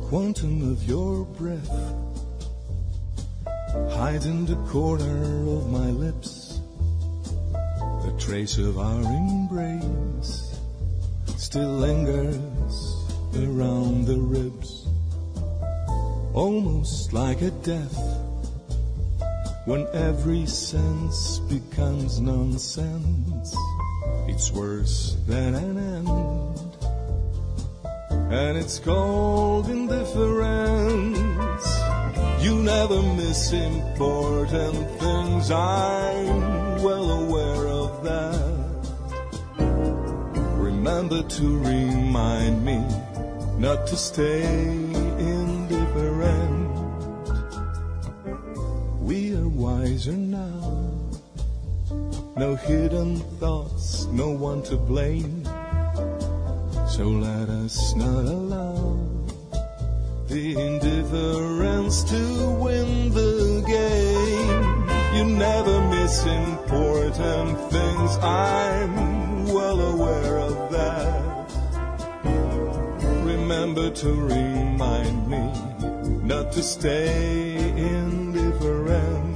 quantum of your breath hides in the corner of my lips. The trace of our embrace still lingers around the ribs, almost like a death when every sense becomes nonsense. It's worse than an end, and it's called indifference. You never miss important things, I'm well aware of that. Remember to remind me not to stay indifferent. We are wiser now, no hidden thoughts, no one to blame. So let us not allow the indifference to win the game. You never miss important things, I'm well aware of that. Remember to remind me not to stay indifferent.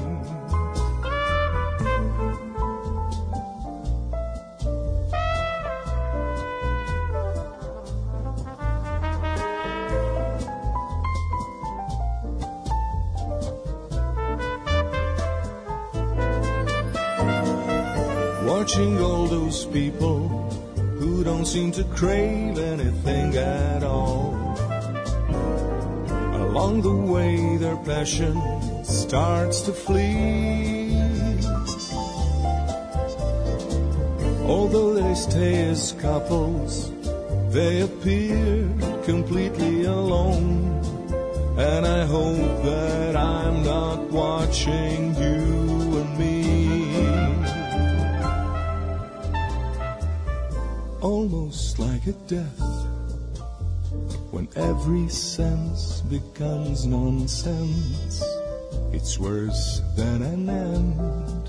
Watching all those people who don't seem to crave anything at all. Along the way their passion starts to flee. Although they stay as couples, they appear completely alone. And I hope that I'm not watching you and me. Almost like a death, when every sense becomes nonsense. It's worse than an end,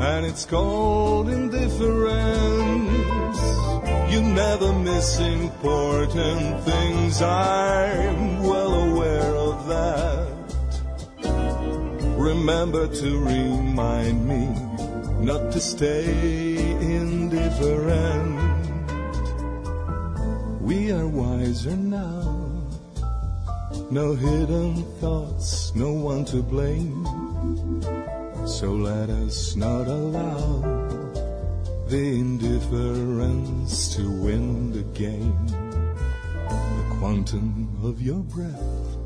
and it's called indifference. You never miss important things, I'm well aware of that. Remember to remind me not to stay indifferent. We are wiser now, no hidden thoughts, no one to blame. So let us not allow the indifference to win the game. The quantum of your breath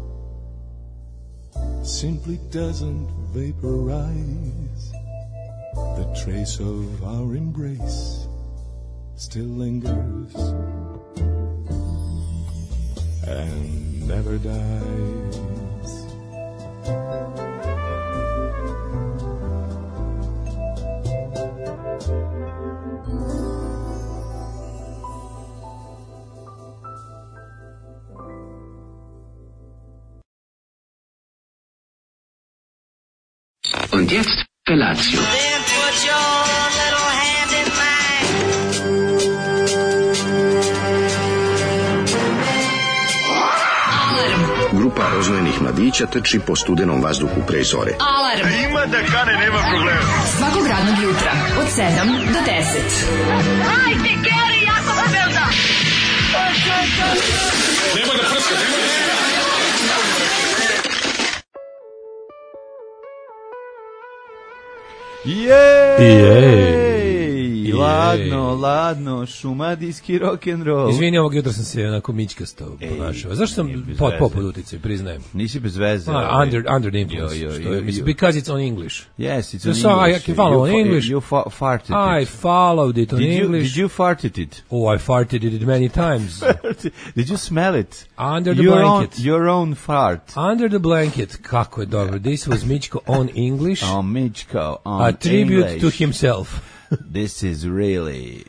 simply doesn't vaporize. The trace of our embrace still lingers and never dies. Und jetzt Felatio. Then put your little hand in mine. Grupa rozvojenih mladića trči po studenom vazduhu pre zore. Alarm! Ima da kane, nema problema. Svakog radnog jutra, od 7 do 10. Hajde, Geri, jako se velda! Nemoj da prska, nemoj da prska. Jej! Ladno, šumadijski rock'n'roll. Izvini, ovog jutra sam se onako mićkasto ponašao. Zašto sam pod uticaj, priznajem? Nisi bez veze. Under the influence. Because it's on English. Yes, it's on so English. I can follow on English. You farted it. I followed it on English. Did you farted it? Oh, I farted it many times. Did you smell it? Under the blanket. Your own fart. Under the blanket. Kako je dobro. This was Mićko on English. Mićko on A tribute English. to himself. This is really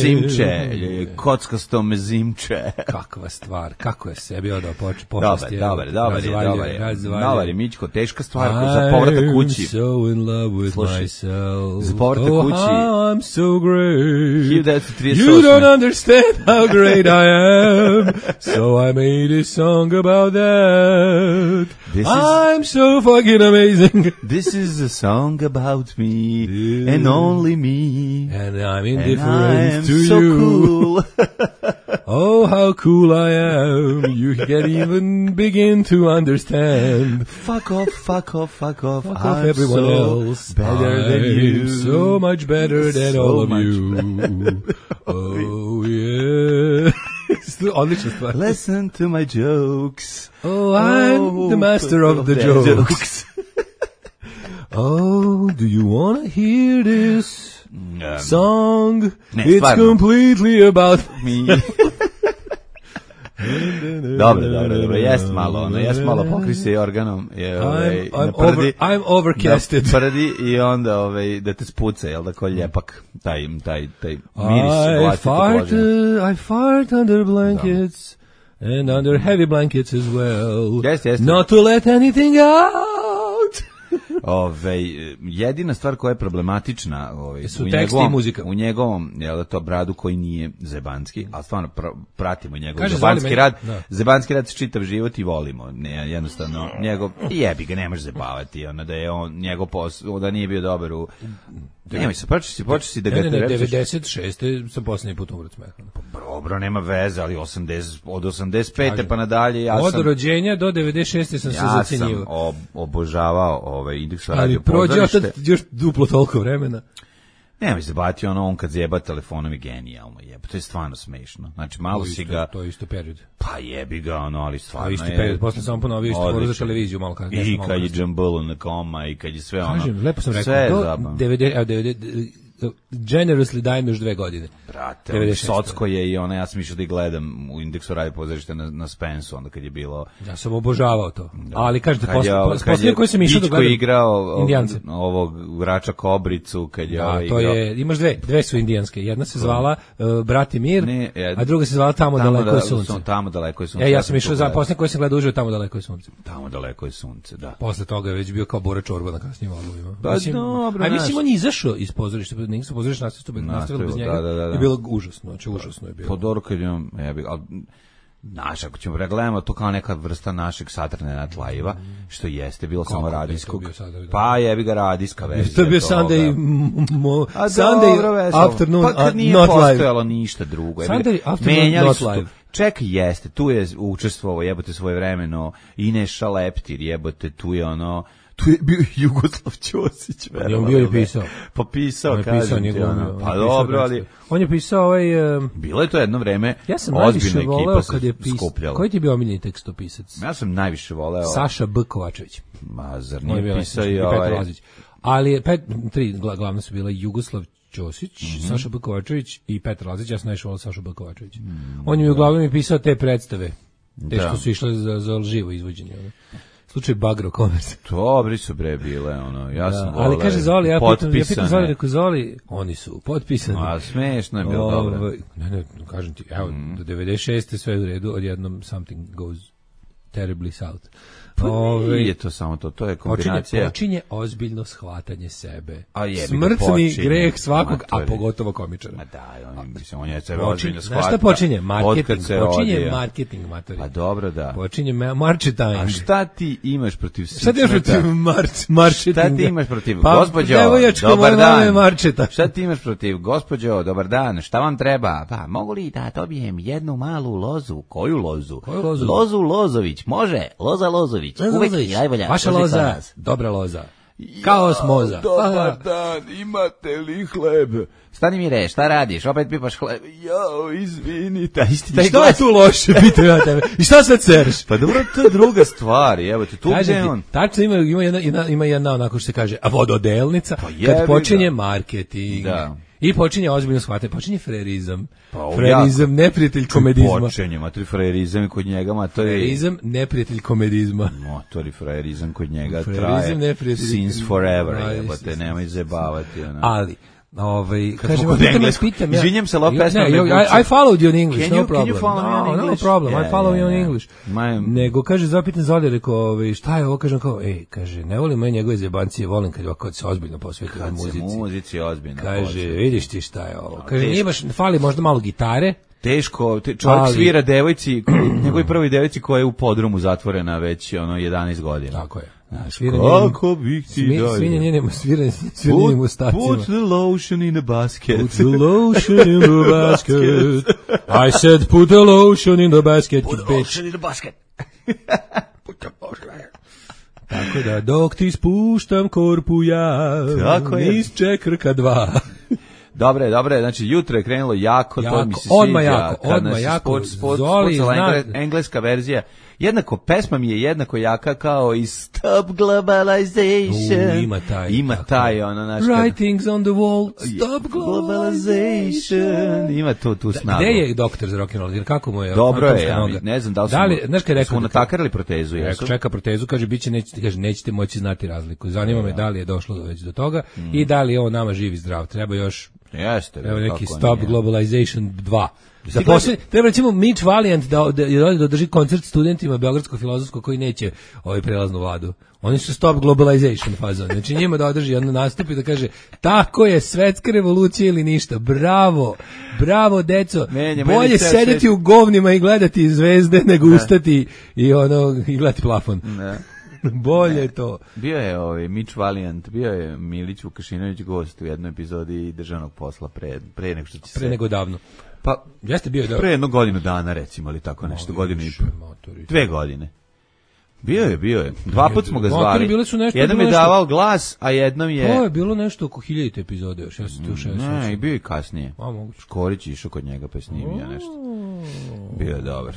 simče, kockasto me zimče. Kakva stvar, kako je sebi odao počast. Dobar je Mićko, teška stvar za povratak kući. I'm so in love with myself. Za povratak kući. Oh, I'm so great. 1938. You don't understand how great I am. So I made a song about that. I'm so fucking amazing. This is a song about me and only me. And I'm indifferent to so you. Cool. Oh, how cool I am. You can't even begin to understand. Fuck off, fuck off, fuck off. Fuck off everyone else. Better than you. So much better than So all of much you. Oh, yeah. Odlična stvar. Listen to my jokes. Oh, I'm the master of the jokes. Oh, do you want to hear this song? It's stvarno. completely about Me. Dobro, jest malo pokri se organom. I'm overcasted. Da prdi i onda da te spuca, jel da, ko ljepak, taj miris. I fart under blankets and under heavy blankets as well. Jeste. Not to let anything out. Jedina stvar koja je problematična su tekst i muzika. U njegovom, jel da, to bradu koji nije zebanski, ali stvarno pratimo njegov Kaže, zebanski rad. Da. Zebanski rad se čitav život i volimo. Ne, jednostavno, njegov, jebi ga, ne možeš zebavati, da je on, njegov posao, da nije bio dobar u... Nemoj se, počeš si da ga... Ne, 96. sam posljednji put umret smeha. Dobro, nema veze, ali od 85. pa nadalje ja sam... Od rođenja do 96. sam se zacenjivao. Ja sam obožavao Indeks radio ali prođe još duplo toliko vremena. Nemoj se bati, on kad zjeba telefonom je genijalno, to je stvarno smešno. Znači, malo si ga... To je isto period. Pa jebi ga, ali stvarno je... To je isto period, posle sam ponovio isto for za televiziju malo kasnije. I kad je Džambulu na koma, i kad je sve ono... Kažem, lepo sam rekao, generously dajem još 2 godine. Brate, Socko je i ona, ja sam išao da ih gledam u Indeksu radio pozorište na Spensu, onda kad je bilo... Ja sam obožavao to. Ali kažete, posljednje koji sam išao da gledam... Ičko igrao ovog Vrača Kobricu, kad je igrao... To je, imaš dve su indijanske. Jedna se zvala Bratimir, a druga se zvala Tamo daleko je sunce. Tamo daleko je sunce. Ja sam išao za posljednje koji sam gledao uživo Tamo daleko je sunce. Tamo daleko je sunce, da. Posle toga je već bio kao Bora Čorba na kasnijim albumima. Pa dobro, a mislim, on je izašao iz pozorišta, nisu pozorište nastavili bez njega. Da. Je bilo užasno, užasno je bilo. Po Doru kad imam, naš, ako ćemo pregledamo, to kao neka vrsta našeg Saturday Night Live-a, što jeste, bilo samo radijskog. Pa jebi ga radijska verzija. To je bio Sunday afternoon, pa kad nije postojalo ništa drugo. Sunday afternoon, not live. Čekaj, jeste, tu je učestvovao, jebote, svojevremeno i Neša Leptir, jebote, tu je ono... Tu je bio Jugoslav Ćosić, on bio i pisao. Pa pisao, kažem ti, pa dobro, ali... On je pisao Bilo je to jedno vreme, ja sam najviše voleo kad je pisao. Koji ti je bio omiljeni tekstopisac? Ja sam najviše voleo... Saša B. Kovačević. Ma, zar nije pisao i ovaj... Ali 3 glavne su bila Jugoslav Ćosić, Saša B. Kovačević i Petar Lazić. Ja sam najviše voleo Saša B. Kovačević. On je uglavnom pisao te predstave, te što su išle za živo izvođenje. Slučaj Bagro Commerce. Dobri su bile, ja sam voleo. Ali kaže Zoli, ja pitam Zoli, rekao Zoli, oni su potpisani. A smešno je bilo dobro. Ne, kažem ti, evo, do 96. sve u redu, odjednom something goes terribly south. Nije to samo to je kombinacija. Počinje ozbiljno shvatanje sebe. Smrtni greh svakog, a pogotovo komičara. Ma da, on je sebe ozbiljno shvatio. Znaš šta počinje? Marketing. Počinje marketing, matori. Pa dobro, da. Počinje marketing. A šta ti imaš protiv Šta ti imaš protiv marketinga? Šta ti imaš protiv, gospođo, dobar dan. Šta ti imaš protiv, gospođo, dobar dan, šta vam treba? Pa, mogu li da dobijem jednu malu lozu? Koju lozu? Lozu Lozović, može, Loza Lozović. Uvek je najbolja. Vaša loza, dobra loza. Kaos moza. Dobar dan, imate li hleb? Stani mi re, šta radiš? Opet pipaš hleb. Jao, izvinite. Što je tu loše, pitam ja tebe? I šta sad cereš? Pa dobro, to je druga stvar. Evo te, tu gde on. Tačno ima jedna onako što se kaže, a vododelnica, kad počinje marketing. Da. I počinje ozbiljno shvatanje, počinje frerizam. Frerizam, neprijatelj komedizma. Počinje, matori frerizam kod njega, matori... Frerizam, neprijatelj komedizma. Matori frerizam kod njega traje since forever, jebate, nemoj zebavati. Ali, Kažem, pitam ja. Izvinjam se, pesma I followed you in English, can no you problem. follow me on English? No problem, Yeah, I follow you on yeah. English. Nego, kaže, zapitan za ovdje, rekao, šta je ovo, kažem kao, kaže, ne volim moje njegove zebancije, volim kad se ozbiljno posveti muzici. Kad se muzici ozbiljno kaže, posveti. vidiš ti šta je ovo. Kaže, nije baš, fali možda malo gitare. Teško, čovjek svira devojci, njegovoj prvoj devojci koja je u podrumu zatvorena već 11 godina. Tako je. Kako bih ti dao. Svinjenjenim ustacima. Put the lotion in the basket. Put the lotion in the basket. I said put the lotion in the basket. Put the lotion in the basket. Put the lotion. Tako da, dok ti spuštam korpu ja, niz čekrka 2. Dobre, znači jutro je krenulo jako, to mi se sviđa. Odmah jako. Zoli, engleska verzija. Jednako, pesma mi je jednako jaka kao i Stop Globalization. Ima taj, naš... Writings on the wall, Stop Globalization. Ima tu snagu. Gde je doktor za rock'n'roll? Kako mu je? Dobro je, ja ne znam da li smo natakarili protezu. Čeka protezu, kaže, nećete moći znati razliku. Zanima me da li je došlo već do toga i da li je on nama živ i zdrav. Treba još... Jeste. Evo neki Stop Globalization 2. Treba recimo Mitch Valiant da drži koncert studentima Beogradskog filozofskog koji neće prelaznu vladu. Oni su Stop Globalization fazon. Znači njima da održi jedan nastup i da kaže tako je, svetska revolucija ili ništa. Bravo deco. Bolje sedeti u govnima i gledati zvezde nego ustati i gledati plafon. Ne. Bolje to. Bio je Mitch Valiant, bio je Milić Vukašinović gost u jednoj epizodi Državnog posla pre nego što će pre nego davno. Pa jeste bio pre jednu godinu dana recimo, ali tako nešto, godinu i 2 godine. Bio je. 2 puta smo ga zvali. Jednom je davao glas, a jednom je... To je bilo nešto oko 1000 epizode još, ja sam tu 6. Ne, i bio i kasnije. Škorić išao kod njega pa snimio nešto. Bio je dobar.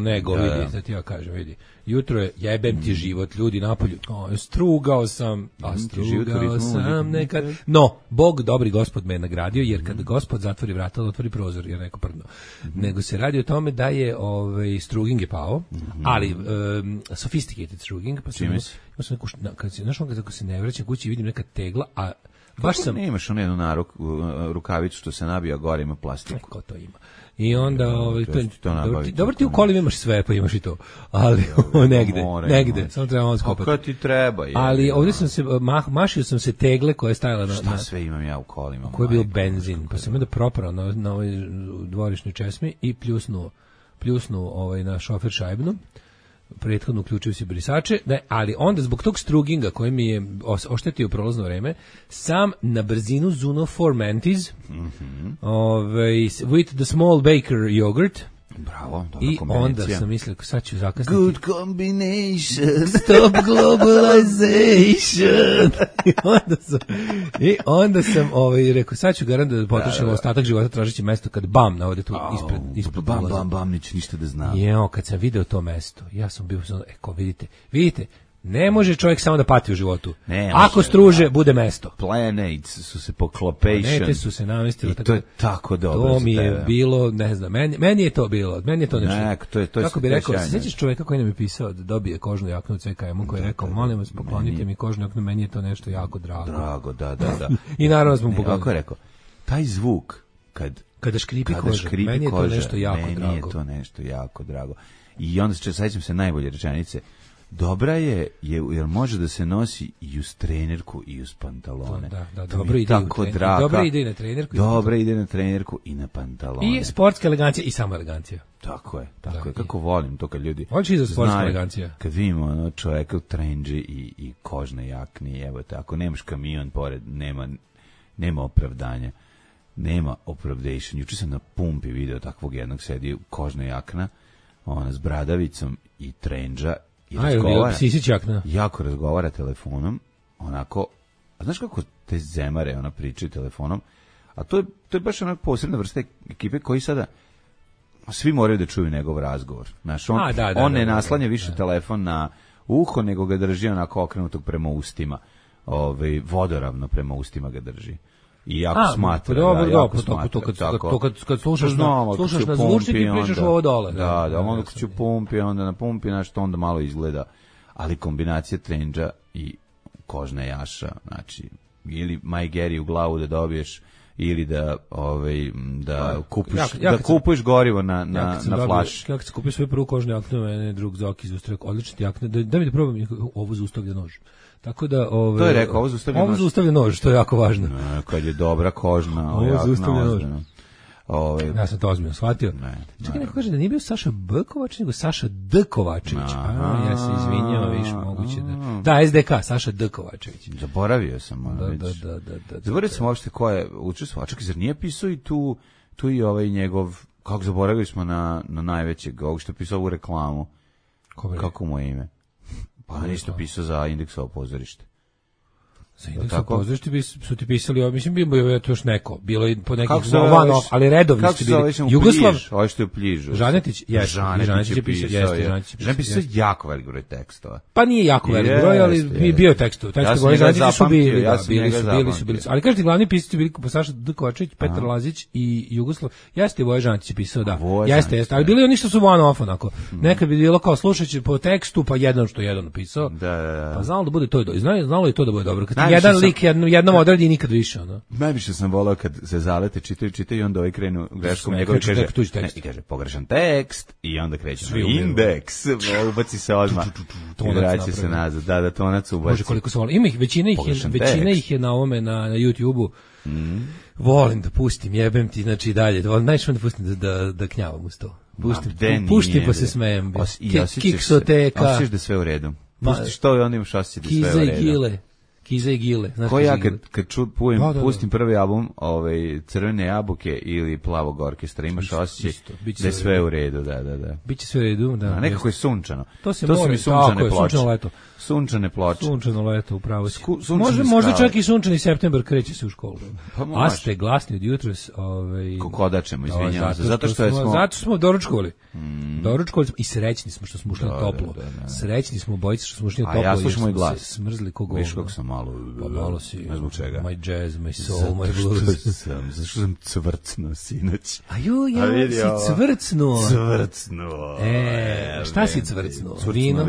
Nego, vidi, sad ja kažem, vidi. Jutro je, jebem ti život, ljudi napolju. Strugao sam nekad. No, Bog, dobri gospod me je nagradio, jer kad gospod zatvori vrata, otvori prozor, jer neko prdno. Nego se radi o tome da je struging je pao, ali sophisticated struging, pa sam neku, kad se ne vraćam kući, vidim neka tegla, a baš sam... Ne imaš jednu rukavicu što se nabija gore, ima plastiku. Ko to ima? I onda dobro ti u kolima imaš sve, pa imaš i to. Ali negde, samo treba malo skopati. Kako ti treba? Ali ovdje sam se mašio sam se tegle koja je stajala na... Šta sve imam ja u kolima? Koji je bio benzin, pa sam onda proprao na ovoj dvorišnoj česmi i pljusnu na šofer šajbnu. Prethodno uključio se brisače, ali onda zbog tog struginga koji mi je oštetio prolazno vreme, sam na brzinu zuno 4 Mantis with the small baker yogurt. Bravo, dobra i kombinacija. Onda sam mislio, sad ću zakasniti. Good combination. Stop globalization. I onda sam rekao, sad ću garant da potrošim ostatak života tražeći mesto kad bam navode tu ispred bam, neće ništa da znam. Kad sam video to mesto, ja sam bio, vidite, ne može čovjek samo da pati u životu. Ako struže, bude mesto. Planets su se poklopation. Planete su se namestili. I to je tako dobro. To mi je bilo, ne znam, meni je to bilo. Meni je to nešto. Kako bi rekao, se sjećaš čovjeka koji nam je pisao da dobije kožnu jaknu od CKM-u, koji je rekao, molim vas, poklonite mi kožnu jaknu, meni je to nešto jako drago. Drago, da. I naravno smo poklonili. Kako je rekao, taj zvuk, kada škripi koža, meni je to nešto jako drago. Meni je to nešto jako drago. I onda sećam se najbolje rečenice. Dobra je, jer može da se nosi i uz trenerku i uz pantalone. Da, dobro ide na trenerku. Dobra ide na trenerku i na pantalone. I sportska elegancija i samo elegancija. Tako je. Kako volim to kad ljudi hoće i za sportska elegancija. Kad vidimo čoveka u trendži i kožne jakni, evo tako, nemaš kamion pored, nema opravdanja. Nema opravdation. Juče sam na pumpi video takvog jednog sedi u kožne jakna, s bradavicom i trendža. Jako razgovara telefonom, onako, a znaš kako te zemare pričaju telefonom, a to je baš onako posebna vrsta ekipe koji sada svi moraju da čuju njegov razgovor. Znaš, on ne naslanja više telefon na uho, nego ga drži onako okrenutog prema ustima, vodoravno prema ustima ga drži. I jako smatra. Kad slušaš na zvučnik i pričaš ovo dole. Da, onda kad ću pumpi, onda na pumpi, to onda malo izgleda. Ali kombinacija trendža i kožna jaša, znači, ili Majgeri u glavu da dobiješ ili da kupuješ gorivo na flaš. Kako se kupio svoju prvu kožnu jaknu, mene drug Zoki izustrio odlične jakne, da mi da probam ovo zaustavlja nož. Tako da to je rekao, ovo zaustavlja nož, to je jako važno. Kad je dobra kožna, ovo zaustavlja nož. Ja sam to ozbiljno shvatio. Čekaj, neko kaže da nije bio Saša B. Kovačević, nego Saša D. Kovačević. Ja se izvinjam, više moguće da... Da, SDK, Saša D. Kovačević. Zaboravio sam. Da. Zaboravio sam uopšte ko je učestvovao. Čekaj, zar nije pisao i tu i ovaj njegov... Kako zaboravili smo na najvećeg, ovog što je pisao u reklamu. Kako mu je ime? Pa ništa pisao za Indeksovo pozorište. Za Indeksovo pozorište su ti pisali, mislim, bilo je to još neko, bilo je po nekih one-off, ali redovni ste bili. Jugoslav, ovo što je u Pližu. Žanetić je pisao, Žanetić pisao jako velik broj tekstova. Pa nije jako velik broj, ali bio je tekstova. Žanetić su bili, bili su. Ali kažete, glavni pisci bili po Saša D. Kovačević, Petar Lazić i Jugoslav. Jeste Voja Žanetić pisao, da. Jeste, ali bili oni što su one-off onako. Nekad bi bilo kao slušajući po tekstu, pa jedan pisao. Pa znalo da bude to, znalo je to da bude dobro. Jedan lik, jednom odradi i nikad više. Ono. Najviše sam volao kad se zalete, čitaju i onda ovaj krenu greškom njegove kaže pogrešan tekst i onda kreće indeks, ubaci se odmah i vraća se nazad. Da, tonac ubaci. Može koliko se volao. Ima ih, većina ih je na ovome, na YouTube-u. Volim da pustim, jebem ti, znači dalje. Najviše da pustim da knjavam uz to. Puštim pa se smejem. Kiksoteka. Osjećaš da sve u redu. Pustiš to i onda imaš osjećaj da sve u redu. Kiza i Gile. Ko ja kad pustim prvi album Crvene jabuke ili Plavog orkestra, imaš osjećaj da je sve u redu, da. Biće sve u redu, da. A nekako je sunčano. To su mi sunčane ploče. Sunčane ploče. Sunčano leto, upravo si. Možda čak i sunčani septembar kreće se u školu. A ste glasni od jutros. Kokodačemo, izvinjavam se. Zato smo doručkovali. Doručkovali smo i srećni smo što smo ušli toplo. Srećni smo bojice što smo ušli toplo. A ja slušam moj glas. Smrzli kogol. Kako sam malo si, ne zbog čega. My jazz, my soul, my blues. Zašto sam cvrcnuo sinoć? Ja si cvrcnuo. Šta si cvrcnuo? Vino.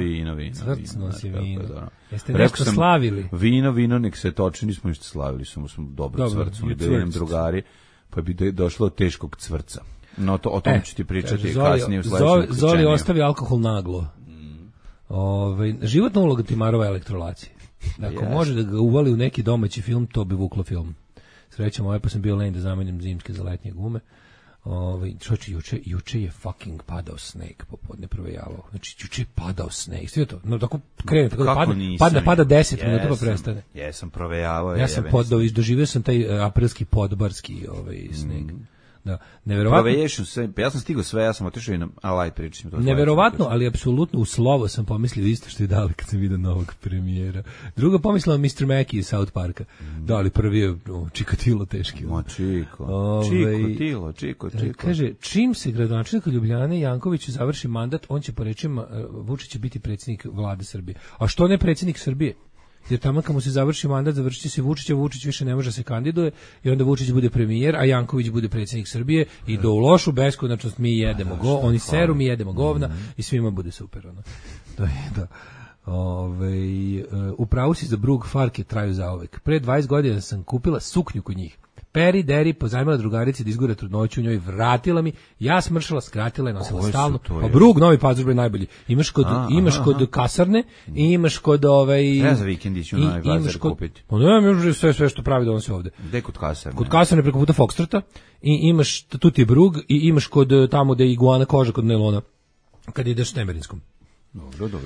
Cvrcnuo si vino. Jeste nešto slavili? Vino, nek se toči, nismo ništa slavili, samo smo dobro cvrcnuli, bili nam drugari, pa bi došlo od teškog cvrca. No, o tom ću ti pričati kasnije u sledećem. Zoli ostavi alkohol naglo. Životna uloga Timarova je elektrolacija. Ako može da ga uvali u neki domaći film, to bi vuklo film. Srećom, pa sam bio lenj da zamenim zimske za letnje gume. Juče je fucking padao sneg popodne provejavao. Znači, juče je padao sneg. Sve to. No, tako krene, tako da pada 10 minuta pa prestane. Jesam provejavao. Ja sam doživio sam taj aprilski podbarski sneg. Da, neverovatno. Ja sam stigao sve, ja sam otišao i pričam. Neverovatno, ali apsolutno u slovo sam pomislio isto što je dali kad sam vidio novog premijera. Druga pomislila Mr. Mackey iz South Parka. Da, ali prvi je Čikatilo teški. Čiko. Kaže, čim se gradonačelnik Ljubljane Jankoviću završi mandat, on će po rečima Vučić će biti predsjednik vlade Srbije. A što ne predsjednik Srbije? Jer tamo kad mu se završi mandat, završit će se Vučić, a Vučić više ne može se kandiduje i onda Vučić bude premijer, a Janković bude predsjednik Srbije i do u lošu beskonačnost mi jedemo oni seru, mi jedemo govna i svima bude super. To je da. Upravo si za Brug Farke traju zauvek. Pre 20 godina sam kupila suknju kod njih. Peri Deri pozajmila drugarici da izgura trudnoću u njoj, vratila mi, ja smršala, skratila je, nosila stalno. A Brug, Novi Pazar je najbolji. Imaš kod kasarne i imaš kod Treba za vikend ići u Novi Pazar kupiti. Ne, sve što pravi donosi ovde. Gde kod kasarne? Kod kasarne preko puta Foxtrota i imaš, tu ti je Brug i imaš kod tamo gde je iguana koža kod Nelona, kad ideš s Temerinskom. Dobro.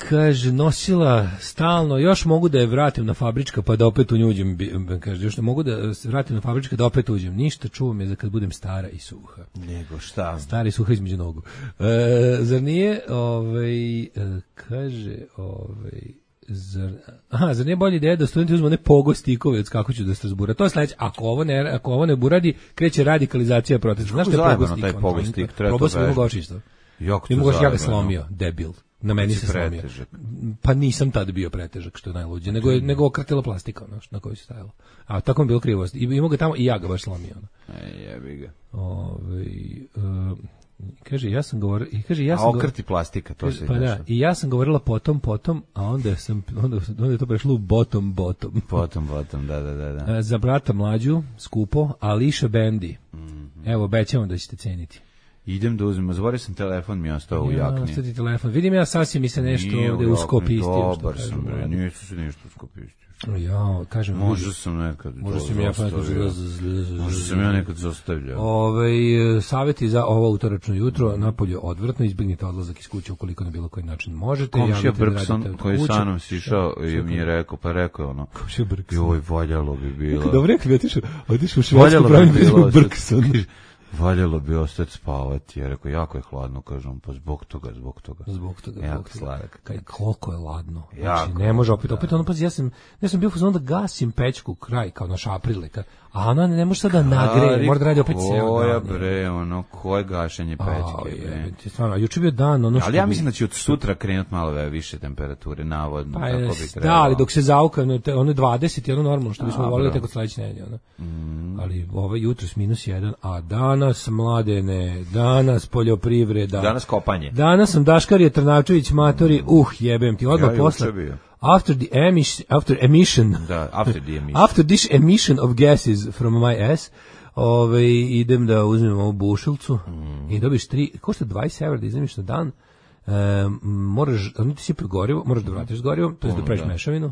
Kaže, nosila stalno, još mogu da je vratim na fabrička pa da opet uđem, kaže, još ne mogu da se vratim na fabrička da opet uđem, ništa, čuvam je za kad budem stara i suha. Nego šta? Stara i suha između nogu. Zar nije, kaže, zar nije bolja ideja da studenti uzmu ne pogo stikove od kako ću da Strasbura? To je sledeće. Ako ovo ne buradi, kreće radikalizacija protesta. Znaš što je pogo stik? Probao sam imao gočić to. Ja ga slomio, debil. Na meni se slomio. Pa nisam tad bio pretežak, što je najluđe, nego okratila plastika na kojoj se stajalo. A tako mi bilo krivo. Imao ga tamo i ja ga baš slomio. Jebi ga. Kaže, ja sam govorila... A okrti plastika, to se pa da, i ja sam govorila potom, a onda je to prešlo u bottom. Potom, da. Za brata mlađu, skupo, Ališa Bendi. Evo, obećavam da ćete ceniti. Idem da uzmem, zvorio sam telefon, mi je ostao u jakni. Ostao ti telefon. Vidim ja sasvim mi se nešto ovde uskopistio. Dobar sam, bre, nije se nešto uskopistio. Ja, kažem, možda sam nekad zostavljao. Savjeti za ovo utoračno jutro, napolje odvrtno, izbjegnite odlazak iz kuće ukoliko na bilo koji način možete. Komšija Brkson koji sa mnom sišao i mi je rekao, ono, joj, valjalo bi bilo. Dobro, rekli, otišao u Švedsku, pravim bezbog Brkson. Valjalo bi ostati spavati, jer ako jako je hladno, kažem, pa zbog toga. Jako sladak. Koliko je ladno. Znači, ne može opet ono, pazi, ja sam bio fazon da gasim pećku kraj, kao naš Aprileka, a ona ne može sad da nagreje, mora da radi opet ceo dan. Koje gašenje pećke, bre. Stvarno, juče bio dan, ono što... Ali ja mislim da će od sutra krenuti malo više temperature, navodno, tako bi trebalo. Da, ali dok se zauka, ono je 20 i ono normalno, što bismo volili tek od sledeće nedelje, ono. Ali jutro s -1, a danas, mladene, danas poljoprivreda. Danas kopanje. Danas sam Daškarije Trnavčević, matori, jebem ti, odmah posle. After this emission of gases from my ass, idem da uzmem ovu bušilcu i dobiš 3, košta 20 € da izmeniš na dan. Moraš, ti si gorivo, moraš da vratiš gorivo, to je da praviš mešavinu.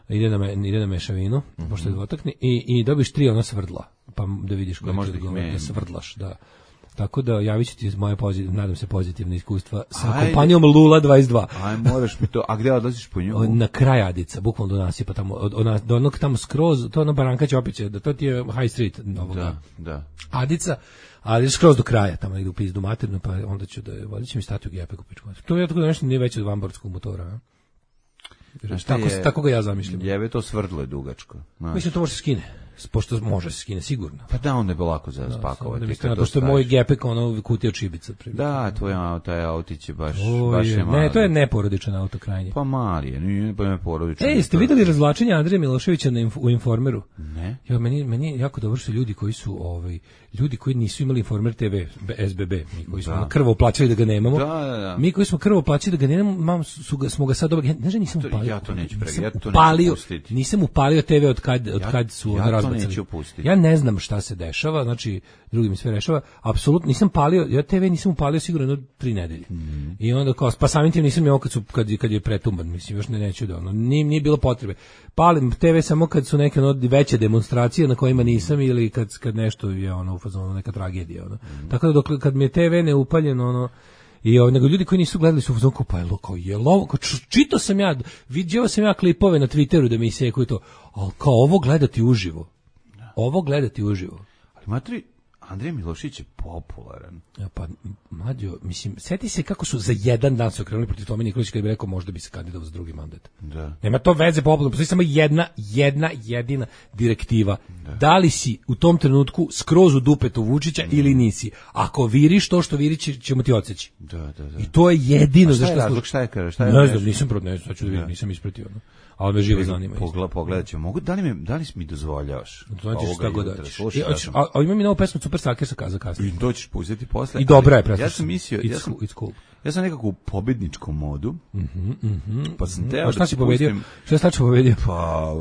Ide na mešavinu, pošto je dvotakni, i dobiš 3 ona svrdla, pa da vidiš koje će da svrdlaš, da. Tako da javit ću ti moje nadam se pozitivne iskustva sa kompanijom Lula 22. Aj, moraš mi to, a gde odlaziš po nju? Na kraj Adica, bukvalno do nasipa tamo, do onog tamo skroz, to ono Baranka će opet da to ti je High Street novoga. Da. Adica, ali skroz do kraja, tamo negdje u pizdu maternu, pa onda ću da vodit će mi stati u gepe kupičku. To je tako da nešto nije veće od vamborskog motora, tako ga ja zamišljam. Jebe to svrdlo je dugačko. Mislim, to može se skine. Pošto može se skine, sigurno. Pa da, onda je lako za spakovati. Pošto je moj gepek, ono, kutija čibica. Da, taj autić je baš je mali. Ne, to je neporodičan auto krajnje. Pa mali je, nije pa neporodičan. Jeste vidjeli razvlačenje Andreja Miloševića u Informeru? Ne. Jo, meni je jako dobro što ljudi koji su, ljudi koji nisu imali Informer TV, SBB, mi koji smo krvo plaćali da ga nemamo. Da. Mi koji smo krvo plaćali da ga nemamo, smo ga sad dobili. Ne, nisam upalio. Ja to neću pustiti. Nisam upalio TV od kad su razbacali. Ja ne znam šta se dešava, znači drugi mi sve rešava, apsolutno nisam palio, ja TV nisam upalio sigurno 3 nedelje. I onda kao, pa samim tim nisam imao kad je pretumban, mislim, još neću da ono, nije bilo potrebe. Palim TV samo kad su neke veće demonstracije na kojima nisam ili kad nešto je ono u fazonu neka tragedija, ono. Tako da kad mi je TV neupaljeno, ono, i nego ljudi koji nisu gledali su u fazonu pa je lovo, čitao sam ja, vidio sam ja klipove na Twitteru da mi isekuju to, ali kao ovo gledati uživo. Ali matri, Andrej Milošić je popularan. Pa, mlađo, mislim, sjeti se kako su za jedan dan se okrenuli protiv Tome Nikolića kad bi rekao možda bi se kandidovao za drugi mandat. Da. Nema to veze popularno, postoji samo jedna jedina direktiva. Da li si u tom trenutku skroz u dupetu Vučića ili nisi? Ako viriš to što viri ćemo ti odseći. Da. I to je jedino zašto šta je ne znam, nisam protiv, sad ću da vidim, nisam ispratio. Ali me živo zanima. Pogledat ću. Da li mi dozvoljavaš? A imam i novu pesmu Super Saker sa Kaza kasnije. I to ćeš pustiti posle. I dobra je predstavlja. Ja sam mislio, it's cool. Ja sam nekako u pobedničkom modu. Pa sam teo da šta si pobedio? Šta si tačno pobedio? Pa,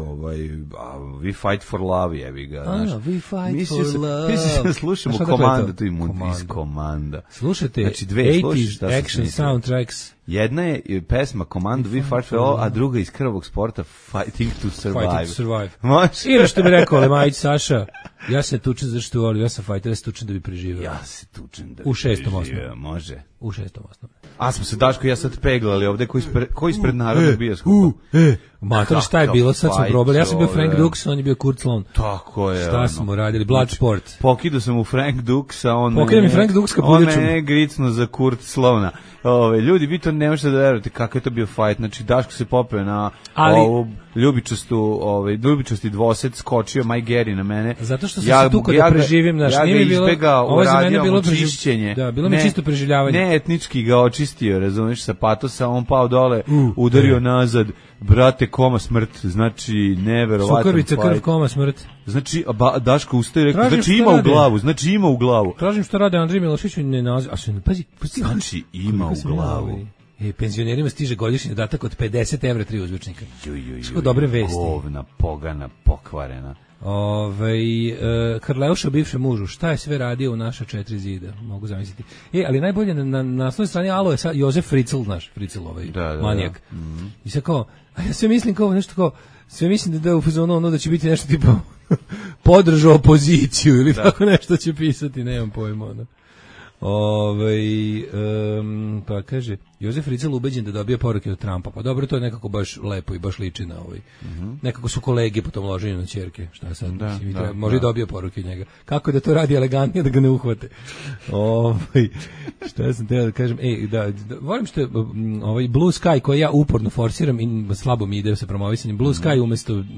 We Fight for Love, jebi ga. We Fight for Love. Mislim da slušamo Komanda, to ima iz Komanda. Slušajte, znači, 80s action soundtracks. Jedna je pesma Komanda We Fight for Love, a druga iz Krvog sporta Fighting to Survive. Ili što bi rekao Lemajić Saša, ja se tučem zašto volim, ja sam fighter, ja se tučem da bi preživio. Ja se tučem da bi preživio, može. U 6. osnovne. A smo se Daško i ja sad peglali ovde ko ispred narodnog bioskopa. Mater, šta je bilo, sad smo probali. Ja sam bio Frank Dux, on je bio Kurt Sloan. Tako je. Šta smo radili? Bloodsport. Pokidao sam u Frank Duxa, on mene gricno za Kurt Sloana. Ljudi, vi to ne možete da verujete kako je to bio fight. Znači, Daško se popeo na ovu ljubičasti dvosed, skočio Mike Gary na mene. Zato što sam se tukao da preživim, ja ga izbegao, uradio mu čišćenje. Da, bilo mi čisto preživljavanje. etnički ga očistio, razumeš, sa patosa, on pao dole, udario nazad, brate, koma smrt, znači, neverovatan. Sukrvica, krv, koma smrt. Znači, Daško ustaje i rekao, znači ima u glavu, znači ima u glavu. Tražim što rade Andrej Milošić, ne naziv, pazi, znači ima u glavu. Penzionerima stiže godišnji dodatak od 50 evra 3 uzvičnika. Što dobre vesti. Govna, pogana, pokvarena. Krleuša bivše mužu, šta je sve radio u naša 4 zida, mogu zamisliti. Ali najbolje na naslovnoj strani Alo je sad Jozef Fritzl, naš Fritzl, manijak. I sad kao, a ja sve mislim kao nešto kao, sve mislim da je u fazonu ono da će biti nešto tipa podržao opoziciju ili tako nešto će pisati, nemam pojma. Ono. Pa kaže Jozef Fritzl ubeđen da dobije poruke od Trumpa. Pa dobro, to je nekako baš lepo i baš liči na nekako su kolege po tom loženju na ćerke. Šta sad? Može i dobije poruke od njega. Kako da to radi elegantnije da ga ne uhvate? Šta sam teo da kažem? Volim što je Blue Sky koji ja uporno forsiram i slabo mi ide sa promovisanjem. Blue Sky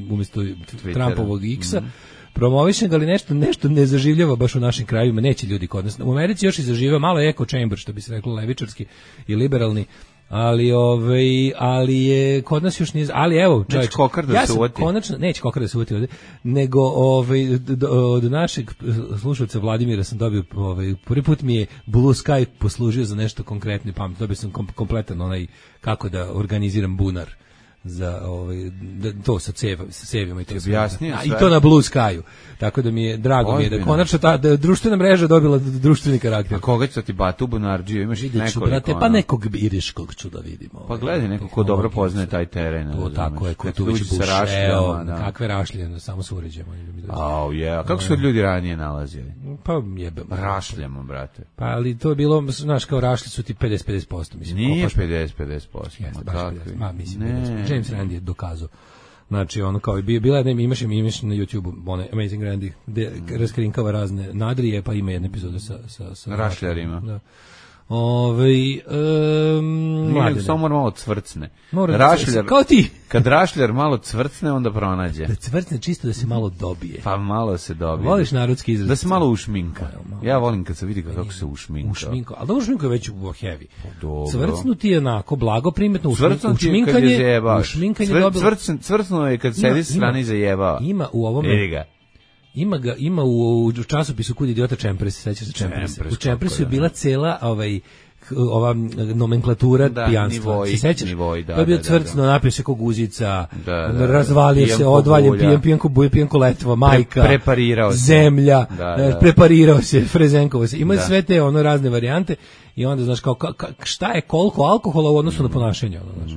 umesto Trumpovog X-a. Promovišem ga, ali nešto ne zaživljava baš u našim krajevima, neće ljudi kod nas. U Americi još i zaživljava malo echo chamber, što bi se reklo levičarski i liberalni, ali je kod nas još nije, ali evo, čovječ, ja sam konačno, neće kokar da se uvati ovdje, nego od našeg slušalca Vladimira sam dobio, prvi put mi je Blue Sky poslužio za nešto konkretno i pametno, dobio sam kompletan onaj kako da organiziram bunar za to sa cevima i to i to na Blue Skyu. Tako da mi je drago mi je da konačno ta društvena mreža dobila društveni karakter. A koga će ti Batu Bunarđiju? Imaš nekoliko, brate, pa nekog iriškog ću da vidimo. Pa gledaj, neko ko dobro poznaje taj teren. To tako je, ko tu već buše, kakve rašljene, samo se uređemo. Kako su ljudi ranije nalazili? Pa jebem. Rašljamo, brate. Pa ali to je bilo, znaš, kao rašlji su ti 50-50%, mislim. Nije 50-50%. Ma mislim, James Randi je dokazao. Znači, ono kao i bila jedna, imaš na YouTubeu one Amazing Randy, gde raskrinkava razne nadrije, pa ima jedna epizoda sa rašljarima. Da. Samo mora malo cvrcne. Rašljar, kao ti. Kad rašljar malo cvrcne, onda pronađe. Da cvrcne čisto da se malo dobije. Pa malo se dobije. Voliš narodski izraz? Da se malo ušminka. Ja volim kad se vidi kako se ušminka. Ali da ušminka je već u heavy. Dobro. Cvrcnu ti je onako blago primetno. Ušminkanje cvrcnuo je kad sedi s strane i zajebava. Ima u ovome. Ima u časopisu Kud idiota Čempres, sećaš se Čempresa. U Čempresu je bila cela ova nomenklatura pijanstva. Se sećaš? To je bio cvrcno, napio se ko guzica, razvalio se, odvaljen, pijanko letva, majka, zemlja, preparirao se, frezenkovo se. Ima sve te razne varijante i onda, znaš, šta je koliko alkohola u odnosu na ponašanje, znaš.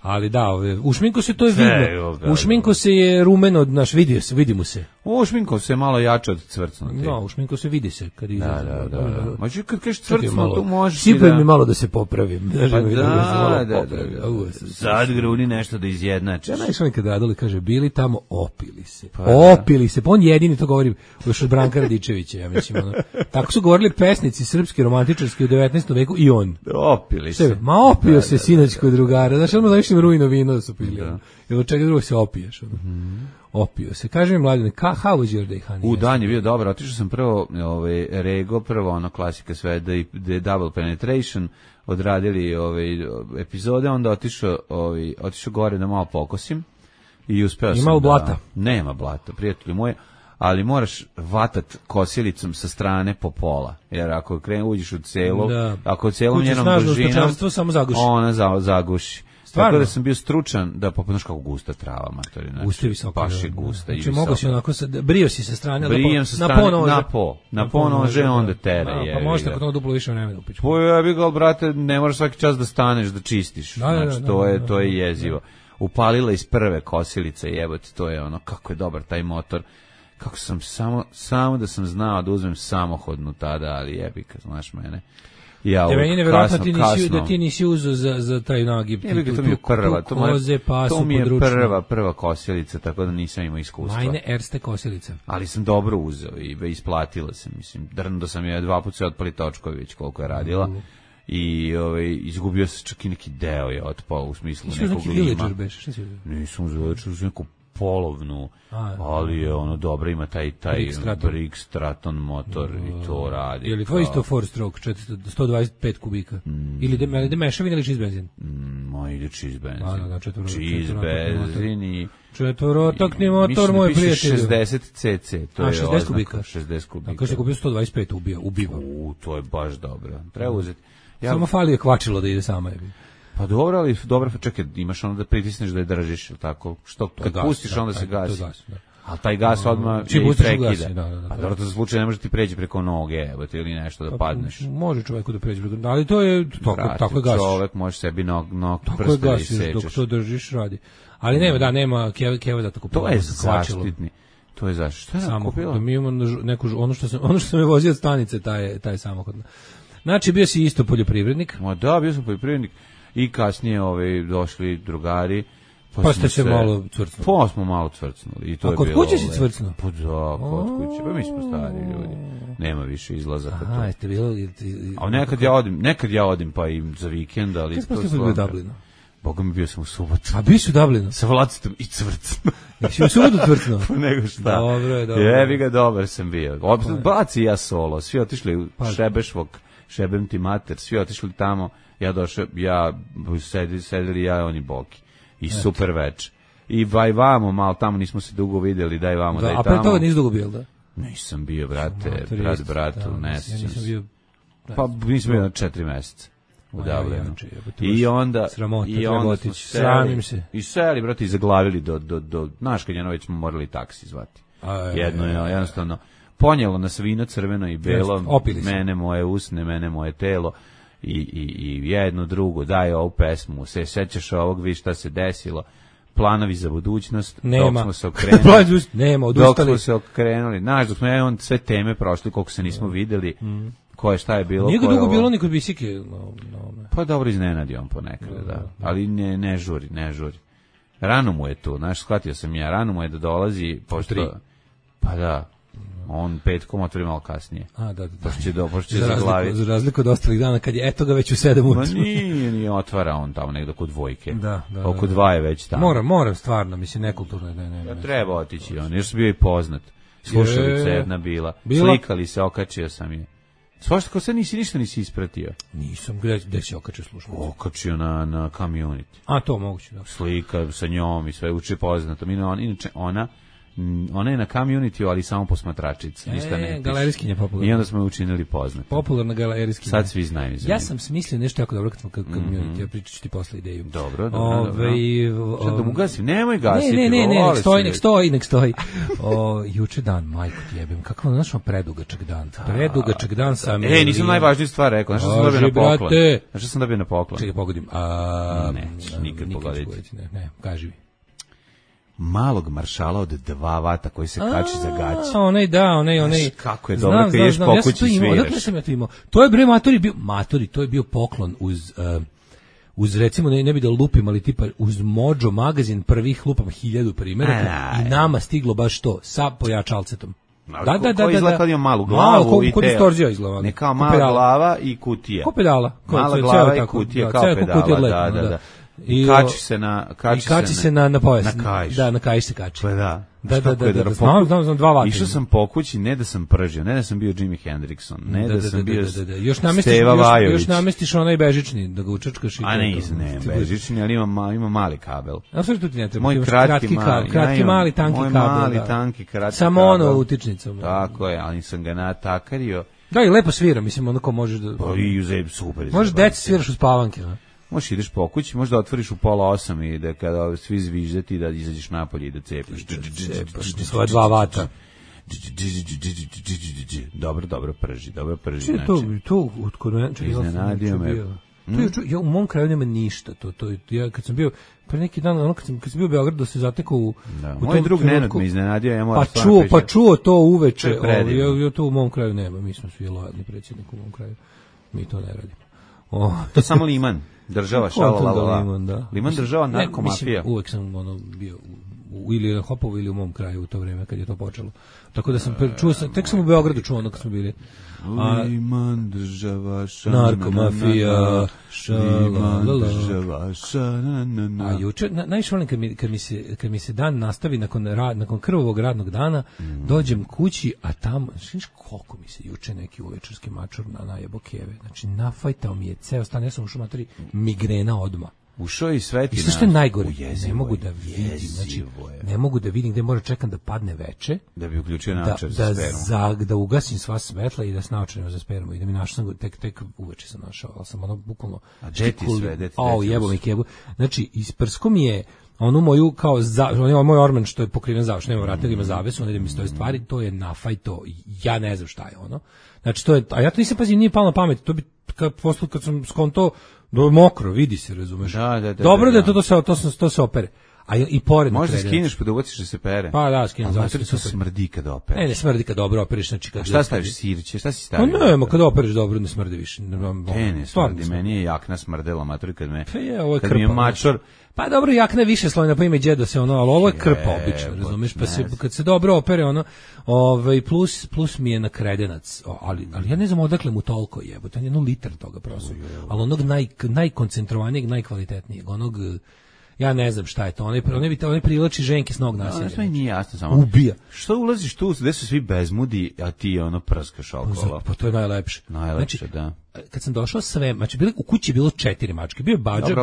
Ali da, ušminko se to je vidno. Ušminko se je rumeno, naš vidi mu se. Ušminko se je malo jače od cvrcnuti. No, ušminko se vidi se kad izlazi. Da. Mađu kad kažeš cvrcnuto, možeš sipaj mi malo da se popravim. Pa da. Sad gruni nešto da izjednačiš. Ja najviše kad Radoli kaže, bili tamo, opili se. Opili se. Pa on jedini to govori još od Branka Radičevića, ja mislim. Tako su govorili pesnici srpski, romantičarski u 19. veku i on. Opili se. Ma opio se sinoć kod drugara. Znači, odmah zavišim rujno vino su pili. Jer od čega drugog se opiješ. Opio se. Kaže mi Mladen, how was your day, honey? Dan je bio dobar. Otišao sam prvo Rego, prvo ono klasika sve, da je Double Penetration, odradili epizode, onda otišao gore da malo pokosim i uspeo sam. Ima blata? Nema blata, prijatelji moje, ali moraš vatat kosilicom sa strane po pola, jer ako uđeš u celo, ako celom njenom dužinom, ona zaguši. Tako da sam bio stručan da popadaš kako gusta trava, matori. Gusta visoko. Baš je gusta i visoko. Znači mogu si onako, brio si sa strane, na ponože, onda tere. Pa možete kod duplo više vremena upići. Pa ja bih ga, brate, ne moraš svaki čas da staneš, da čistiš. Znači, to je jezivo. Upalila iz prve kosilice, jebote, to je ono, kako je dobar taj motor. Kako sam samo da sam znao da uzmem samohodnu tada, ali jebika, znaš mene. Meni je nevjerojatno da ti nisi uzeo za taj nagib. To mi je prva kosilica, tako da nisam imao iskustva. Majne erste kosilica. Ali sam dobro uzeo i isplatila se, mislim. Drndo sam je 2 puta se otpali točkovi već koliko je radila. I izgubio se čak i neki deo je otpao u smislu nekog lima. Nisam uzeo neku polovnu, ali je ono dobro, ima taj Briggs Stratton motor i to radi. Je li tvoj isto four stroke, 125 kubika? Ili ide mešavin ili čiz benzin? Ide čiz benzin. Čiz benzin i... Četvorotakni motor, moj prijatelj. Mislim da piše 60 cc, to je 60 kubika. 60 kubika. A kao što kupio 125, ubiva. To je baš dobro. Treba uzeti. Samo fali je kvačilo da ide sama. Pa dobro, ali dobro, čekaj, imaš ono da pritisneš da je držiš, ili tako? Što, kad pustiš, onda se gasi. Ali taj gas odmah i prekida. Pa dobro, to za slučaj ne može ti preći preko noge, ili nešto da padneš. Može čoveku da pređe preko noge, ali to je tako je gas. Čovek može sebi nog prste da isečeš. Dok to držiš, radi. Ali nema keva da tako to je zaštitni. To je zaštitni. Šta je kupila? Da mi imamo neku, ono što sam je vozio od stanice, taj samohodno. Znači, bio si isto poljoprivrednik? Da, bio sam poljoprivrednik. I kasnije došli drugari. Pa ste se malo cvrcnuli? Pa smo malo cvrcnuli. I to a kod kuće si cvrcnuo? Pa da, kod kuće. Pa mi smo stari ljudi. Nema više izlazaka. Aha, jeste bilo... A nekad ja odim pa i za vikend, ali... Kako ste bio u Dublinu? Boga mi, bio sam u subotu. A bio si u Dublinu? Sa Vlacitom i cvrcnuo. Jesi u subotu cvrcnuo? Pa nego šta. Dobro. Jebi ga, dobar sam bio. Baci ja solo. Svi otišli u Šebešvog, Šebem ti mater, svi otišli tamo. Ja došao, sedeli ja, oni Boki. I super več. I vamo, malo tamo nismo se dugo vidjeli, daj vamo, daj tamo. A pre toga nisi dugo bio, da? Nisam bio, brate, bratu, ne sjećam. Ja nisam bio... Pa nisam bio na 4 meseca u Dublinu. I onda... Sramim se. I seli, brate, i zaglavili do Naškanjana, već smo morali taksi zvati. Jednostavno, ponjelo nas vino crveno i belo, mene moje usne, mene moje telo. I jedno drugo, daj ovu pesmu, se sećaš ovog, vi šta se desilo, planovi za budućnost, dok smo se okrenuli, dok smo sve teme prošli, koliko se nismo videli, koje šta je bilo. Nije ga dugo bilo ni kod Bisike. Pa dobro, iznenadi on ponekad, da. Ali ne žuri. Rano mu je to, znaš, shvatio sam ja, rano mu je da dolazi, pošto... Pa da. On 5 otvori malo kasnije. Da. Pošto će zaglaviti. Za razliku od ostalih dana, kad je eto ga već u 7 ujutru. Ma nije otvara on tamo negdje kod dvojke. Da. Oko 2 je već tamo. Moram, stvarno, mislim, nekulturno. Ne. Treba otići on, još sam bio i poznat. Slušalica jedna bila. Slikali se, okačio sam je. Svašta, kao sad ništa nisi ispratio. Nisam, gde si okačio slušalicu? Okačio na Community. A, to moguće, da. Slika sa njom i sve uče poznato. Inače, ona je na Community, ali samo posmatračica, ništa ne piše. Galerijskinja popularna. I onda smo je učinili poznati. Popularna galerijskinja. Sad svi znaju. Ja sam smislio nešto jako dobro kad smo Community, ja pričat ću ti posle ideju. Dobro. Šta da mu gasim? Nemoj gasiti. Ne, nek stoji. Juče dan, majko ti jebim, kakav našao predugačak dan sam. Nisam najvažniju stvar rekao, znaš što sam dobio na poklon? Čekaj, pogodim. Neću nikad pogoditi. Ne, kaži mi. Malog maršala od 2 vata koji se kači za gaće. Onaj. Kako je dobro kad ješ po kući sviraš. Odakle sam ja to imao? To je bre matori, to je bio poklon uz recimo, ne bi da lupim, ali tipa uz Mojo magazin prvih lupam 1000 primjeraka i nama stiglo baš to, sa pojačalcetom. Da. Izgleda kad ima malu glavu i telo. Ne kao mala glava i kutija. Ko pedala. Mala glava i kutija kao pedala, da. I kači se na pojas. Na kaiš. Da, na kaiš se kači. Pa da. Znam 2 vata. Išao sam po kući, ne da sam pržio, ne da sam bio Jimi Hendrixon, ne da sam bio Steva Vajović. Još namestiš onaj bežični, da ga učačkaš i to. A ne, bežični, ali ima mali kabel. A sve tu ti ne treba. Moj kratki mali, tanki kabel. Moj mali, tanki, kratki kabel. Samo ono utičnicom. Tako je, ali sam ga natakario. Da, i lepo svira, mislim, onako možeš da... Pa i uzem, super. Možeš deci sviraš u spavanke, ne? Možeš ideš po kući, možda otvoriš u 7:30 i da kada svi zviždeti da izađeš napolje i da cepiš. Svoje 2 vata. Dobro prži. To kod mene... Iznenadio me. Ja u mom kraju nema ništa. Ja kad sam bio pre neki dan, kad sam bio u Beogradu, se zatekao u moj drug Nenad me iznenadio, ja moram pa čuo to uveče. Ja to u mom kraju nema. Mi smo svi lojalni predsjednik u mom kraju. Mi to ne radimo. To samo Liman. Država, šalalala. Liman država, narkomafija. Uvek sam bio ili na Hopovu ili u mom kraju u to vreme kad je to počelo. Tako da sam čuo, tek sam u Beogradu čuo ono kad smo bili. Liman država narkomafija Liman država A juče, najviše volim kad mi se dan nastavi nakon krvavog radnog dana, dođem kući, a tamo, znaš koliko mi se juče neki uvečerski mačor najebo keve. Znači, nafajtao mi je ceo stan, ja sam ušao materi migrena odmah. Ušao i sveti. I sve što je najgore, ne mogu da vidim, znači, ne mogu da vidim gde mora čekam da padne veče, da bi uključio naočar za spermu. Da ugasim sva svetla i da s naočarima za spermu i da mi našao tek uveče sam našao, ali sam ono bukvalno jebo mi kebu. Znači, isprsko mi je onu moju kao moj orman što je pokriven zavesom, nema vrata, ima zavesu, onda mi stoje stvari, to je nafajto, ja ne znam šta je ono. Znači, to je, a ja to nisam pazio, nije palo na pamet, to bi kad sam skonto mokro, vidi se, razumeš. Dobro da je to se opere. A i pored možda skineš pa da ubaciš da se pere. Pa da, skinem zašto to smrdi kad opereš. Ne smrdi kad dobro opereš, znači kad. A šta staviš sirće? Šta si stavio? Pa ne, kad opereš dobro ne smrdi više. Ne smrdi, meni je jakna smrdela matori kad me. Kad mi je mačor. Pa dobro, jakna je više slojna, pa ima i đedo se ono, ali ovo je krpa obično, razumeš, pa se kad se dobro opere ono, plus mi je na kredenac, ali ja ne znam odakle mu toliko jebote, on je 1 litar toga prosto. Ali onog najkoncentrovanijeg, najkvalitetnijeg, onog ja ne znam šta je to, onaj privlači ženke s nog nasilja. To mi nije jasno samo. Ubija. Što ulaziš tu, gde su svi bezmudi, a ti ono prskaš okolo? Pa to je najlepše. Najlepše, znači, da. Kad sam došao sve, znači u kući je bilo 4 mačke, bio je Badža,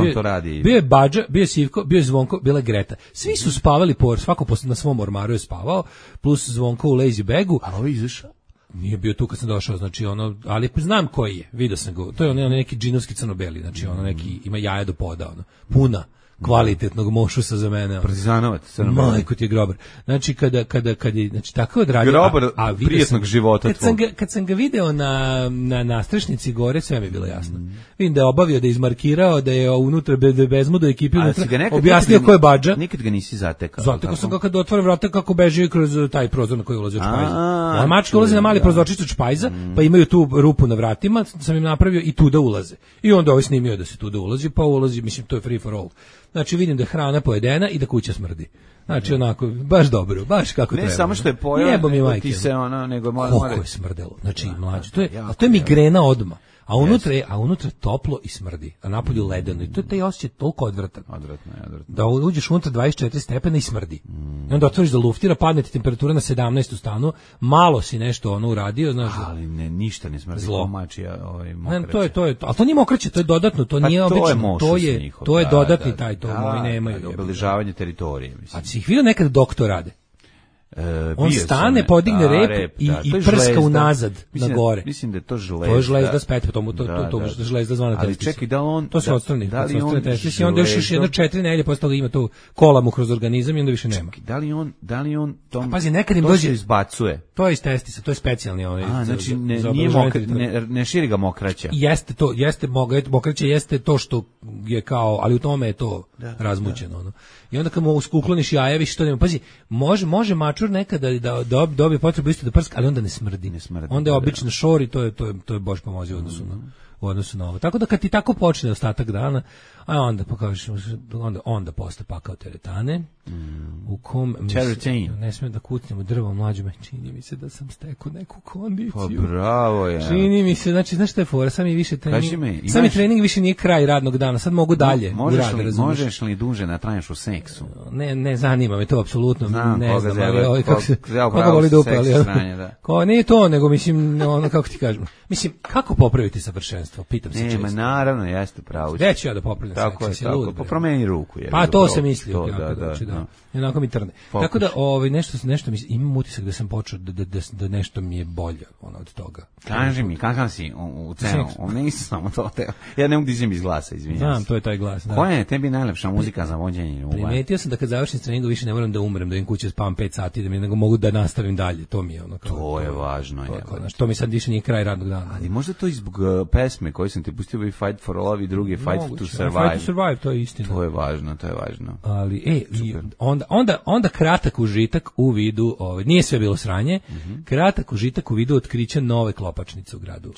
bio je Badža, bio je Sivko, bio je Zvonko, bila je Greta. Svi su spavali svako na svom ormaru je spavao, plus Zvonko u lazy bagu. A ovo izašao? Nije bio tu kad sam došao, znači ono, ali znam koji je, vidio sam ga. To je ono neki džinovski crnobeli, znači ono neki ima jaja do poda, ono, puna kvalitetnog mošusa za mene. Partizanovac, majko ti je grobar. Znači kad je znači tako odradio grobar prijetnog života. Kad sam ga video na nastrešnici gore, sve mi je bilo jasno. Vidim da je obavio, da je izmarkirao, da je unutra bezmudo ekipi unutra. Objasnio ko je Badža. Nikad ga nisi zatekao. Zatekao sam ga kad otvore vrata kako beži kroz taj prozor na koji ulazi od špajza. A mačka ulazi na mali prozorčić od špajza, pa imaju tu rupu na vratima, sam im napravio i tu da ulaze. I onda ovaj snimio da se tu da ulazi, pa ulazi, mislim to je free for all. Znači vidim da je hrana pojedena i da kuća smrdi. Znači onako, baš dobro, baš kako treba. Ne samo što je pojela, nego ti se ono, nego mora... Koliko je smrdelo, znači mlađe, to je migrena odmah. A unutra je toplo i smrdi, a napolju ledeno. I to je taj osjećaj toliko odvratan. Odvratno. Da uđeš unutra 24 stepena i smrdi. I onda otvoriš da luftira, padne ti temperatura na 17 u stanu, malo si nešto ono uradio, znaš. Ali ništa ne smrdi. Zlo. Mokraće. To je, ali to nije mokraće, to je dodatno, to nije obično. To je dodatni taj, to moji nemaju. Obeležavanje teritorije, mislim. A si ih vidio nekad doktor rade? On stane, podigne rep i prska unazad na gore. Mislim da je to žlezda. To je žlezda spet, to žlezda zvana ali čekaj, da on... To se odstrani. I onda još jedno 4 nedelje posle toga ima tu kola mu kroz organizam i onda više nema. Da li on tom... Pazi, nekad im dođe... izbacuje. To je iz testisa, to je specijalni onaj... Znači, ne širi ga mokraća. Jeste to, mokraća jeste to što je kao, ali u tome je to razmućeno. I onda kad mu ukloniš jaja, više to nema. Pazi, može mačur nekada da dobije potrebu isto da prska, ali onda ne smrdi. Onda je obično šor i to je Bož pomozi u odnosu na ovo. Tako da kad ti tako počne ostatak dana, a onda pokažeš, onda posle pakao teretane, u kom ne smijem da kucnem u drvo mlađu, čini mi se da sam stekao neku kondiciju. Pa bravo je. Čini mi se, znači, znaš šta je fora, sam i trening više nije kraj radnog dana, sad mogu dalje u rad, razumiješ. Možeš li duže natraješ u seksu? Ne zanima me to, apsolutno, ne znam, ali koga voli dupe, ali nije to, nego mislim, ono, kako ti kažem, mislim, kako popraviti savršenstvo, pitam se često. Nema, naravno, jeste pravo. Gde ću ja da popravim tako je, tako, pa promeni ruku. Pa to se misli, da. Jednako mi trne. Tako da, nešto mi, imam utisak da sam počeo da nešto mi je bolje od toga. Kaži mi, kakav si u cenu? Nisam samo to. Ja ne mogu da izvijem iz glasa, izvinjam se. Znam, to je taj glas. Koja je tebi najlepša muzika za vođenje? Primetio sam da kad završim s treningom više ne moram da umrem, da im kuće spavam 5 sati, nego mogu da nastavim dalje. To mi je ono. To je važno. To mi sad više nije kraj radnog dana. Ali možda to i zbog pesme koje sam ti pustio i Fight for Love i drugi Fight to Survive. Fight to Survive, to je istina. To je važno. Ali, onda kratak užitak u vidu, nije sve bilo sranje, kratak užitak u vidu otkrića nove klopačnice u gradu.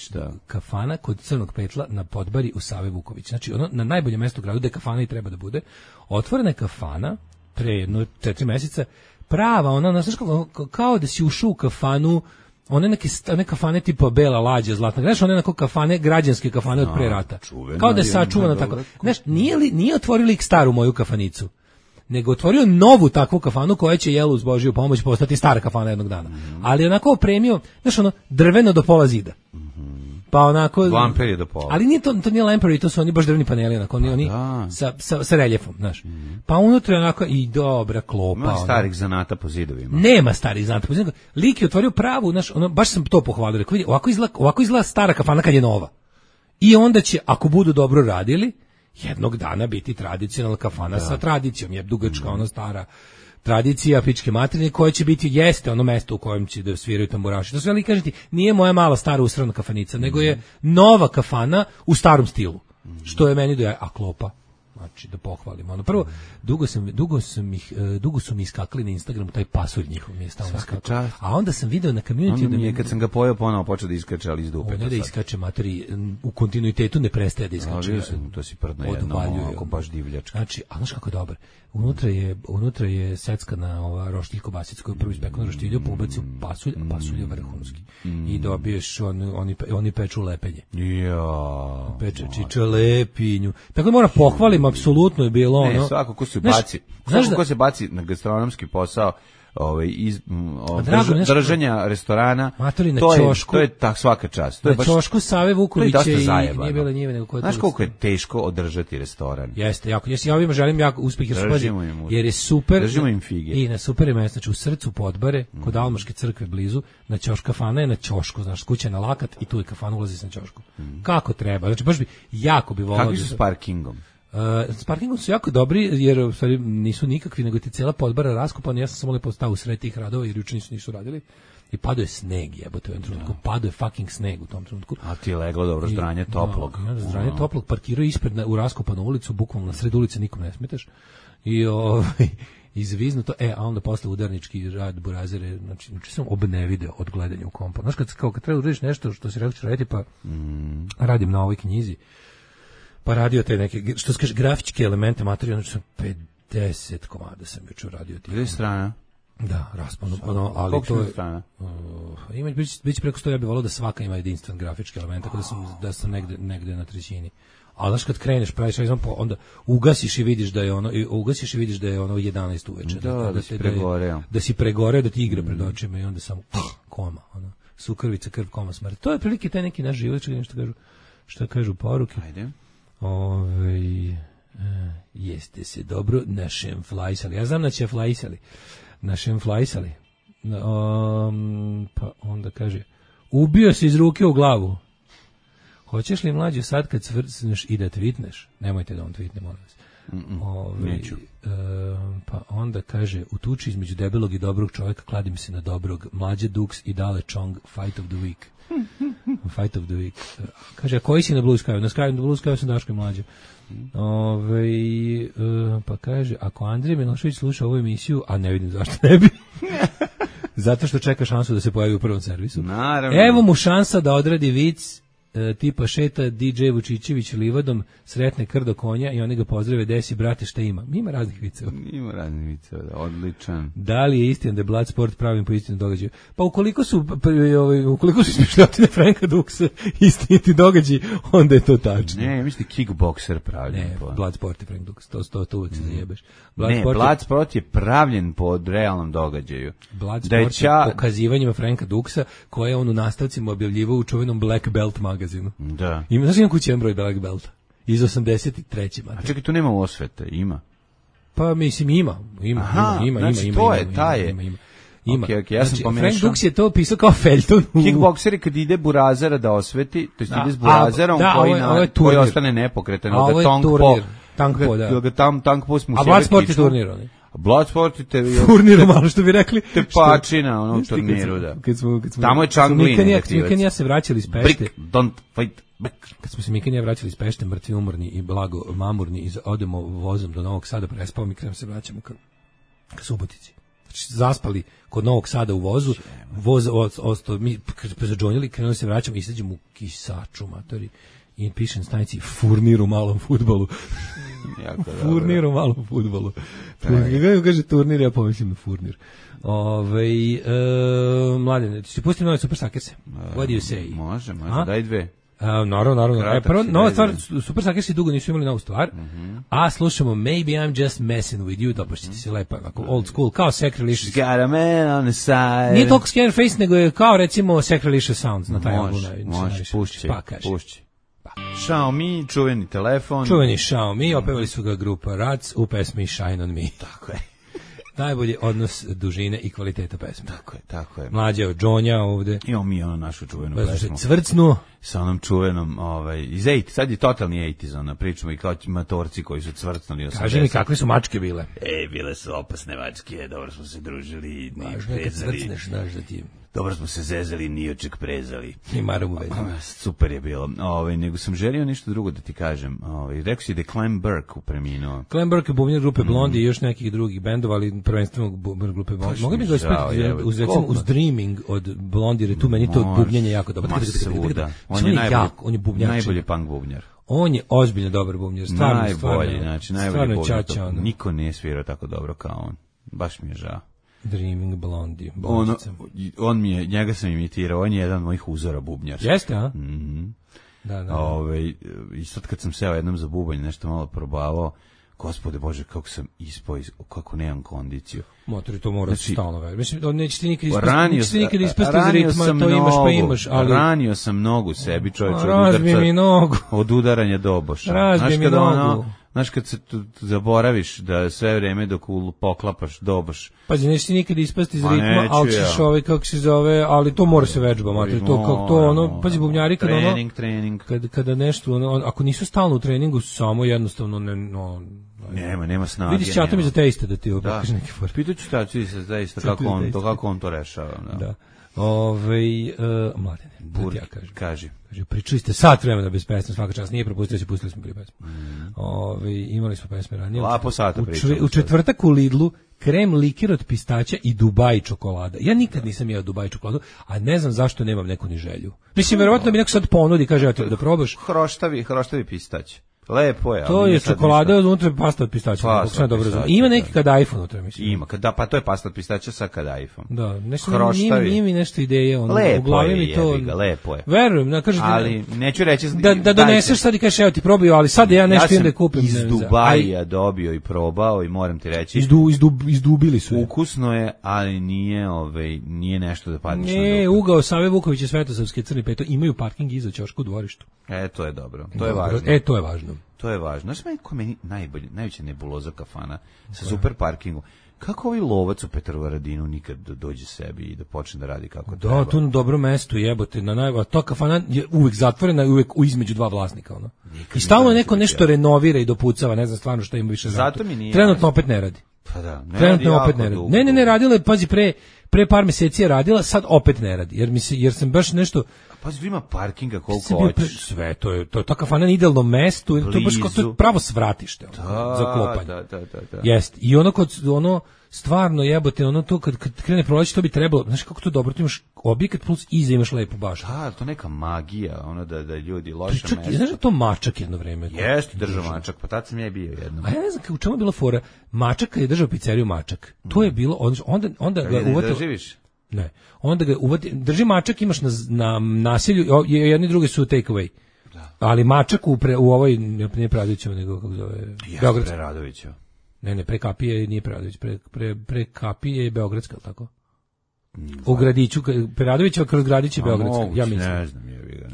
Kafana kod Crnog petla na Podbari u Save Vuković. Znači, ono na najboljem mjestu u gradu gde kafana i treba da bude. Otvorena je kafana pre 4 meseca, prava, ona, znaš kao da si ušao u kafanu, one kafane tipa Bela lađa, Zlatna, znaš, one onako kafane, građanske kafane od pre rata. Kao da je sačuvano tako. Znaš, nije otvorio lik staru moju kafanicu, nego otvorio novu takvu kafanu koja će, jel, uz Božiju pomoć postati stara kafana jednog dana. Ali onako opremio, znaš, ono, drveno do pola zida. Pa onako lamper je do pola. Ali nije to nije lamper, to su oni baš drveni paneli, onako oni sa reljefom, znaš. Pa unutra onako i dobra klopa. Ima starih zanata po zidovima. Nema starih zanata po zidovima. Lik je otvorio pravu, znaš, ono, baš sam to pohvalio. Rekao, vidi, ovako izgleda stara kafana kad je nova. I onda će, ako budu dobro radili, jednog dana biti tradicionalna kafana sa tradicijom, je dugačka, ono stara tradicija pičke materine koja će biti jeste ono mesto u kojem će da sviraju tamburaši. To sve ali kažete, nije moja mala stara usrana kafanica, nego je nova kafana u starom stilu. Što je meni a klopa. Znači da pohvalim. Ono prvo dugo su mi iskakali na Instagramu taj pasulj njihov mi je stalno iskakao. A onda sam video na community da mi je kad sam ga pojeo ponovo počeo da iskače ali iz dupe. Ne da iskače materi u kontinuitetu ne prestaje da iskače. To si prdno jedno, ako baš divljačka. Znači, a znaš kako je dobar. Unutra je seckana ova roštilj kobasica koju prvo ispeknu roštilju, pobaci u pasulj, a pasulj je vrhunski. I dobiješ oni peču lepenje. Ja. Peče čičalepinju. Tako da moram pohvalim, apsolutno je bilo ono. Ne, svako ko se baci na gastronomski posao, držanja restorana, to je tak svaka čast. To je baš ćošku Save Vukovića i nije bilo njive nego znaš koliko je teško održati restoran. Jeste, jako. Ja ovima želim jako uspeh jer je super. Držimo im fige. I na super je mesto, znači u srcu Podbare, kod Almaške crkve blizu, na ćoška kafana je na ćošku, znaš, kuća na lakat i tu je kafana, ulazi na ćošku. Kako treba? Znači baš bi jako bi volao. Kakvi su s parkingom? S parkingom su jako dobri, jer u stvari nisu nikakvi, nego ti cijela Podbara raskopana. Ja sam samo lepo stao u sred tih radova, jer juče nisu radili. I padao je sneg, jebote, u jednom trenutku. Padao je fucking sneg u tom trenutku. A ti je leglo dobro zdranje toplog. Zdranje toplog, parkirao ispred u raskopanu ulicu, bukvalno na sred ulice, nikom ne smetaš. I izvizno to, a onda posle udarnički rad burazere, znači sam obnevideo od gledanja u kompa. Znaš, kad treba uradiš nešto što si rekao ćeš raditi, pa radim na ovoj knjizi, pa radio te neke, što se kaže, grafičke elemente, materijalno, znači sam 50 komada sam juče radio. Gdje strana? Da, raspano, ali koliko to je... strana? Ima, biće preko 100, ja bih volao da svaka ima jedinstven grafički element, tako da sam negde na trećini. Ali znaš kad kreneš, praviš, onda ugasiš i vidiš da je ono 11 uveče. Da si pregoreo, da ti igra pred očima i onda samo koma, ono, sukrvica, krv, koma, smrt. To je prilike taj neki naš život, što kažu poruke. Ajde. Jeste se dobro našem flajsali. Ja znam da će flajsali. Našem flajsali. Pa onda kaže, ubio se iz ruke u glavu. Hoćeš li mlađe sad kad svrcneš i da tweetneš? Nemojte da on tweetne, molim vas. Neću. Pa onda kaže, u tuči između debelog i dobrog čovjeka kladim se na dobrog. Mlađe Dux i Dale Chong, fight of the week. Fight of the week. Kaže, a koji si na Blue Sky? Na Blue Sky sam Daško i Mlađe. Pa kaže, ako Andrija Milošević sluša ovu emisiju, a ne vidim zašto ne bi, zato što čeka šansu da se pojavi u prvom servisu. Naravno. Evo mu šansa da odradi vic tipa šeta DJ Vučićević livadom, sretne krdo konja i oni ga pozdrave, desi brate šta ima. Ima raznih viceva. Ima raznih viceva, odličan. Da li je istina da je Bloodsport pravim po istinu događaju? Pa ukoliko su izmišljotine Franka Duxa istiniti događaji, onda je to tačno. Ne, mislim kickbokser pravljen. Ne, Bloodsport je Frank Dux, to uvijek se zajebeš. Bloodsport je pravljen po realnom događaju. Bloodsport je pokazivanjima Franka Duxa koje on u nastavcima objavljivao u čuvenom Black Belt magazinu. Da. Znaš imam kući jedan broj Black Belta? Iz 83. A čekaj, tu nema osvete, ima? Pa mislim ima. Znači to je, ta je. Ima. Okay, ja sam pomešao. Frank Dux je to pisao kao feljton. Kickbokseri kad ide burazera da osveti, to jest ide s burazerom koji ostane nepokretan. Ovo je turnir. Tankpo, da. Tankpo smo a Bloodsport je turnir, oni. Bloodsport je turnir, malo što bi rekli. Tepačina, ono u turniru, da. Tamo je Čanglin. Mikan ja se vraćali iz Pešte. Brick, don't fight back. Kad smo se Mikan ja vraćali iz Pešte, mrtvi, umorni i blago mamurni, i odemo vozom do Novog Sada, prespao mi, krenemo se vraćamo ka Subotici. Znači, zaspali kod Novog Sada u vozu, voz ostao, mi zađonjali, krenuli se vraćamo, izađemo u Kisaču, matori, i pišem stanici furnir u malom fudbalu. Furnir u malom fudbalu. Kaže turnir, ja pomislim na furnir. Mladene, ti si pustio nove Super Sackerse? What do you say? Može, daj dve. Naravno. Prvo, nova stvar, Super Sackersi dugo nisu imali novu stvar, a slušamo Maybe I'm Just Messing With You, dobro ćete si lepa, ako old school, kao Sacrilegious. Got a man on the side. Nije toliko Scareface, nego je kao recimo Sacrilegious Sounds na taj album. Može, pušći. Xiaomi, čuveni telefon. Čuveni Xiaomi, opevali su ga grupa Rats u pesmi Shine On Me. Tako je. Najbolji odnos dužine i kvaliteta pesme. Tako je. Mlađa od Džonja ovde. Imamo mi našu čuvenu pesmu. Cvrcnu. Sa onom čuvenom, iz 80, sad je totalni 80s, pričamo i kao matorci koji su cvrcnuli 80. Kaži mi, kakve su mačke bile? Bile su opasne mačke, dobro smo se družili, važno je kad cvrcneš, znaš da ti... Dobro smo se zezali, nijoček prezali. I maram u vezi. Super je bilo. Nego sam želio nešto drugo da ti kažem. Rekao si da je Clem Burke preminuo. Clem Burke je bubnjar grupe Blondie i još nekih drugih bendova, ali prvenstveno grupe Blondie. Mogu bi ga ispratiti uz Dreaming od Blondie, jer tu meni to bubnjenje jako dobro. On je najbolji punk bubnjar. On je ozbiljno dobar bubnjar. Najbolji bubnjar. Niko nije svirao tako dobro kao on. Baš mi je žao. Dreaming Blondie. On mi je, njega sam imitirao, on je jedan od mojih uzora bubnjarskih. Jeste, a? Da. I sad kad sam seo jednom za bubanj, nešto malo probavao, Gospode Bože, kako sam ispao, kako nemam kondiciju. Motori, to mora stalno veći. Mislim, neće ti nikad ispasti iz ritma, to imaš pa imaš. Ali... Ranio sam nogu sebi, čovječe, od udaranja doboša. Razbi mi nogu. Znaš, kad se zaboraviš da sve vreme dok poklapaš doboš. Pazi, neće ti nikad ispasti iz ritma, ali ćeš kako se zove, ali to mora se vežba, mater. Pazi, bubnjari, kada nešto, ako nisu stalno u treningu, samo jednostavno nema snage. Vidiš ćatom iza teista da ti pokaže neki for. Pitaću tači se zaista kako on to rešava. Da. Mladene, da ti ja kažem. Pričali ste sat vremena bez pesme, svaka čast, nije propustio se, pustili smo prije pesme. Imali smo pesme ranije. Lapo sata pričali. U četvrtak u Lidlu krem likir od pistaća i Dubai čokolada. Ja nikad nisam jeo Dubai čokoladu, a ne znam zašto nemam neku ni želju. Mislim, verovatno mi neko sad ponudi, kaže, da probaš. Hroštavi pistać. Lepo je. To je čokolada od unutra, pasta od pistaća. Ima neki kadajf unutra, mislim. Ima, pa to je pasta od pistaća sa kadajfom. Da, nije mi nešto ideje. Lepo je. Verujem, ali neću reći... Da doneseš sad i kažeš, evo ti probio, ali sad ja nešto idem da kupim. Ja sam iz Dubaja dobio i probao i moram ti reći... Izdubili su je. Ukusno je, ali nije nešto da padneš na dupe. Ugao Save Vukovića Svetosavske Crni peto imaju parking iza ćoška u dvorištu. To je dobro. To je važno. To je važno. To je važno. Znaš meni najveća nebuloza kafana sa super parkingom. Kako ovaj lovac u Petrovaradinu nikad dođe sebi i da počne da radi kako treba? Da, tu na dobro mesto jebote. Ta kafana je uvek zatvorena i uvek između dva vlasnika. I stalno neko nešto renovira i dopucava, ne znam stvarno šta ima više. Zato mi nije. Trenutno opet ne radi. Pa da, trenutno opet ne radi. Ne, radila je, pazi, pre par meseci je radila, sad opet ne radi. Jer sam baš nešto... Pazi, ima parkinga koliko hoćeš. Sve, to je ta kafana na idealno mesto, to je baš kao pravo svratište za klopanje. Da. Jeste. I stvarno jebote, to kad krene proleće, to bi trebalo, znaš kako to dobro, ti imaš objekat plus iza imaš lepu baštu. To neka magija, da ljudi loše mesto. Znaš da to mačak jedno vreme? Jeste, držao mačak, pa tad sam ja bio jednom. A ja ne znam u čemu je bila fora, mačak je držao pizzeriju mačak. To je bilo, onda ga uvatio... Ne, onda ga drži mačak, imaš na naselju, jedni drugi su take away. Ali mačak u ovoj, nije Preradovićeva, nego kako zove... Jeste Preradovićeva. Ne, pre Kapije nije Preradović, pre Kapije je Beogradska, tako? U Gradiću, Preradovićeva kroz Gradić je Beogradska, ja mislim. Ne znam,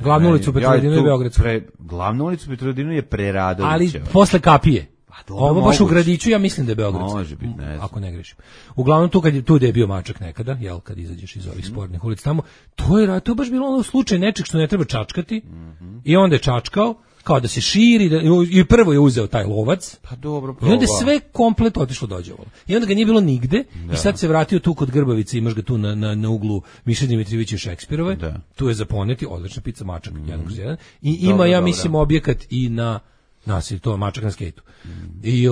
Glavnu ulicu Petrovaradinu je Beogradska. Glavnu ulicu Petrovaradinu je Preradovićeva. Ali posle Kapije. Ovo baš u Gradiću, ja mislim da je Beogradska. Može biti, ne znam. Ako ne grešim. Uglavnom tu gde je bio mačak nekada, kad izađeš iz ovih spornih ulica tamo, to je baš bilo slučaj nečeg što ne treba čačkati. I onda je čačkao, kao da se širi, i prvo je uzeo taj lovac. Pa dobro, probao. I onda sve komplet otišlo dođevalo. I onda ga nije bilo nigde, i sad se vratio tu kod Grbavice, imaš ga tu na uglu Miše Dimitrijevića i Šekspirove. Tu je za poneti, odlična pizza mačak, 1/1. I ima, ja mislim, objekat i na nasilje, to je mačak na skejtu. I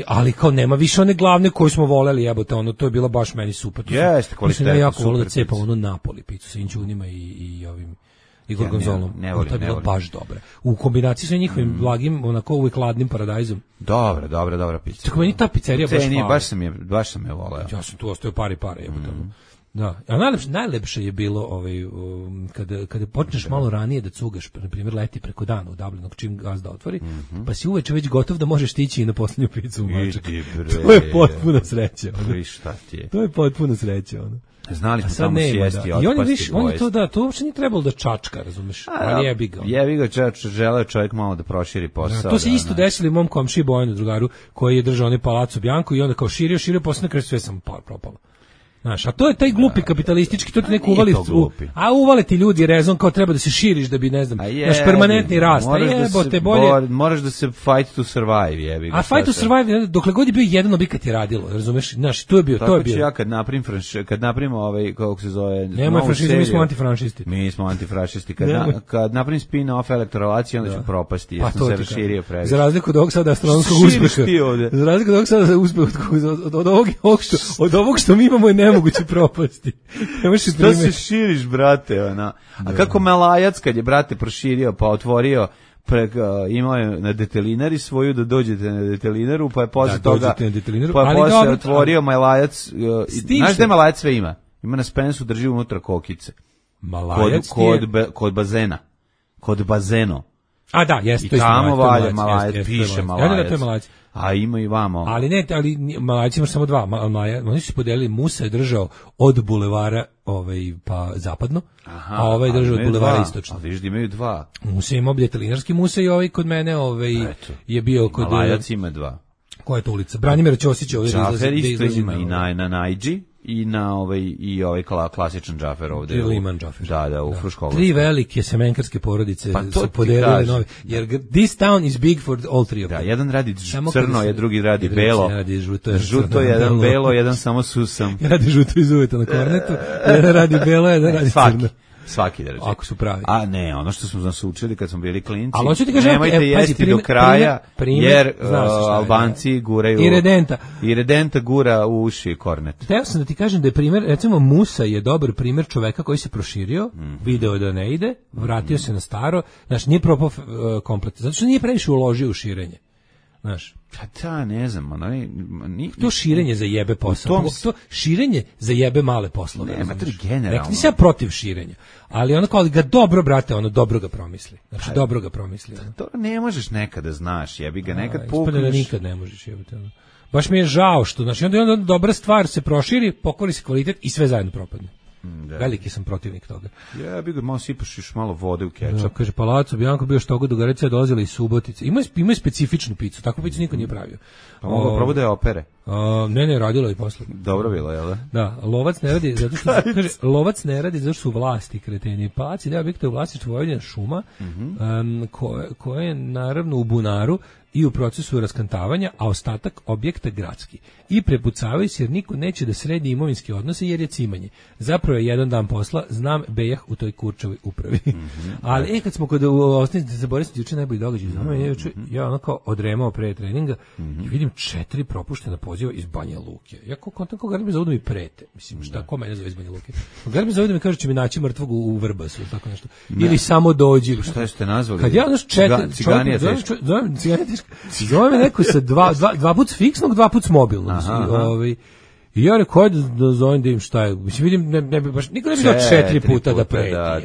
ali kao nema više one glavne koju smo voleli, jebote, to je bilo baš meni super. Jeste, kvalitetno. Ja jako volio da cepam Napoli picu sa inćunima i ovim i gorgonzolom. To je bilo baš dobro. U kombinaciji sa njihovim blagim, onako uvijek hladnim paradajzom. Dobra pizza. Tako meni ta pizzerija baš hvala. Baš sam je voleo. Ja sam tu ostao pare jebote. Da, a najlepše je bilo kada počneš malo ranije da cugaš, na primjer leti preko dana u Dublinu, čim gazda otvori, pa si uveče već gotov da možeš stići i na posljednju picu u Mačak. To je potpuna sreća. To je potpuna sreća. Znali smo tamo sjesti, otpasti. On je to da, to uopće nije trebalo da čačka, razumeš, ali jebi ga. Jebi ga, želeo čovjek malo da proširi posao. To se isto desilo mom komšiji Bojanu Drugaru, koji je držao onaj Palazzo Bianco i onda kao širio, posle na kraju sve sam propalo. Znaš, a to je taj glupi kapitalistički, to ti neko uvali ti ljudi rezon kao treba da se širiš da bi, ne znam, naš permanentni rast. Jebote, bolje. Moraš da se fight to survive, jebi ga. A fight to survive, dokle god je bio jedan objekat je radilo, razumeš? Znaš, to je bio. Tako ću ja kad napravim kako se zove... Nemoj franšisti, mi smo antifranšisti. Mi smo antifranšisti. Kad napravim spin-off elektorelacije, onda ću propasti, jer sam se raširio previše. Za razliku od ovog sada astronomskog uspeha. Za razliku od ovog sada uspeha, od ovog što mi imamo je moguće propasti. Što se širiš, brate, ona. A kako Malajac kad je, brate, proširio, pa otvorio, imao je na detelinari svoju, da dođete na detelinaru, pa je posle toga, pa je posle otvorio Malajac. Znaš da Malajac sve ima? Ima na Spensu, drži unutra kokice. Malajac kod bazena. Kod bazeno. A da, jeste, to je tamo valje Malajac, piše Malajac. Da, to je Malajac. A ima i vamo. Ali Malajci imaš samo dva. Oni su podelili, Musa je držao od bulevara pa zapadno, a ovaj je držao od bulevara istočno. A vidiš da imaju dva. Musa ima detelinarski Musa i kod mene je bio kod... Malajac ima dva. Koja je to ulica? Branimir Ćosić ovdje. Džafer isto ima i na Najđi. I na ovaj klasičan džafer ovde. Liman džafer. Da, u Fruškogorskoj. 3 velike semenkarske porodice su podelile nove. Jer this town is big for all three of them. Da, jedan radi crno, a drugi radi belo. Žuto, jedan belo, jedan samo susam. Jedan radi žuto iz uveta na kornetu, jedan radi belo, jedan radi crno. Svaki da reći. Ako su pravi. A ne, ono što smo nas učili kad smo bili klinci, nemojte jesti do kraja, jer Albanci guraju... I redenta gura u uši kornet. Hteo sam da ti kažem da je primjer, recimo Musa je dobar primjer čoveka koji se proširio, video da ne ide, vratio se na staro, znaš, nije propao komplet, zato što nije previše uložio u širenje. Znaš, ne znam, to širenje za jebe posao. To širenje za jebe male poslove. Nema to generalno. Nisam ja protiv širenja, ali ono kao ga dobro, brate, dobro ga promisli. Znači, dobro ga promisli. To ne možeš nekada, znaš, jebi ga, nekad pukneš. Da nikad ne možeš, jebite. Baš mi je žao što, znači, onda dobra stvar se proširi, pokvari se kvalitet i sve zajedno propadne. Da. Veliki sam protivnik toga. Ja bih ga malo sipaš još malo vode u kečap. Da, kaže, Palazzo Bianco bio što god Dugarica dolazila iz Subotice. Ima specifičnu picu, takvu picu niko nije pravio. Pa mogu probati da je opere. Ne, radilo i posle. Dobro bilo, jel da? Da, lovac ne radi zato što kaže, lovac ne radi zato što su vlasti kreteni. Palac ideja objekta u vlasništvu Vojvodine šuma, koje je naravno u bunaru i u procesu raskantavanja, a ostatak objekta gradski. I prepucavaju se jer niko neće da sredi imovinske odnose jer je cimanje. Zapravo je jedan dan posla, znam bejah u toj kurčevoj upravi. Ali kad smo kod osnovnice za Boris juče najbolji događaj za mene, ja onako odremao pre treninga i vidim 4 propuštena poziva iz Banja Luke. Ja kontam koga mi zove da mi prete. Mislim, šta, ko mene zove iz Banja Luke? Koga mi zove da mi kaže će mi naći mrtvog u Vrbasu ili tako nešto. Ili samo dođi. Šta ste nazvali? Kad ja znaš 4 ciganija teška. Zove me neko sa dva put s fiksnog, 2 put s mobilnog. I ja rekao, ajde da zovem da im šta je. Mislim, vidim, niko ne bi dao 4 puta da preti. Da.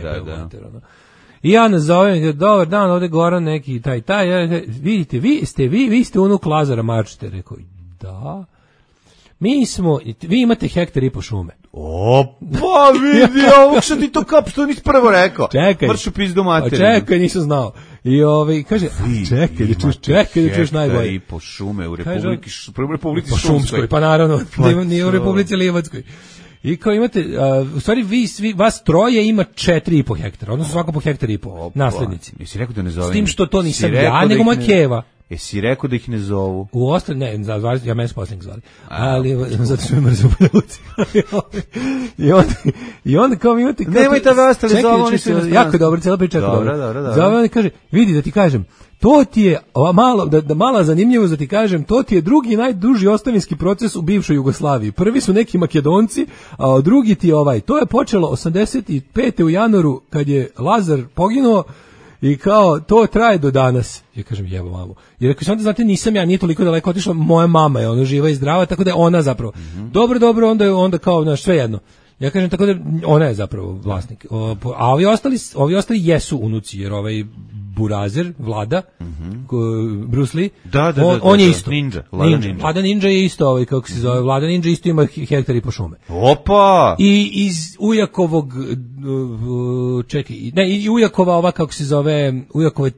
I ja nazovem, dobar dan, ovde Goran neki, taj, vidite, vi ste unuk Lazara Marčete. Rekao, da, vi imate 1,5 hektara šume. Pa vidi, ovog što ti to što nisi prvo rekao. Čekaj. Mršu pizdu materinu. Čekaj, nisam znao. I kaže, čekaj da čuješ najbolje. I po šume u Republici Šumskoj. Pa naravno, nije u Republici Livatskoj. I kao imate, u stvari vas troje ima 4,5 hektara, odnosno svako po 1,5 hektara, naslednici. Jesi rekao da ne zovem? S tim što to nisam ja, nego moja keva. Jesi rekao da ih ne zovu? U ostali, ne, ja mene s posljednik zvali. Ali, zato što me mrzu u Ljuci. I onda kao mi imate... Nemojte vas ostali zovu, oni su jako dobro, cijela priča jako dobro. Dobro. Zove on i kaže, vidi da ti kažem, To ti je malo da mala zanimljivost da ti kažem, to ti je drugi najduži ostavinski proces u bivšoj Jugoslaviji. Prvi su neki Makedonci, a drugi ti je to je počelo 85. u januaru kad je Lazar poginuo i kao to traje do danas. Ja kažem jebo mamu. Jer ako onda znate nisam ja, nije toliko daleko otišla, moja mama je ona živa i zdrava, tako da je ona zapravo. Dobro, onda kao na sve jedno. Ja kažem tako da ona je zapravo vlasnik. A ovi ostali jesu unuci, jer ovaj Burazer, Vlada, Bruce Lee, on je isto. Vlada Ninja je isto, kako se zove, Vlada Ninja isto ima hektar i po šume. Opa! I iz Ujakovog, i Ujakova kako se zove, Ujakove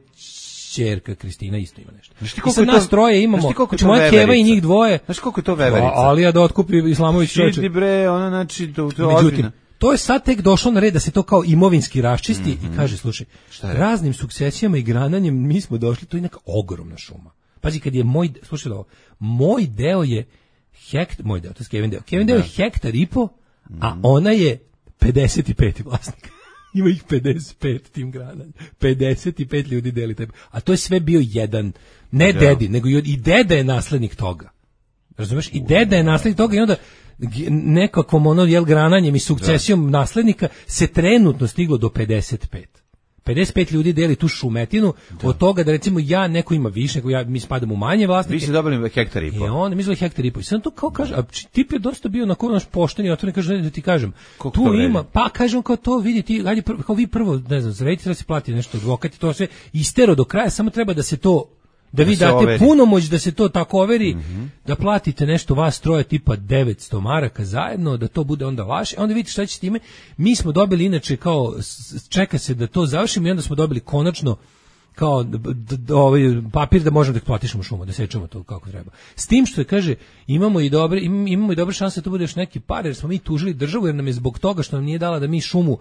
ćerka Kristina isto ima nešto. I sad nas troje imamo, znači moja keva i njih dvoje. Znaš koliko je to veverica? Alija da otkupi Islamović čovječe. Šiti bre, ona znači, to međutim, to je sad tek došlo na red da se to kao imovinski raščisti i kaže, slušaj, raznim sukcesijama i grananjem mi smo došli, to je neka ogromna šuma. Pazi, kad je moj deo je moj deo, to je Kevin deo. Kevin deo je hektar i po, a ona je 55. vlasnik. Ima ih 55 tim grananjem. 55 ljudi deli tebe. A to je sve bio jedan, ne dedi, nego i deda je naslednik toga. Razumeš? I deda je naslednik toga i onda nekakvom grananjem i sukcesijom naslednika se trenutno stiglo do 55. 55 ljudi deli tu šumetinu, od toga da recimo neko ima više, mi spadamo u manje vlasnike. Vi ste dobili hektar i po. I on mi zvali hektar i po. I sad to kao kaže, a tip je dosta bio na naš pošteni, a to ne kaže da ti kažem. Koliko tu ima, pa kažem kao to vidi ti, ajde kao vi prvo, ne znam, zaredite da se plati nešto advokat i to sve istero do kraja, samo treba da se to da vi date overi. Punomoć da se to tako overi, da platite nešto vas troje tipa 900 maraka zajedno, da to bude onda vaše, onda vidite šta će s time. Mi smo dobili inače kao, čeka se da to završimo i onda smo dobili konačno kao ovaj papir da možemo da platišemo šumu, da sečemo to kako treba. S tim što je, kaže, imamo i dobre šanse da to bude još neki par, jer smo mi tužili državu, jer nam je zbog toga što nam nije dala da mi šumu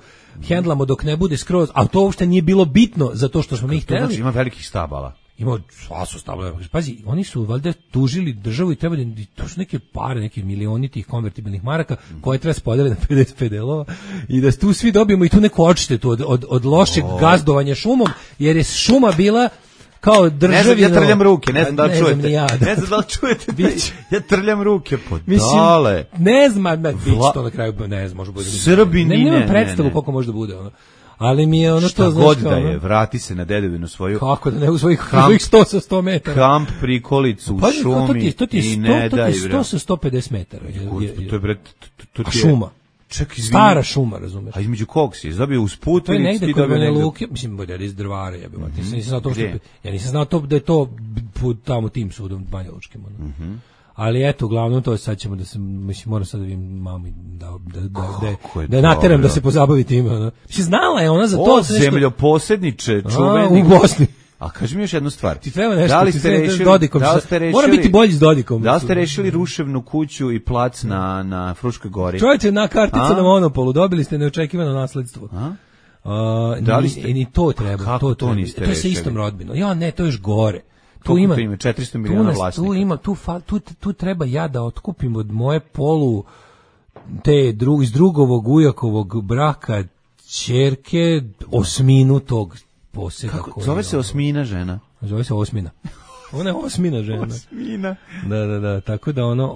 hendlamo dok ne bude skroz, a to uopšte nije bilo bitno za to što smo mi hteli. Znači ima velikih stabala. Ima sva su stavljaju. Pazi, oni su valjda tužili državu i treba da to su neke pare, neki milioni tih konvertibilnih maraka koje treba spodeliti na 55 delova i da tu svi dobijemo i tu neku odštetu od lošeg gazdovanja šumom, jer je šuma bila kao državino. Ne znam, ja trljam ruke, ne znam da li čujete. Ne znam da li čujete. Ja trljam ruke, dale. Ne znam, bić to na kraju, ne znam, može bude. Srbini, ne. Predstavu koliko može da bude, ono. Ali mi je ono što znaš god da je, vrati se na dedovinu svoju. Kako da ne u svojih 100 sa 100 metara. Kamp, prikolicu, šumi i ne daj. 100 sa 150 metara. To je bre, to je šuma. Ček, stara šuma, razumeš? A između kog si? Dobio uz put ili ti dobio negde? To je negde kod Luke, mislim, bude iz drvara, ja nisam znao to da je to tamo tim sudom Banja Lučkim. Ali eto, uglavnom to sad ćemo da se, mislim, moram sad da vidim mami da je nateram da se pozabavi tim. Mislim, znala je ona za to. O, zemljoposedniče, čuveni. U Bosni. A kaži mi još jednu stvar. Ti treba nešto, da li ste rešili Dodikom? Mora biti bolji s Dodikom. Da li ste rešili ruševnu kuću i plac na Fruškoj gori? Čovječe, na kartica na Monopolu, dobili ste neočekivano nasledstvo. Da li ste? I ni to treba. Kako to niste rešili? To je sa istom rodbinom. Ja, ne, to je još gore. Tu ima 400 miliona vlasnika. Tu treba ja da otkupim od moje iz drugovog Ujakovog braka ćerke osminu tog poseda. Kako? Zove se Osmina žena? Zove se Osmina. Ona je osmina žena. Osmina. Da, tako da ono,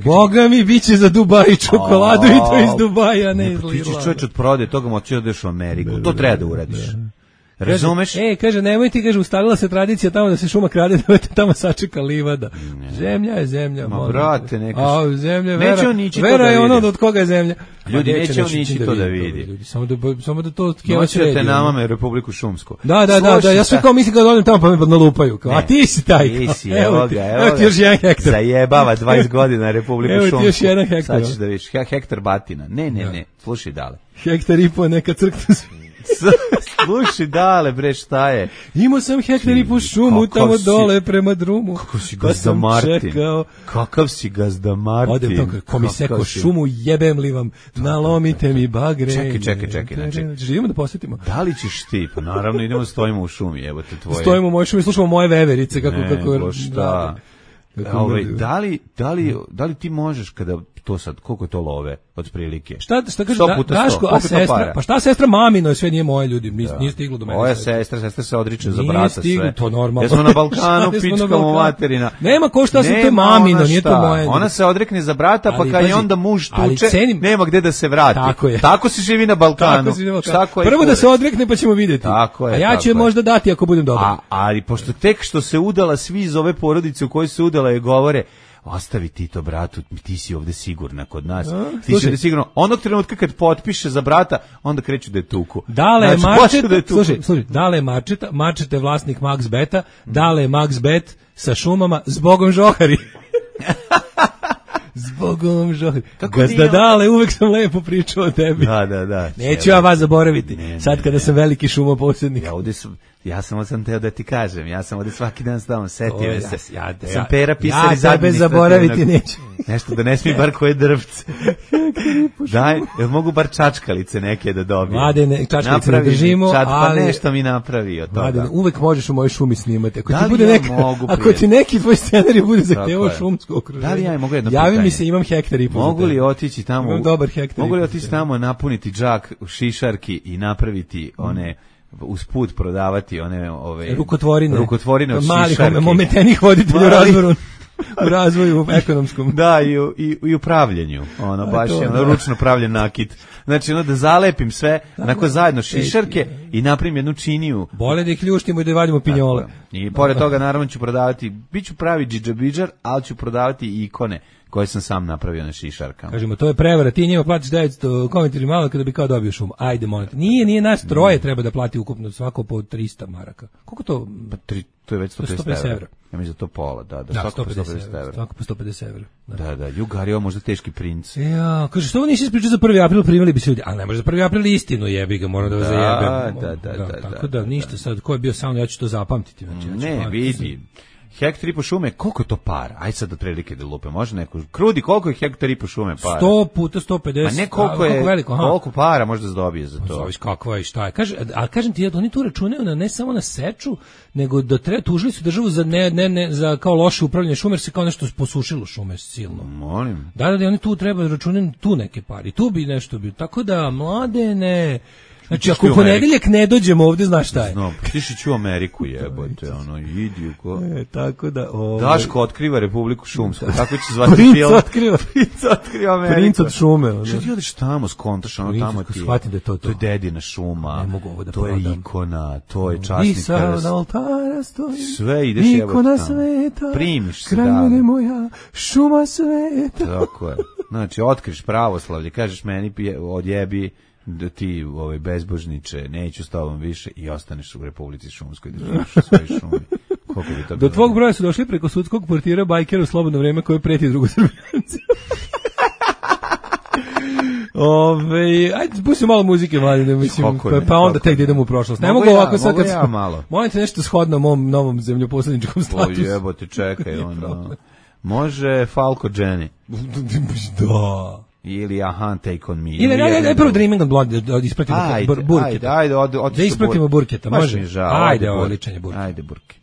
Boga mi biće za Dubaj čokoladu i to iz Dubaja, ne iz Irlanda. Ti ćeš čovječ od prode, toga moći odeš u Ameriku. To treba da uradiš. Razumeš? Kaže, nemojte, ustalila se tradicija tamo da se šuma krade, nemojte tamo sačeka livada. Zemlja je zemlja. Ma brate, neka. A zemlja, vera je ono od koga je zemlja. Ljudi, neće on nići to da vidi. Samo da to noćete namame Republiku Šumsku. Da, ja sve kao mislim kad odem tamo pa me nalupaju. A ti si taj. Ti si, evo ti još 1 hektar. Zajebava 20 godina Republiku Šumsku. Evo ti još 1 hektar. Sad ćeš da vidiš, hektar batina. Ne, slušaj dale. Hektar i po neka crkta. Slušaj dale bre, šta je? Imao sam hektar i po šumu tamo dole prema drumu. Kako si gazda Martin? Kakav si gazda Martin? Odem to, ko mi seko šumu, jebem li vam, nalomite mi bagre. Čekaj. Živimo da posjetimo. Da li ćeš ti? Pa naravno idemo stojimo u šumi, evo te tvoje. Stojimo u mojoj šumi, slušamo moje veverice. Šta? Da li ti možeš kada To sad, koliko je to love, otprilike? Šta kaže Daško, a sestra? Pa šta sestra mamino, sve nije moje, ljudi, nije stiglo do mene. Moja sestra se odriče za brata sve. Nije stiglo, to normalno. Jesmo na Balkanu, pičkamo materina. Nema ko šta se to mamino, nije to moje. Ona se odrekne za brata, pa kad je onda muž tuče, nema gde da se vrati. Tako se živi na Balkanu. Prvo da se odrekne, pa ćemo vidjeti. A ja ću je možda dati ako budem dobar. Ali pošto tek što se udala, svi iz ove porodice u kojoj se udala je govore, ostavi ti to bratu, ti si ovde sigurna kod nas. Ti si ovde sigurno. Onog trenutka kad potpiše za brata, onda kreću da je tuku. Dale je Marčeta, slušaj, Dale je Marčeta je vlasnik Max Beta, Dale je Max Bet sa šumama, zbogom žohari. Zbogom žohari. Gazda Dale, uvek sam lepo pričao o tebi. Da. Neću ja vas zaboraviti, sad kada sam veliki šumoposjednik. Ja sam teo da ti kažem, ja sam ovdje svaki dan stavno, setio se. Sam Pera pisar iz administrativnog. Ja tebe zaboraviti neću. Nešto da ne smije bar koje drvce. Daj, mogu bar čačkalice neke da dobijem. Mladene, čačkalice ne držimo, pa ali... nešto mi napravi od toga. Mladene, uvek možeš u mojoj šumi snimati. Ako ti neki tvoj scenarij bude zahtevao šumsko okruženje. Da li ja mogu jedno pitanje? Javi mi se, imam hektar i po. Mogu li otići tamo? Imam dobar hektar. Mogu li otići tamo, napuniti džak u šišarki i napraviti one... usput prodavati one rukotvorine od šišarke. Malih momentenih voditelja u razvoju ekonomskom. Da, i u pravljenju. Baš je ručno pravljen nakit. Znači, da zalepim sve, onako zajedno šišarke i napravim jednu činiju. Bole da ih ljuštimo i da vadimo pinjole. I pored toga, naravno, ću prodavati, bit ću pravi džidžabidžar, ali ću prodavati i ikone koje sam sam napravio na šišarkama. Kažemo, to je prevara, ti njima platiš 900 komentari malo kada bi kao dobio šumu. Ajde, molim te. Nije nas troje treba da plati ukupno svako po 300 maraka. Koliko to? To je već 150 evra. Ja mislim da to pola, da svako po 150 evra. Svako po 150 evra. Da, Jugario možda teški princ. Ja, kaže, što ovo nisi ispričao za 1. april, primili bi se ljudi. Ali ne može za 1. april istinu, jebi ga, moram da vas zajebem. Da. Tako da, ništa sad, ko je bio sa mnom, ja ću to zapamtiti. Ne, vidi. Hektar i po šume, koliko je to para? Ajde sad otprilike da lupe, može neko. Krudi, koliko je hektar i po šume para? 100 puta 150. Pa ne koliko je, veliko, koliko para možda se dobije za to? Zavis kakva je, šta je. Ali kažem ti, oni tu računaju ne samo na seču, nego da tužili su državu za za kao loše upravljanje šume, jer se kao nešto posušilo šume silno. Molim. Da, oni tu treba računati tu neke pari, tu bi nešto bilo. Tako da, mladene... Znači, ako u ponedeljak ne dođemo ovdje, znaš šta je? Znam, tišić u Ameriku jebote, idi u ko... tako da... Daško otkriva Republiku Šumsku, tako će zvati film. Princ otkriva Ameriku. Princ od šume. Što ti odeš tamo, skontaš, tamo ti je... Shvatim da je to. To je dedina šuma, ne mogu ovo da to je ikona, to je časnik. I sad na oltara stoji, sve ideš jebote tamo. Ikona sveta, primiš se kraj mene moja, šuma sveta. Tako je. Znači, otkriš pravoslavlje, kažeš meni odjebi, da ti bezbožniče, neću s tobom više i ostaneš u Republici Šumskoj da živiš u svojoj šumi. Koliko bi to do tvog broja su došli preko sudskog portira bajkera u slobodno vreme koje preti drugosrbijanci. Ajde, pustimo malo muzike, mladine, mislim, pa onda tek da idemo u prošlost. Ne mogu ovako sad kad ja malo. Molim te nešto shodno mom novom zemljoposljedničkom statusu. Jebote, čekaj, može Falco Jenny. Da. Ili Take on me. Ili ne prvo Dreaming on Blonde, da ispratimo Burketa. Ajde, da ispratimo Burketa, može? Ajde, ovo ličanje Burketa. Ajde, Burke.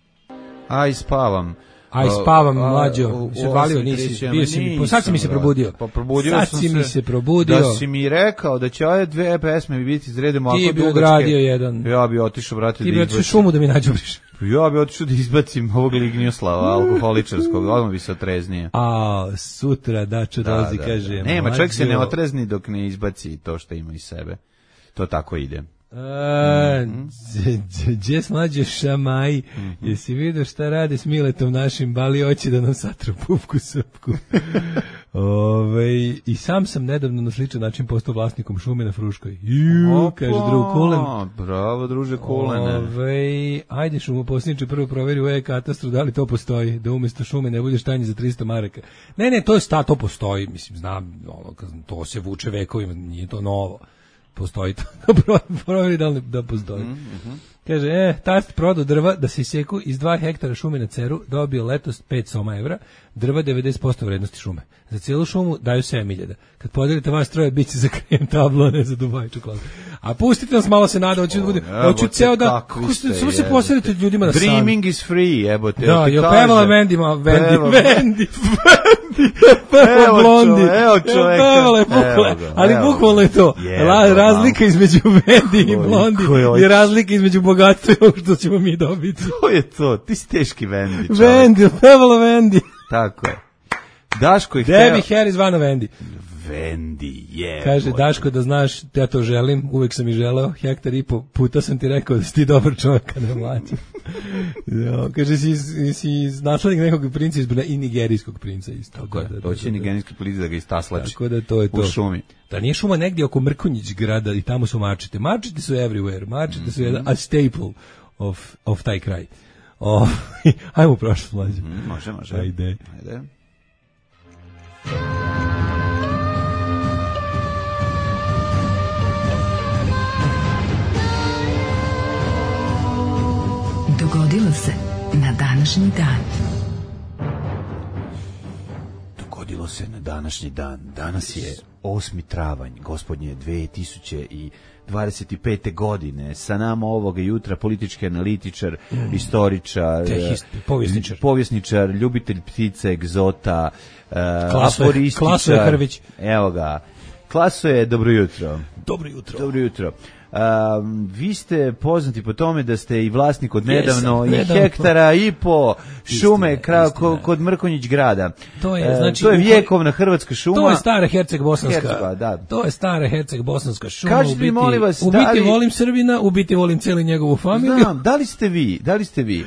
Aj, spavam. Mlađo. Se valio, bio si mi, sad si mi se probudio. Sad si mi se probudio. Da si mi rekao da će ove dve pesme biti izredimo ako dugačke. Ti bi ugradio jedan. Ja bi otišao, brate, da izbacim. Ti bi otišao šumu da mi nađobriš. Ja bi otišao da izbacim ovog Lignjoslava, alkoholičarskog, odmah bi se otreznije. Sutra Dačo dolazi, kaže. Nema, čovjek se ne otrezni dok ne izbaci to što ima iz sebe. To tako ide. Džes mlađe šamaj, jesi vidio šta rade s Miletom našim, bali oći da nam satru pupku srpku. I sam nedavno na sličan način postao vlasnikom šume na Fruškoj. Kaže drug Kulen. Bravo, druže Kulene. Ajde šumoposjedniče, prvo proveri u e-katastru da li to postoji, da umjesto šume ne bude štanje za 300 maraka. Ne, to postoji, mislim, znam, to se vuče vekovima, nije to novo. Postoji to, proveri da postoji. Kaže, tast prodao drva da se iseku iz 2 hektara šume na Ceru, dobio letos 5 soma evra, drva 90% vrednosti šume. Za cijelu šumu daju 7.000. Kad podelite vas troje, bit će za krejem tablo, ne za Dubai čokoladu. A pustite nas malo se nada, hoću ceo da samo se posredite ljudima na san. Dreaming is free, jebote. Da, jo pevala Vendi. Pevala Blondi. Evo čoveka. Pevala je bukvalno, ali bukvalno je to. Razlika između Vendi i Blondi je razlika između bogatstva i ovog što ćemo mi dobiti. To je to, ti si teški Vendi. Vendi, pevala Vendi. Tako je. Daško ih Debbie Harry zvana Vendi. Vendi, je. Kaže, Daško, da znaš, ja to želim, uvek sam i želeo, 1,5 hektara, puta sam ti rekao da si ti dobar čovjek kada je mlađi. Kaže, si naslednik nekog princa i nigerijskog princa isto. Tako je, doći nigerijski princ da ga istaslači. Tako da to je to. U šumi. Da nije šuma negdje oko Mrkonjić grada i tamo su mačete. Mačete su everywhere, mačete su jedan a staple of taj kraj. Ajmo u prošlost, mlađe. Može. Ajde. Dogodilo se na današnji dan. Dogodilo se na današnji dan. Danas je 8. travanj, gospodnje 2025. godine. Sa nama ovoga jutra politički analitičar, istoričar, povjesničar, ljubitelj ptica, egzota, aforističar. Klaso je Hrvić. Evo ga. Klaso je, dobro jutro. Dobro jutro. Vi ste poznati po tome da ste i vlasnik od nedavno i hektara i po šume kod Mrkonjić grada. To je vjekovna hrvatska šuma. To je stara Herceg-Bosanska. To je stara Herceg-Bosanska šuma. Kažete mi, molim vas, u biti volim Srbina, u biti volim cijelu njegovu familiju. Znam, da li ste vi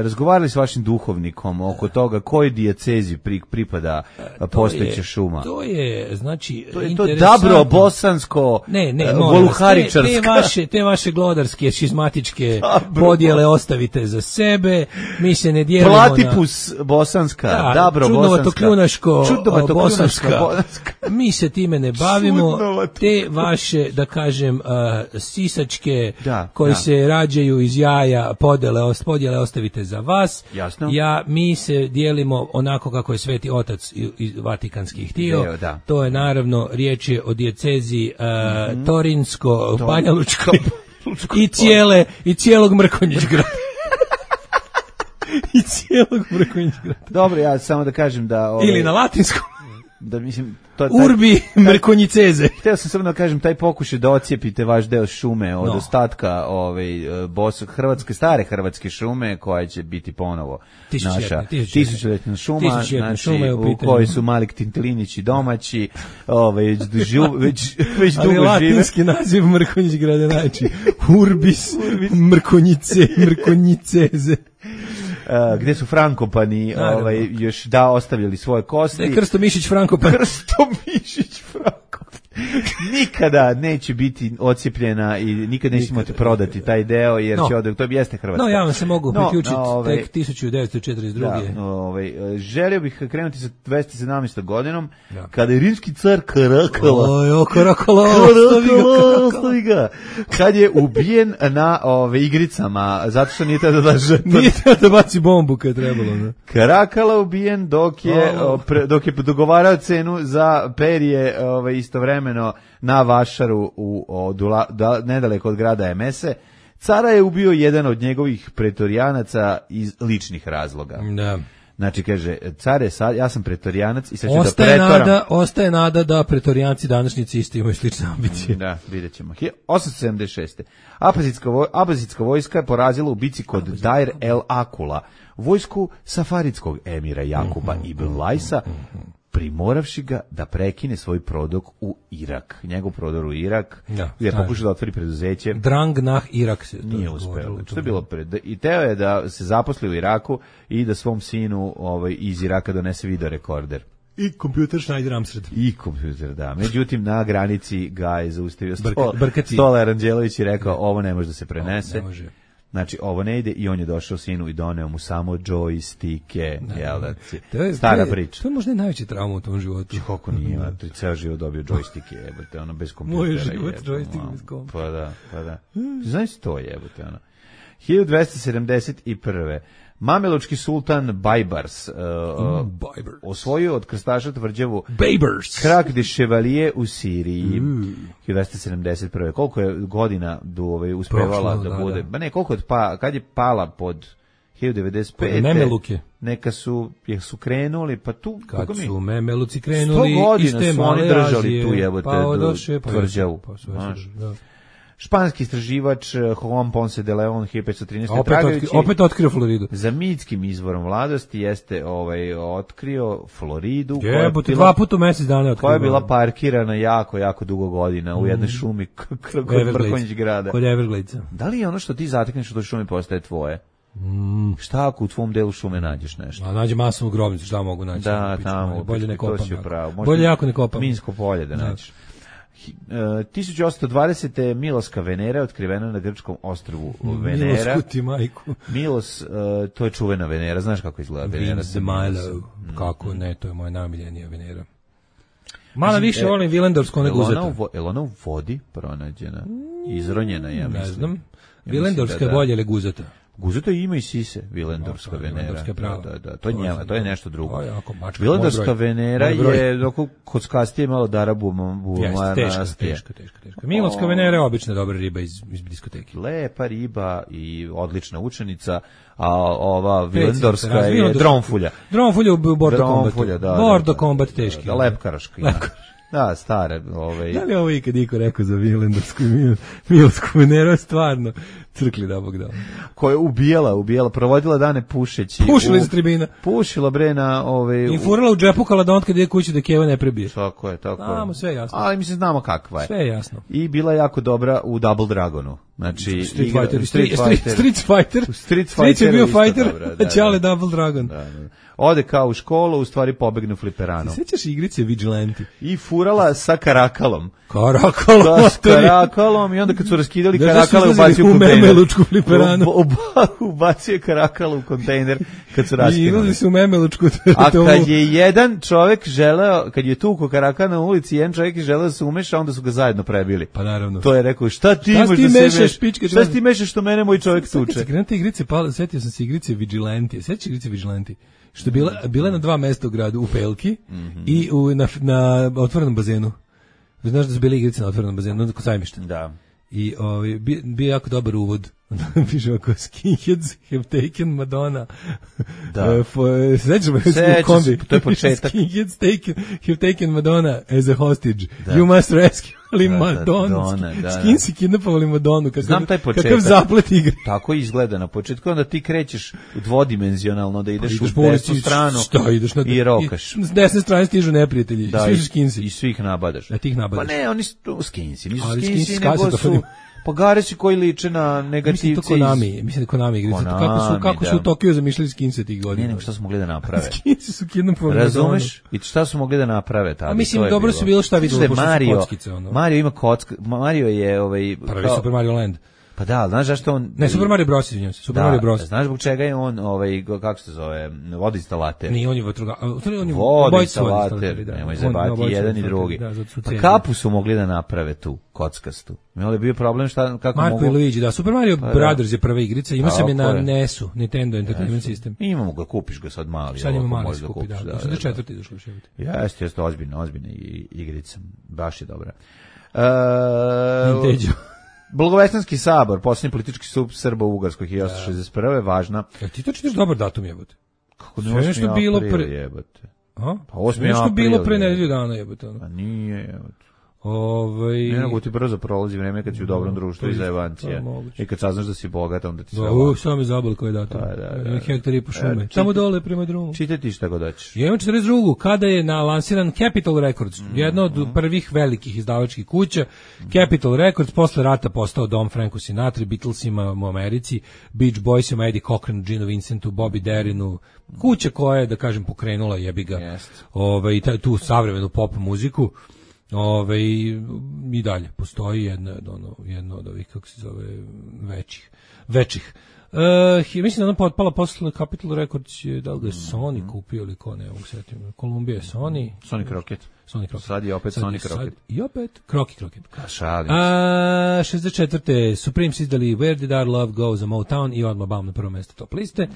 razgovarali s vašim duhovnikom oko toga kojoj dijecezi pripada postojeća šuma? To je, znači, to je Dabro, Bosansko, Voluharičarska. Te vaše glodarske, šizmatičke podjele ostavite za sebe. Mi se ne dijelimo Platipus bosanska, Dabro čudnovato bosanska, bosanska. Mi se time ne bavimo. Te vaše, da kažem, sisačke koji se rađaju iz jaja podjele ostavite za vas. Jasno. Mi se dijelimo onako kako je Sveti Otac Vatikanski htio. To je naravno, riječ je o dijecezi Torinsko, Banja Lučka i cijelog Mrkonjić grada. I cijelog Mrkonjić grada. Dobro, ja samo da kažem da... Ili na latinskom. Da mislim... Urbi Mrkonjiceze. Htio sam samo da kažem, taj pokušaj da ocijepite vaš deo šume od ostatka stare hrvatske šume, koja će biti ponovo naša tisućljetna šuma, znači, u kojoj su Malik Tintelinići domaći, već dugo žive. Latinski naziv Mrkonjić grada, znači Urbis Mrkonjiceze. Gde su Frankopani još ostavljali svoje kosti. Krsto Mišić Frankopan. Nikada neće biti ocijepljena i nikada neće imati prodati taj deo, jer to jeste Hrvatska. Ja vam se mogu priključiti tek 1942. Želio bih krenuti sa 217. godinom, kada je rimski car Karakala, ostavi ga, kad je ubijen na igricama, zato što nije tada da žrtva. Nije tada da baci bombu kad je trebalo. Karakala ubijen dok je dogovarao cenu za perje istovremeno na vašaru nedaleko od grada Emese. Cara je ubio jedan od njegovih pretorijanaca iz ličnih razloga. Da. Znači, kaže, care, ja sam pretorijanac i sad ću da pretoram. Ostaje nada da pretorijanci današnjici isto imaju slične ambicije. Da, vidjet ćemo. 876. Abazitska vojska je porazila u bici kod Dair el Akula, vojsku safaridskog emira Jakuba ibn Lajsa, primoravši ga da prekine svoj prodor u Irak. Njegov prodor u Irak je pokušao da otvori preduzeće. Drang nah Irak se nije uspeo. Što je bilo i teo je da se zaposli u Iraku i da svom sinu iz Iraka donese video rekorder. I kompjuter Schneider Amstrad. I kompjuter, da. Međutim, na granici ga je zaustavio Stola Aranđelović i rekao, ovo ne može da se prenese. Ne može. Znači, ovo ne ide, i on je došao sinu i doneo mu samo joystike, stara priča. To je možda najveća trauma u tom životu. Kako nije, ceo život dobio joystike, bez kompjutera. Moj život, joystick bez kompjutera. Pa da. Znaš to, jebote, 1271. Mamelučki sultan Bajbars osvojio od krstaša tvrđavu Krak de Chevalier u Siriji 1271. Koliko je godina uspevala da bude? Ba ne, koliko je kad je pala pod 1095. Memeluke. Neka su krenuli, pa tu kad su Memeluci krenuli 100 godina su oni držali tu jebote tvrđavu. Španski istraživač Juan Ponce de Leon 1513. Opet otkrio Floridu. Za mitskim izvorom mladosti jeste otkrio Floridu. Jebote, 2 puta u mesec dana otkrio. Koja je bila parkirana jako dugo godina u jednoj šumi kod Brkonjić grada. Kod Evergladesa. Da li je ono što ti zatekneš u toj šumi postaje tvoje? Šta ako u tvom delu šume nađeš nešto? A nađe masovu grobnicu, šta mogu naći? Da, tamo. Bolje ne kopam. Bolje jako ne kopam. Minsko polje da nađeš. 1820. Miloska Venera otkrivena na grčkom ostrvu Venera. Milos kuti majku. Milos, to je čuvena Venera, znaš kako izgleda Venera? Milo. Kako ne, to je moja najomiljenija Venera. Malo više volim Vilendorsku nego Guzeta. Je ona u vodi pronađena? Izronjena, ja mislim. Ne znam. Vilendorska je bolje ili Guzeta? Guzeta ima i sise, Vilendorska Venera. Da, to je njema, to je nešto drugo. Vilendorska Venera je kockastije malo darabu. Teška. Milonska Venera je obična dobra riba iz diskoteke. Lepa riba i odlična učenica, a ova Vilendorska je dronfulja. Dronfulja u Bordo Kombatu. Bordo Kombat teški. Da, lepkaraška. Da, stare. Da li ovo ikad niko rekao za Vilendorsku i Milosku Veneru, stvarno crkli da Bog dao. Koja je ubijala, provodila dane pušeći. Pušila iz tribina. Pušila bre na I furala u džepu kaladont kad ide kući da Keva ne prebije. Tako je. Znamo, sve jasno. Ali mislim znamo kakva je. Sve jasno. I bila jako dobra u Double Dragonu. Znači, Street Fighter je bio fighter, a Čale Double Dragon. Da. Ode kao u školu, u stvari pobegne u fliperanom. Sećaš igrice Vigilante? I furala sa karakalom. Karakalom i onda kad su raskidali karakale ubacio u kontejner. Memelučku fliperanu. Ubacio karakala u kontejner kad su raskidali. I izlazi se u Memelučku. A kad je jedan čovek želeo, kad je tuko karakal na ulici, jedan čovek je želeo da se umeša, onda su ga zajedno prebili. Pa naravno. To je rekao, šta ti mešaš što mene moj čovek tuče? Setio sam se igrice Vigilante. Sećaš igrice Vigilante? Što je bila na 2 mesta u gradu, u Pelki i na otvorenom bazenu. Znaš da su bile igrice na otvorenom bazenu, kod Sajmišta. Da. I bio jako dobar uvod. Piše ovako, skinheads have taken Madonna. Da. Sećam se, to je početak. Skinheads have taken Madonna as a hostage. Da. You must rescue Madonna. Skinsi kidnapovali Madonu. Znam taj početak. Kakav zaplet igre. Tako izgleda na početku, onda ti krećeš dvodimenzionalno, da ideš u desnu stranu i rokaš. S desne strane stižu neprijatelji. Svi su skinsi. I svih nabadaš. A tih nabadaš. Pa ne, oni su skinsi. Nisu skinsi, nego su pogarići koji liče na negativci. Mislim da Konami igrice. Kako su u Tokiju zamišljali skinse tih godina. Ne, nego šta su mogli da naprave. Skinsi su kidnapovali. Razumeš? I šta su mogli da naprave tada? Mislim, dobro su bilo šta vidjelo, pošto su kockice. Mario ima kocka. Mario je prvi Super Mario Land. Pa da, znaš zašto on... Ne, Super Mario Bros. Super Mario Bros. Znaš zbog čega je on, kako se zove, vodoinstalater? Nije, on je vodoinstalater, nemoj zabati jedan i drugi. Pa kapu su mogli da naprave tu, kockastu. Imali je bio problem kako Marko i Luigi, da, Super Mario Brothers je prva igrica, ima sam je na NES-u, Nintendo Entertainment System. Imamo ga, kupiš ga sad mali. Sad ima mali se kupi, da. Mislim da četvrti došlo u ševiti. Jeste, ozbiljna igrica, baš je dobra. Ninteđo. Blagovestanski sabor, posljednji politički sub Srba u Ugarskoj 1861. važna. Ti to čitaš dobar datum, jebote? Kako ne 8. april, jebote? Pa 8. april. Nešto bilo pre nedelju dana, jebote. A nije, jebote. Ne nego ti brzo prolazi vreme kad si u dobrom društvu i zajebancija. I kad saznaš da si bogat, onda ti sve ovako. Samo mi zabol koji je datum. Hektar i po šume. Samo dole prema drumu. Čitaj ti šta god hoćeš. Ja imam 42. Kada je lansiran Capitol Records, jedna od prvih velikih izdavačkih kuća. Capitol Records posle rata postao dom Franku Sinatra, Beatlesima u Americi, Beach Boysima, Eddie Cochran, Gino Vincentu, Bobby Darinu. Kuća koja je, da kažem, pokrenula jebiga tu savremenu pop muziku. I dalje postoji jedna od ovih, kako se zove, većih Mislim da ona potpala posle Capitol Records, da li ga je Sony kupio ili ko, ne mogu setim. Columbia je Sony. Sonic Rocket. Sad je opet Sonic Rocket. I opet Crockett. Šalim. 64. Supremes izdali Where Did Our Love Go za Motown i odmah bam na prvo mjesto top liste.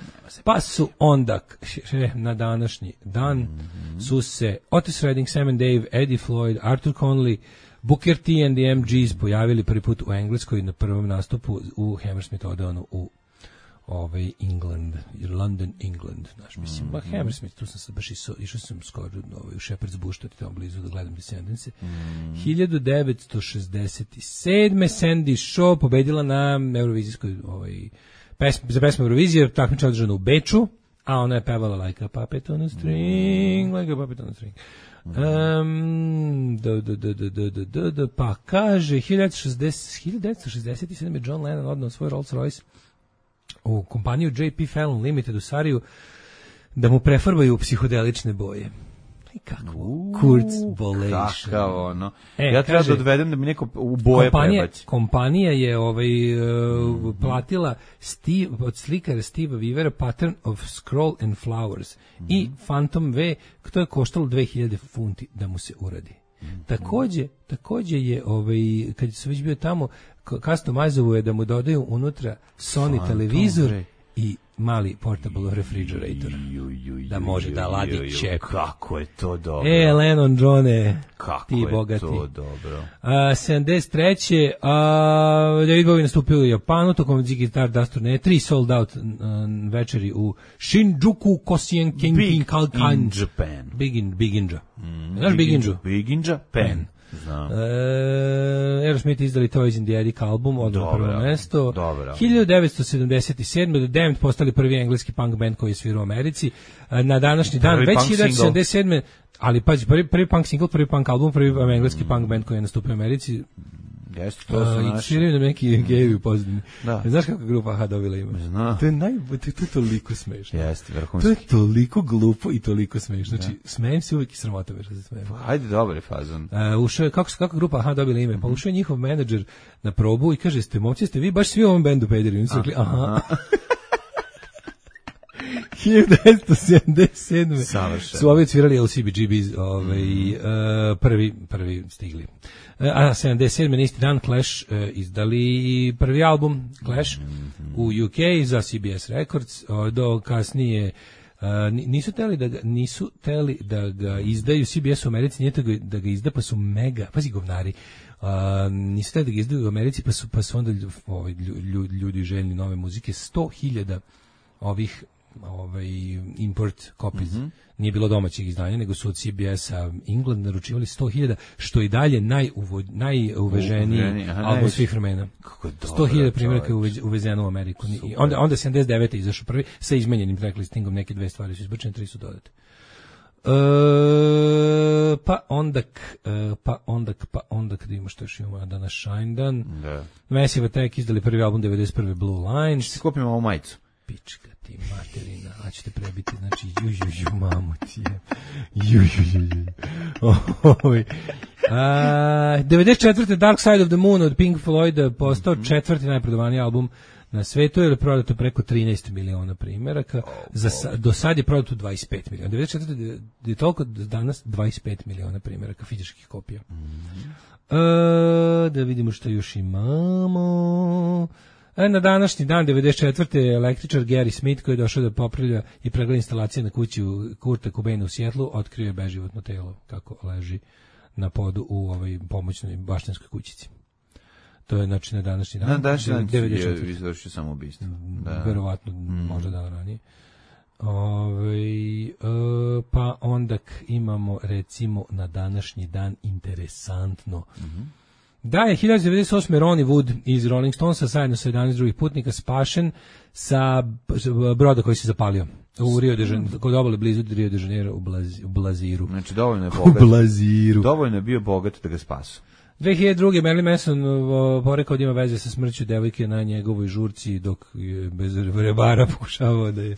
Pa su onda na današnji dan su se Otis Redding, Sam and Dave, Eddie Floyd, Arthur Conley, Booker T and the MGs pojavili prvi put u Engleskoj na prvom nastupu u Hammersmith Odeonu u England, London, England, znaš, mislim, Hammersmith, tu sam se baš išao sam skoro u Shepherd's Bush, to je tamo blizu da gledam Descendants. 1967. Sandy Shaw pobedila na Eurovizijskoj, za pesmu Eurovizije, takmičenje održano u Beču, a ona je pevala Like a Puppet on a String, Like a Puppet on a String. Pa kaže 1967. John Lennon odnao svoj Rolls Royce u kompaniju J.P. Fallon Limited u Sariju da mu prefarbaju psihodelične boje. I kako? Kurzbolation. Kakav ono. Ja treba da odvedem da mi neko u boje prebaci. Kompanija je platila od slikara Steva Weavera Pattern of Scroll and Flowers i Phantom V, to je koštalo 2000 funti da mu se uradi. Takođe je, kad se već bio tamo, customizovo je da mu dodaju unutra Sony televizor i mali portable refrigerator. Da može da ladi čep. Kako je to dobro. Lennon, Johne, ti bogati. Kako je to dobro. 73. David Bowie nastupio u Japanu, tokom Ziggy Stardust turneje, 3 sold out večeri u Shinjuku, Kosien, Kenkin, Kalkan. In Japan. Big Inja. Znaš Big Inju? Big Inja, Pen. Znam. Aerosmith izdali Toys in the Attic album, odmah prvo mesto. 1977. The Damned postali prvi engleski punk band koji je svirao u Americi. Na današnji dan, već 1977. Ali pazi, prvi punk single, prvi punk album, prvi engleski punk band koji je nastupio u Americi. Jeste, to su naši. I sviraju nam neki gejevi u pozadini. Znaš kako grupa Aha dobila ima? Znam. To je toliko smešno. Jeste, vrhunski. To je toliko glupo i toliko smešno. Znači, smejem se uvijek i sramota me što se smejem. Ajde, dobar je fazon. Ušao je, kako grupa Aha dobila ime? Pa ušao je njihov menadžer na probu i kaže, momci, ste vi baš svi u ovom bendu pederi? Oni su rekli, aha. 1977. su ovi svirali LCBGBs, prvi stigli. A 77. na isti dan Clash izdali prvi album Clash u UK za CBS Records, do kasnije nisu teli da ga izdaju CBS u Americi, nije da ga izda, pa su mega, pazi govnari, nisu teli da ga izdaju u Americi, pa su onda ljudi željni nove muzike, 100.000 ovih import copies. Nije bilo domaćih izdanja, nego su od CBS-a England naručivali 100.000, što i dalje najuveženiji album svih vremena. 100.000 primjeraka je uvezeno u Ameriku. Onda 79. izašao prvi sa izmenjenim track listingom, neke dve stvari su izbačene, 3 su dodate. Pa onda kad imamo što još imamo danas Shine Dan. Massive Attack izdali prvi album 91. Blue Lines. Što kupimo ovu majicu? Pička ti materina, a ćete prebiti, znači mamu ti je. 94. Dark Side of the Moon od Pink Floyd postao četvrti najprodavaniji album na svetu, jer je prodato preko 13 miliona primjeraka. Do sad je prodato 25 miliona. 94. je toliko danas 25 miliona primjeraka fizičkih kopija. Da vidimo što još imamo. Na današnji dan, 94. električar Gary Smith, koji je došao da popravlja i pregleda instalacije na kući Kurta Cobaina u Sjetlu, otkrio je beživotno telo kako leži na podu u ovoj pomoćnoj baštenskoj kućici. To je znači na današnji dan. Na današnji dan je izvršio samoubistvo. Verovatno, možda dan ranije. Pa onda imamo recimo na današnji dan interesantno. Da je 1998. Ronnie Wood iz Rolling Stonesa zajedno sa 11 drugih putnika spašen sa broda koji se zapalio u Rio de Janeiro, kod obale blizu Rio de Janeiro u Blaziru. Znači dovoljno je bogat. U Blaziru. Dovoljno je bio bogat da ga spasu. 2002. Marilyn Manson porekao da ima veze sa smrću devojke na njegovoj žurci dok je bez rebara pokušavao da je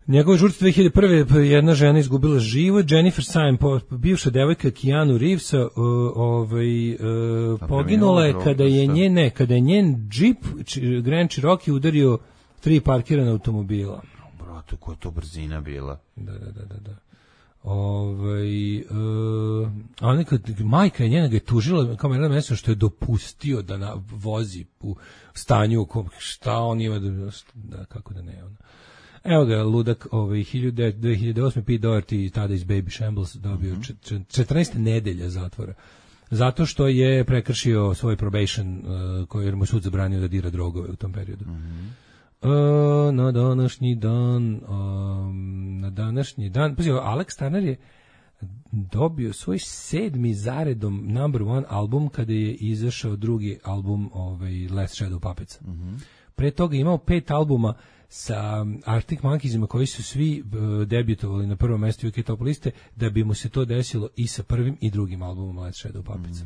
Njegove žrtve 2001. jedna žena izgubila život, Jennifer Syme, bivša devojka Keanu Reevesa, poginula je kada je njen džip Grand Cherokee udario 3 parkirana automobila. Brate, koja je to brzina bila. Da. A neka majka je njena ga je tužila kao Marilyn Manson što je dopustio da vozi u stanju šta on ima da kako da ne ono. Evo ga, ludak 2008. Pete Doherty tada iz Baby Shambles dobio 14 nedelja zatvora. Zato što je prekršio svoj probation koji mu sud zabranio da dira drogove u tom periodu. Na današnji dan, pazi, Alex Turner je dobio svoj 7. zaredom number 1 album kada je izašao drugi album Last Shadow Puppets. Pre toga je imao 5 albuma sa Arctic Monkeysima koji su svi debitovali na prvom mjestu UK Top liste, da bi mu se to desilo i sa prvim i drugim albumom Last Shadow Puppets.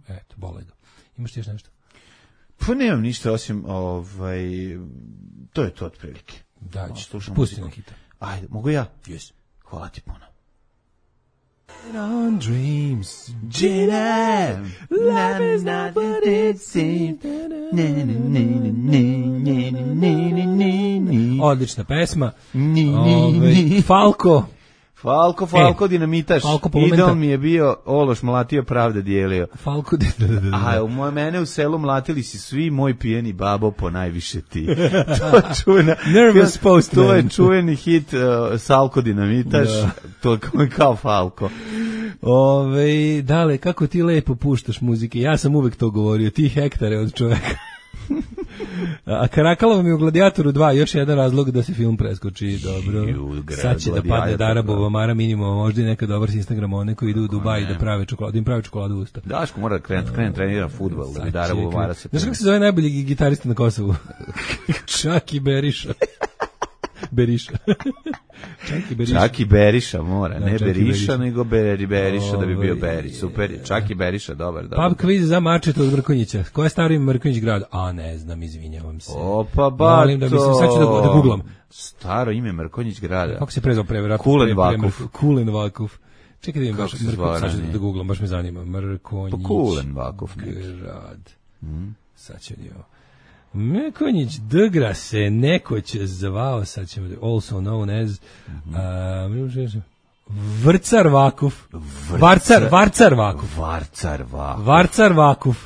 Eto, bole ga. Imaš ti još nešto? Pa nemam ništa osim to je to otprilike. Da, pusti na kita. Ajde, mogu ja? Yes. Hvala ti puno. On dreams, Gina, love is not what it seems. Odlična pesma. Falko dinamitaš. Idol mi je bio Ološ mlatio, pravda dijelio. Falko A u mene u selu mlatili si svi, moj pijeni babo, po najviše ti. To je čuvena. Nervous Postman. To je čuveni hit Salko dinamitaš. To kao Falko. Dale, kako ti lepo puštaš muzike. Ja sam uvek to govorio. Ti hektare od čoveka. A Karakalova mi u Gladiatoru 2 još jedan razlog da se film preskoči. Dobro. Sad će da padne Darabova Mara minimum, možda i neka dobar s Instagrama, one koji idu u Dubai da prave čokoladu, im prave čokoladu u usta. Daško mora da krene trenira fudbal, da bi Darabova Mara se... Znaš kako se zove najbolji gitarista na Kosovu? Čaki Beriša. Čaki Beriša mora, ne Beriša, nego Beriša da bi bio Beri. Super, Čaki Beriša, dobar. Pub quiz za Marčeta od Mrkonjića. Koja je staro ime Mrkonjić grad? A ne znam, izvinjavam se. Opa, bato. Molim da mislim, sad ću da googlam. Staro ime Mrkonjić grada. Kako se prezao preveratno? Kulen Vakuf. Čekaj da imam baš sad ću da googlam, baš me zanima. Mrkonjić grad. Sad ću ovo. Mrkonjić Dgra se nekoć zvao, sad ćemo da, also known as Vrcar Vakuf. Varcar Vakuf.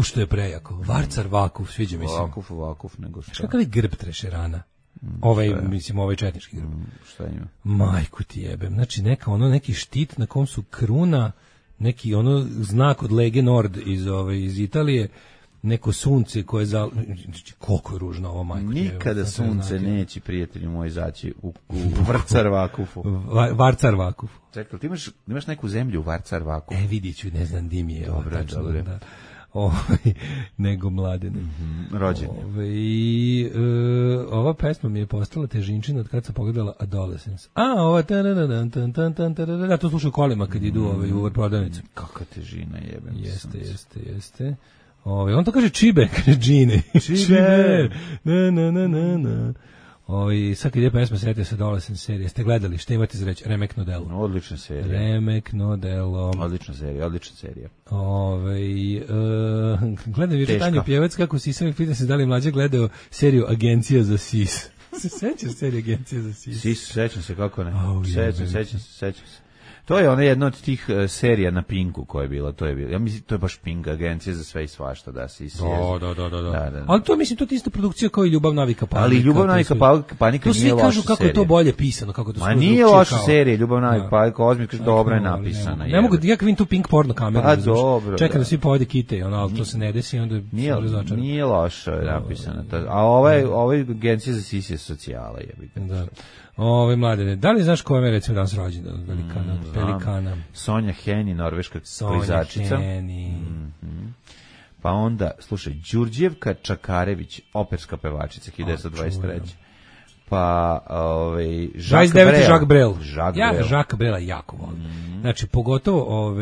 Što je prejako. Varcar Vakuf, sviđa mi se. Vakuf, nego šta. Kakav je grb Trešerana? Ovaj četnički grb. Šta ima? Majku ti jebem. Znači neki štit na kom su kruna, neki znak od Lege Nord iz Italije, neko sunce koje koliko je ružno ovo, majko. Nikada sunce neće, prijatelji moji, zaći u Vrcar Vakufu. Varcar Vakuf. Čekaj, ti imaš neku zemlju u Varcar Vakufu? Vidit ću, ne znam di mi je. Dobro. Da. Nego Mladene. Rođen. Ova pesma mi je postala težinčina od kad sam pogledala Adolescence. Ova da, to slušaju kolima kad idu u prodavnicu. Kakva težina, jebem. Jeste. On to kaže čibe, kaže džine. Čibe. Na. Sad kad je pesma, setio se Adolescence serije. Ste gledali, šta imate za reći? Remek Nodelo. Odlična serija. Remek Nodelo. Odlična serija. Gledam juče Tanju Pjevac kako si sam pita se da li mlađe gledao seriju Agencija za SIS. Se sećaš serije Agencija za SIS? Sećam se, kako ne. Sećam se. To je ona jedna od tih serija na Pinku koja je bila, ja mislim to je baš Pink, Agencija za sve i svašta, da se Da. Ali to mislim to je ista produkcija kao i Ljubav navika panika. Ali Ljubav navika panika nije loša serija. To svi kažu kako je to bolje pisano, kako to. Ma nije loša serija, Ljubav navika panika, ozbiljno kaže dobro je napisana. Ne mogu ja vidim tu Pink porno kameru. Pa dobro. Čekam da svi povede kite, ali to se ne desi, onda nije loše napisana. A ovaj Agencija za SIS je socijala, jebite. Da. Mladene, da li znaš ko je recimo danas rođendan od Pelikana? Sonja Heni, norveška proizačica. Sonja Heni. Pa onda, slušaj, Đurđevka Čakarević, operska pevačica, 1923. Pa, Jacques Brel. Ja Jacques Brela jako volim. Znači, pogotovo,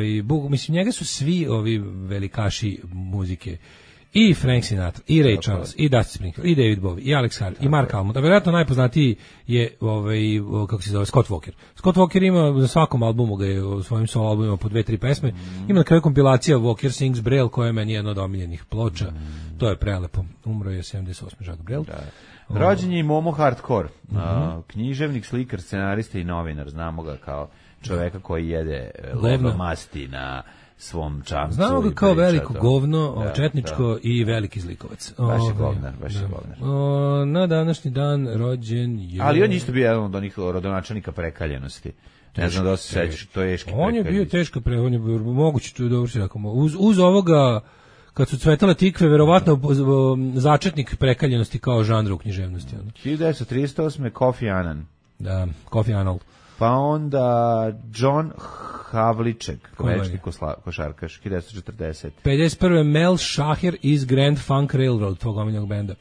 mislim, njega su svi ovi velikaši muzike i Frank Sinatra, i Ray Charles, i Dusty Springfield, i David Bowie, i Alex Hart, i Mark Almond. A vjerojatno najpoznatiji je kako se zove, Scott Walker. Scott Walker ima na svakom albumu, ga je u svojim solo albumima po 2-3 pesme. Ima na kraju kompilacija Walker Sings Braille, koja je meni jedna od omiljenih ploča. To je prelepo. Umro je 78. Jacques Brel. Rođen je i Momo Hardcore, književnik, slikar, scenarista i novinar. Znamo ga kao čoveka koji jede masti na svom čamcu. Znamo ga kao veliko govno, četničko i veliki zlikovac. Baš je govnar, baš je govnar. Na današnji dan rođen je... Ali on isto bio jedan od onih rodonačelnika prekaljenosti. Ne znam da se sećaš, to je teški prekaljenost. On je bio teška prekaljenost, on je bio moguće, to je dobro si rekao. Uz ovoga, kad su cvetale tikve, verovatno začetnik prekaljenosti kao žanra u književnosti. 1938. Kofi Annan. Da, Kofi Annan. Pa onda John Havlicek, američki košarkaš, 1940. 51. Mel Shaher iz Grand Funk Railroad, tvog omiljenog benda.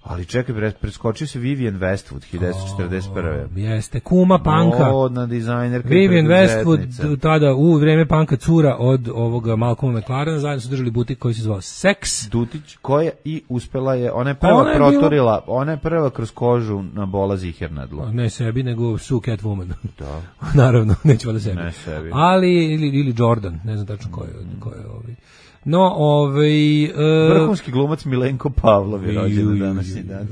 Ali čekaj, preskočio se Vivienne Westwood, 1941. Jeste, kuma panka. Modna dizajnerka. Vivienne Westwood, tada u vreme panka cura od ovoga Malcolma McLarena, zajedno su držali butik koji se zvao Sex. Dutić, koja i uspela je, ona je prva proturila, ona je prva kroz kožu na bola zihernadla. Ne sebi, nego Sue Catwoman. Da. Naravno, nećemo da sebi. Ne sebi. Ali, ili Jordan, ne znam tačno ko je ovi. No, vrhunski glumac Milenko Pavlov je rođen na današnji dan.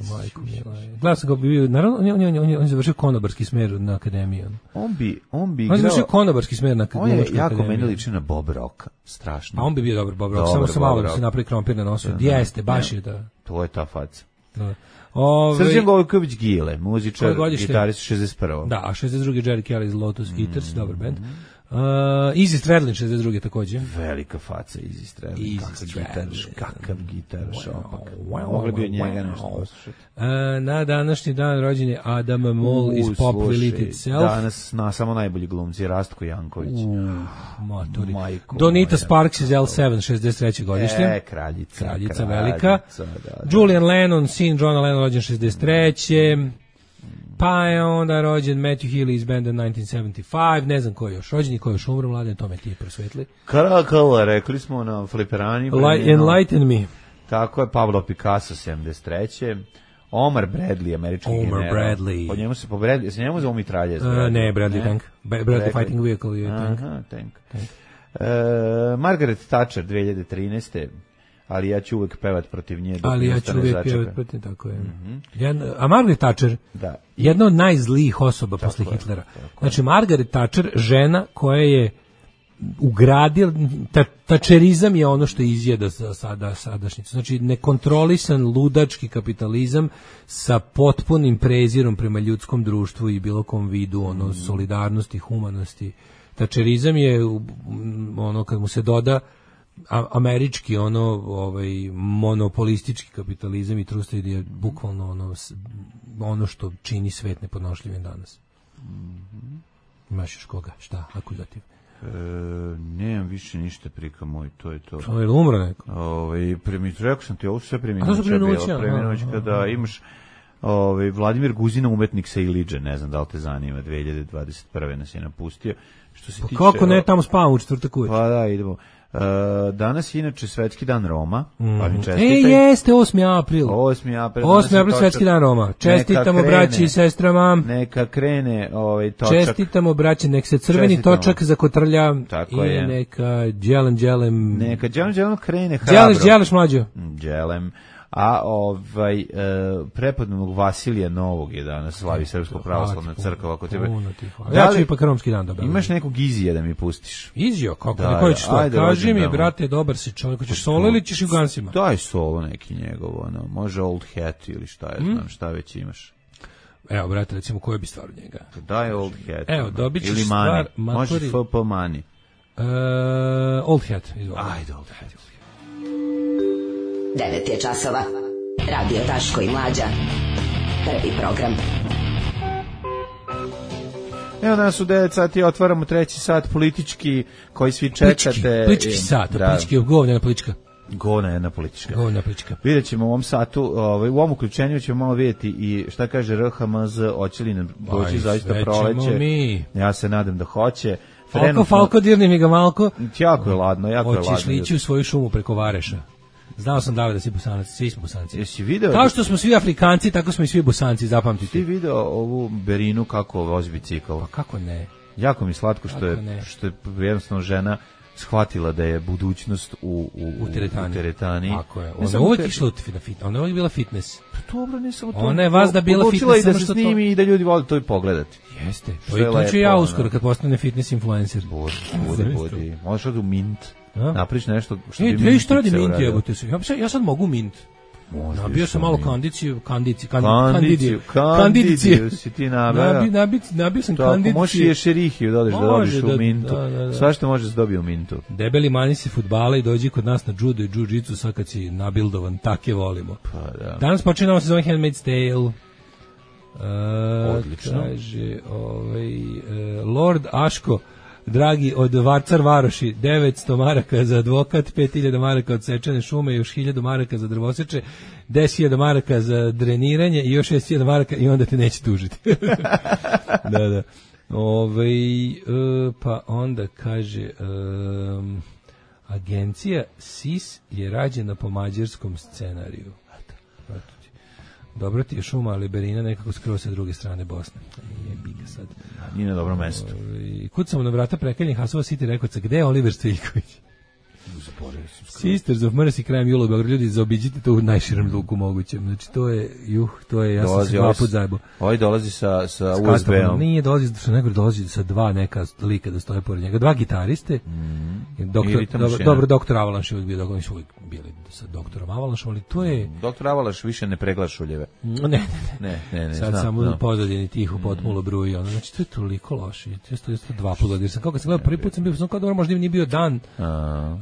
Gledao sam ga bio, naravno, on je završio konobarski smer na akademiji. On bi igrao... On je završio konobarski smer na akademiji. On je jako meni liči na Bob Rocka, strašno. A on bi bio dobar Bob Rock, samo se malo da se napravi krompir na nosu. Jeste, baš je da... To je ta faca. Srđan Gojković Gile, muzičar, gitarist 61. Da, a 62. Jerry Kelly iz Lotus Eaters, dobar band. Izzy Stradlin 62. takođe. Velika faca Izzy Stradlin. Kakav gitaraš opak. Mogli bi od njega nešto poslušati. Na današnji dan rođen je Adam Moll iz Pop Will Eat Itself. Danas samo najbolji glumci, Rastko Janković. Donita Sparks iz L7, 63. godište. Kraljica velika. Julian Lennon, sin Johna Lennon, rođen 63. Pa je onda rođen Matthew Healy iz benda 1975, ne znam ko je još rođen i ko je još umro, mladen, to me ti prosvetli. Karakala, rekli smo na fliperani. Enlighten me. Tako je, Pablo Picasso, 73. Omar Bradley, američki general. Omar Bradley. Po njemu se po Bradley, se njemu zove mitralje? Ne, Bradley tank. Bradley fighting vehicle je tank. Aha, tank. Margaret Thatcher, 2013. Ali ja ću uvek pevat protiv nje. Ali ja ću uvek pevat protiv, tako je. A Margaret Thatcher, jedna od najzlijih osoba posle Hitlera. Znači, Margaret Thatcher, žena koja je ugradila, tačerizam je ono što izjeda sadašnjicu. Znači, nekontrolisan ludački kapitalizam sa potpunim prezirom prema ljudskom društvu i bilo kom vidu solidarnosti, humanosti. Tačerizam je ono kad mu se doda američki monopolistički kapitalizam i trust je bukvalno ono što čini svet nepodnošljivim danas. Imaš još koga? Šta? Akuzativ? Nemam više ništa, prika moj, to je to. To je umro neko? Rekao sam ti, ovo su sve preminuća da imaš Vladimir Guzina, umetnik sa Iliđe, ne znam da li te zanima, 2021. nas je napustio. Što se tiče, kako ne, tamo spavam u četvrtak uveče. Pa da, idemo. Danas je inače Svetski dan Roma, pa mi čestitaj. Jeste 8. april. 8. april Svetski dan Roma. Čestitamo braći i sestrama. Neka krene točak. Čestitamo braći, nek se crveni točak zakotrlja i neka đelem. Neka đelem krene hrabro. Đeleš mlađo. Đelem. A prepodobnog Vasilija Novog je danas slavi Srpsko pravoslavna crkva. Ja ću ipak romski dan da. Imaš nekog Izija da mi pustiš? Izio? Kako? Koji ćeš to? Kaži mi, brate, dobar si čovjek. Hoćeš solo ili ćeš i u Gansima? Daj solo neki njegov, može Old Hat ili šta je, znam šta već imaš. Evo, brate, recimo koje bi stvar od njega? Daj Old Hat. Evo, dobit ćeš stvar. Može FP Money. Old Hat. Ajde, Old Hat. 9 je časova. Radio Daško i Mlađa. Prvi program. Evo nas u 9 sati otvaramo treći sat politički koji svi čekate. Politički sat, politički govna politička. Govna jedna politička. Vidjet ćemo u ovom satu, u ovom uključenju ćemo malo vidjeti i šta kaže RHMZ, hoće li nam doći zaista proleće. Ja se nadam da hoće. Falko, dirni mi ga malko. Jako je ladno, jako je ladno. Hoćeš li ići u svoju šumu preko Vareša? Znao sam da si Bosanac, svi smo Bosanci. Jesi video? Kao što smo svi Afrikanci, tako smo i svi Bosanci, zapamtite. Ti video ovu Berinu kako vozi bicikl? Pa kako ne? Jako mi slatko što je jednostavno žena shvatila da je budućnost u teretani. Tako je. Ona je uvijek išla na fitness. Ona je uvijek bila fitness. Pa dobro, ne samo to. Ona je vazda bila fitness. Odlučila i da se snimi i da ljudi vole to i pogledati. Jeste. To ću ja uskoro kad postane fitness influencer. Budi. Možeš od u Mint. Napriš nešto što bi Mint. Što radi Mint, jebote se. Ja sad mogu Mint. Nabio sam malo kandidiciju si ti nabio. Nabio sam kandidiciju. Ako možeš i ješerihiju dodeš da dobiš u Mintu. Sva što može se dobije u Mintu. Debeli mani si fudbala i dođi kod nas na judo i jiu-jitsu sad kad si nabildovan, take volimo. Danas počinamo sezon Handmaid's Tale. Odlično. Kaže, Lord Aško, dragi, od Varcar Varoši, 900 maraka za advokat, 5000 maraka od sečene šume, još 1000 maraka za drvoseče, 10.000 maraka za dreniranje i još 6.000 maraka i onda te neće tužiti. Da. Pa onda kaže, agencija SIS je rađena po mađarskom scenariju. Dobro ti je šuma, ali Berina nekako skroz sa druge strane Bosne. Jebiga sad. Nije na dobro mesto. Kucamo na vrata prekaljenih Hasova City Rekordca. Gde je Oliver Stojiković? Sisters of Mercy krajem jula u Beogradu. Ljudi, zaobiđite to u najširem luku mogućem. Znači, to je, ja sam se 2 put zajebao. Ovaj dolazi sa USB-om. Nije, dolazi sa 2 neka lika da stoje pored njega. 2 gitariste. Doktor Avalanš je uvijek bio, oni su uvijek bili sa doktorom Avalanšom, ali to je... Doktor Avalanš više ne pregla šuljeve. Ne. Sad samo pozadini tihu potmulo bruji. Znači, to je toliko loše. To je 2 puta. Jer sam kao kad sam gledao prvi put sam bio, kao dobro, možda nije bio dan.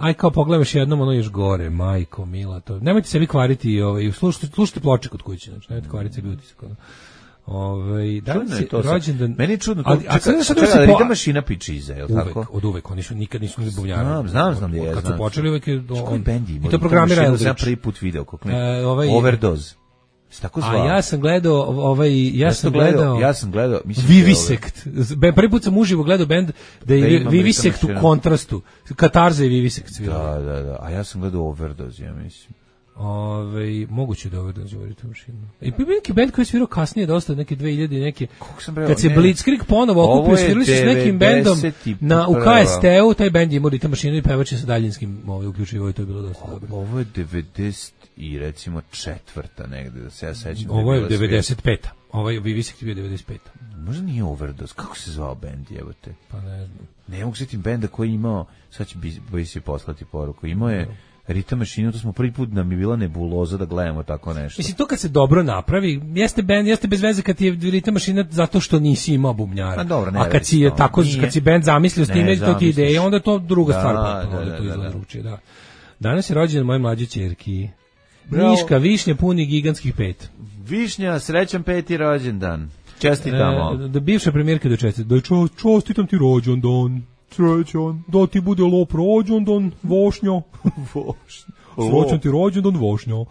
Aj kao pogledaš jednom, ono još gore, majko, mila, to. Nemojte sebi kvariti, slušajte ploče kod kuće, znači, nemojte kvariti sebi utisak. Danas je rođendan. Meni je čudno to. Čekaj, Rita mašina piči iza, je li tako? Od uvek, oni nikad nisu ni bubnjari. Znam da je. Kad su počeli uvek je on. I to programira Eldridge. Ja prvi put video kako Overdose. Tako zvao. A ja sam gledao Vivisect. Prvi put sam uživo gledao bend da je Vivisect u kontrastu. Katarza i Vivisect svirao. Da. A ja sam gledao Overdose, ja mislim. Moguće da Overdose u Rita mašinu. I neki bend koji je svirao kasnije dosta, neke 2000 i neke. Kad se Blitzkrieg ponovo okupio, svirali su s nekim bendom u KST-u, taj bend je imao Rita mašinu i pevač je sa daljinskim uključivo i to je bilo dosta dobro. Ovo je 90 i recimo 4. negde, da se ja sećam. Ovo je 95. Ovaj Vivisect je bio 95. Možda nije Overdose. Kako se zvao bend, jebote? Pa ne znam. Ne mogu sjetim benda koji je imao, sad će boji se poslati poruku, imao je Rita mašinu, to smo prvi put da mi bila nebuloza da gledamo tako nešto. Mislim, to kad se dobro napravi, jeste bez veze kad je Rita mašina zato što nisi imao bubnjara. A kad si je tako, kad si bend zamislio s time, to ti ideje, onda je to druga stvar. Onda to izgleda drugčije, da. Danas je rođendan moje mlađe ćerki. Miška, Višnja puni gigantskih 5. Višnja, srećan 5. rođendan. Čestitamo. Da bivša premijerka da čestita. Da čestitam ti rođendan. Srećan, da ti bude lop rođendan, Vošnjo. Srećan ti rođendan, Vošnjo.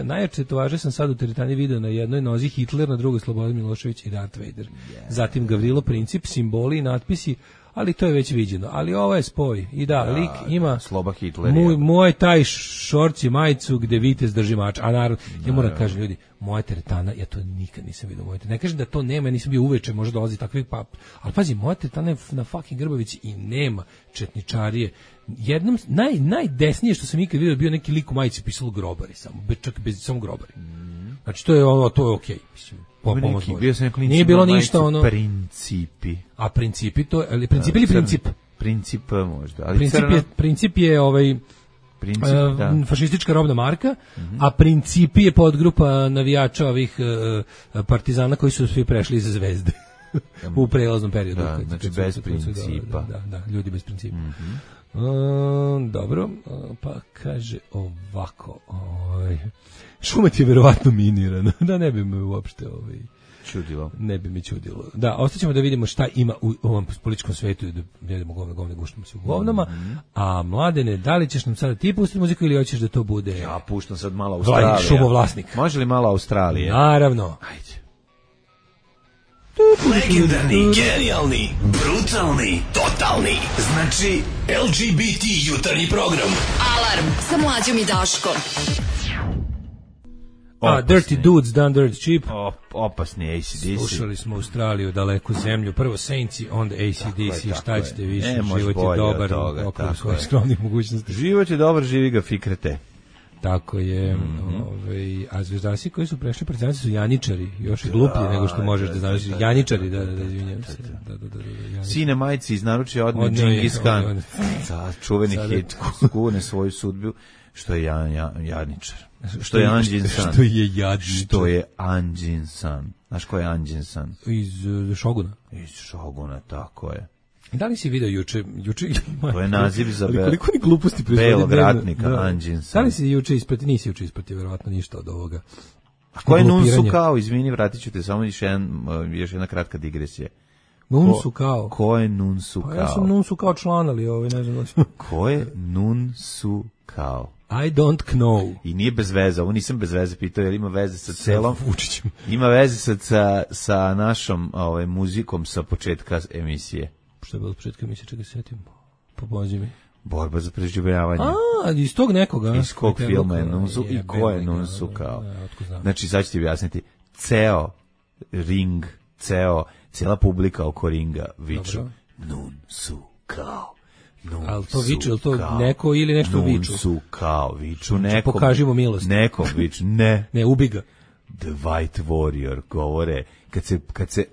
Najjače tovaže sam sad u teretani video na jednoj nozi Hitler, na drugoj Slobodan Milošević i Darth Vader. Zatim Gavrilo Princip, simboli i natpisi, ali to je već viđeno. Ali ovo je spoj. I lik ima Sloba Hitler. Moj taj šorci majicu gde vitez drži mač. A narod, ja moram kažem ljudi, moja teretana, ja to nikad nisam vidio. Ne kažem da to nema, ja nisam bio uveče, možda dolazi takvih ali pazi, moja teretana je na fucking Grbavici i nema četničarije. Jednom, najdesnije što sam ikad vidio bio neki lik u majici pisalo grobari, čak bez samo grobari. Znači to je okej, mislim. Nije bilo ništa ono principi. A principi to, ali princip ili princip? Princip možda, ali princip je fašistička robna marka, a Principi je podgrupa navijača ovih partizana koji su svi prešli iz Zvezde u prelaznom periodu. Znači bez principa. Da, ljudi bez principa. Dobro, pa kaže ovako, Šumet je verovatno minirana, da ne bi me uopšte čudilo. Ne bi mi čudilo. Da, ostaćemo da vidimo šta ima u ovom političkom svetu i da vidimo govne guštamo se u govnama. A Mladene, da li ćeš nam sada ti pustiti muziku ili hoćeš da to bude... Ja puštam sad malo Australija. Šumovlasnik. Može li malo Australije? Naravno. Ajde. Legendarni, genijalni, brutalni, totalni. Znači, LGBT jutarnji program. Alarm sa Mlađom i Daškom. Dirty Dudes, Done Dirt Cheap. Opasni AC/DC. Slušali smo Australiju, daleku zemlju. Prvo Saints, onda AC/DC. Šta ćete više? Život je dobar, okolo svojih skromnih mogućnosti. Život je dobar, živi ga fikrete. Tako je. A zvezdasi koji su prešli partizanci su janičari, još i gluplji nego što možeš da znaš. Janičari, da izvinjam se. Sine majci iz naručja odne Džingis Khan. Čuveni hit, skune svoju sudbiju, što je janičar. Što je Anđin San. Što je jadničar. Što je Anđin San. Znaš ko je Anđin San? Iz Šoguna. Iz Šoguna, tako je. Da li si video juče to je naziv za koliko ni gluposti belog ratnika Anđin San. Da li si juče ispratio, nisi juče ispratio verovatno ništa od ovoga. A ko je Nun Su Kao? Izvini, vratit ću te samo još jedna kratka digresija. Nun Su Kao? Ko je Nun Su Kao? Pa ja sam Nun Su Kao član, ali ne znam. Ko je Nun Su Kao? I don't know. I nije bez veze, ovo nisam bez veze pitao, jer ima veze sa celom Vučićem. Ima veze sa našom muzikom sa početka emisije. Što je bilo početka emisije, čega se setim? Pomozi mi. Borba za preživljavanje. Iz tog nekoga. Iz kog filma je Nun Su i ko je Nun Su Kao? Znači, sad ću ti objasniti. Ceo ring, cijela publika oko ringa viču Nun Su Kao. Ali to viču, ili to neko ili nešto viču? Nun Su Kao, viču nekom. Pokažimo milost. Nekom viču, ne. Ne, ubi ga. The White Warrior, govore,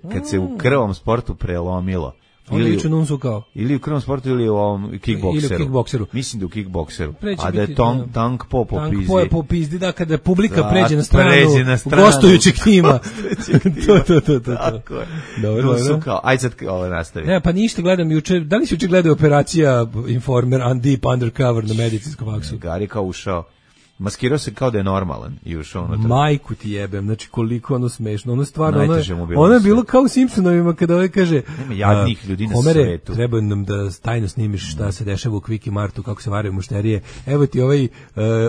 kad se u krvom sportu prelomilo. Ili viču Nun Su Kao. Ili u krvom sportu ili u ovom kickbokseru. Ili u kickbokseru. Mislim da u kickbokseru. A da je Tank Po po pizdi. Tank Po je po pizdi, da, kada publika pređe na stranu gostujućeg tima. To. Tako je. Nun Su Kao. Ajde sad ovo nastavi. Ne, pa ništa, gledam juče. Da li si juče gledao operacija Informer Deep Undercover na medicinskom faksu? Gari kao ušao. Maskirao se kao da je normalan i ušao unutra. Majku ti jebem, znači koliko ono smešno, ono stvarno, ono je bilo kao u Simpsonovima kada kaže nema jadnih ljudi na Homere, svetu. Treba nam da tajno snimiš šta se dešava u Quickie Martu, kako se varaju mušterije. Evo ti ovaj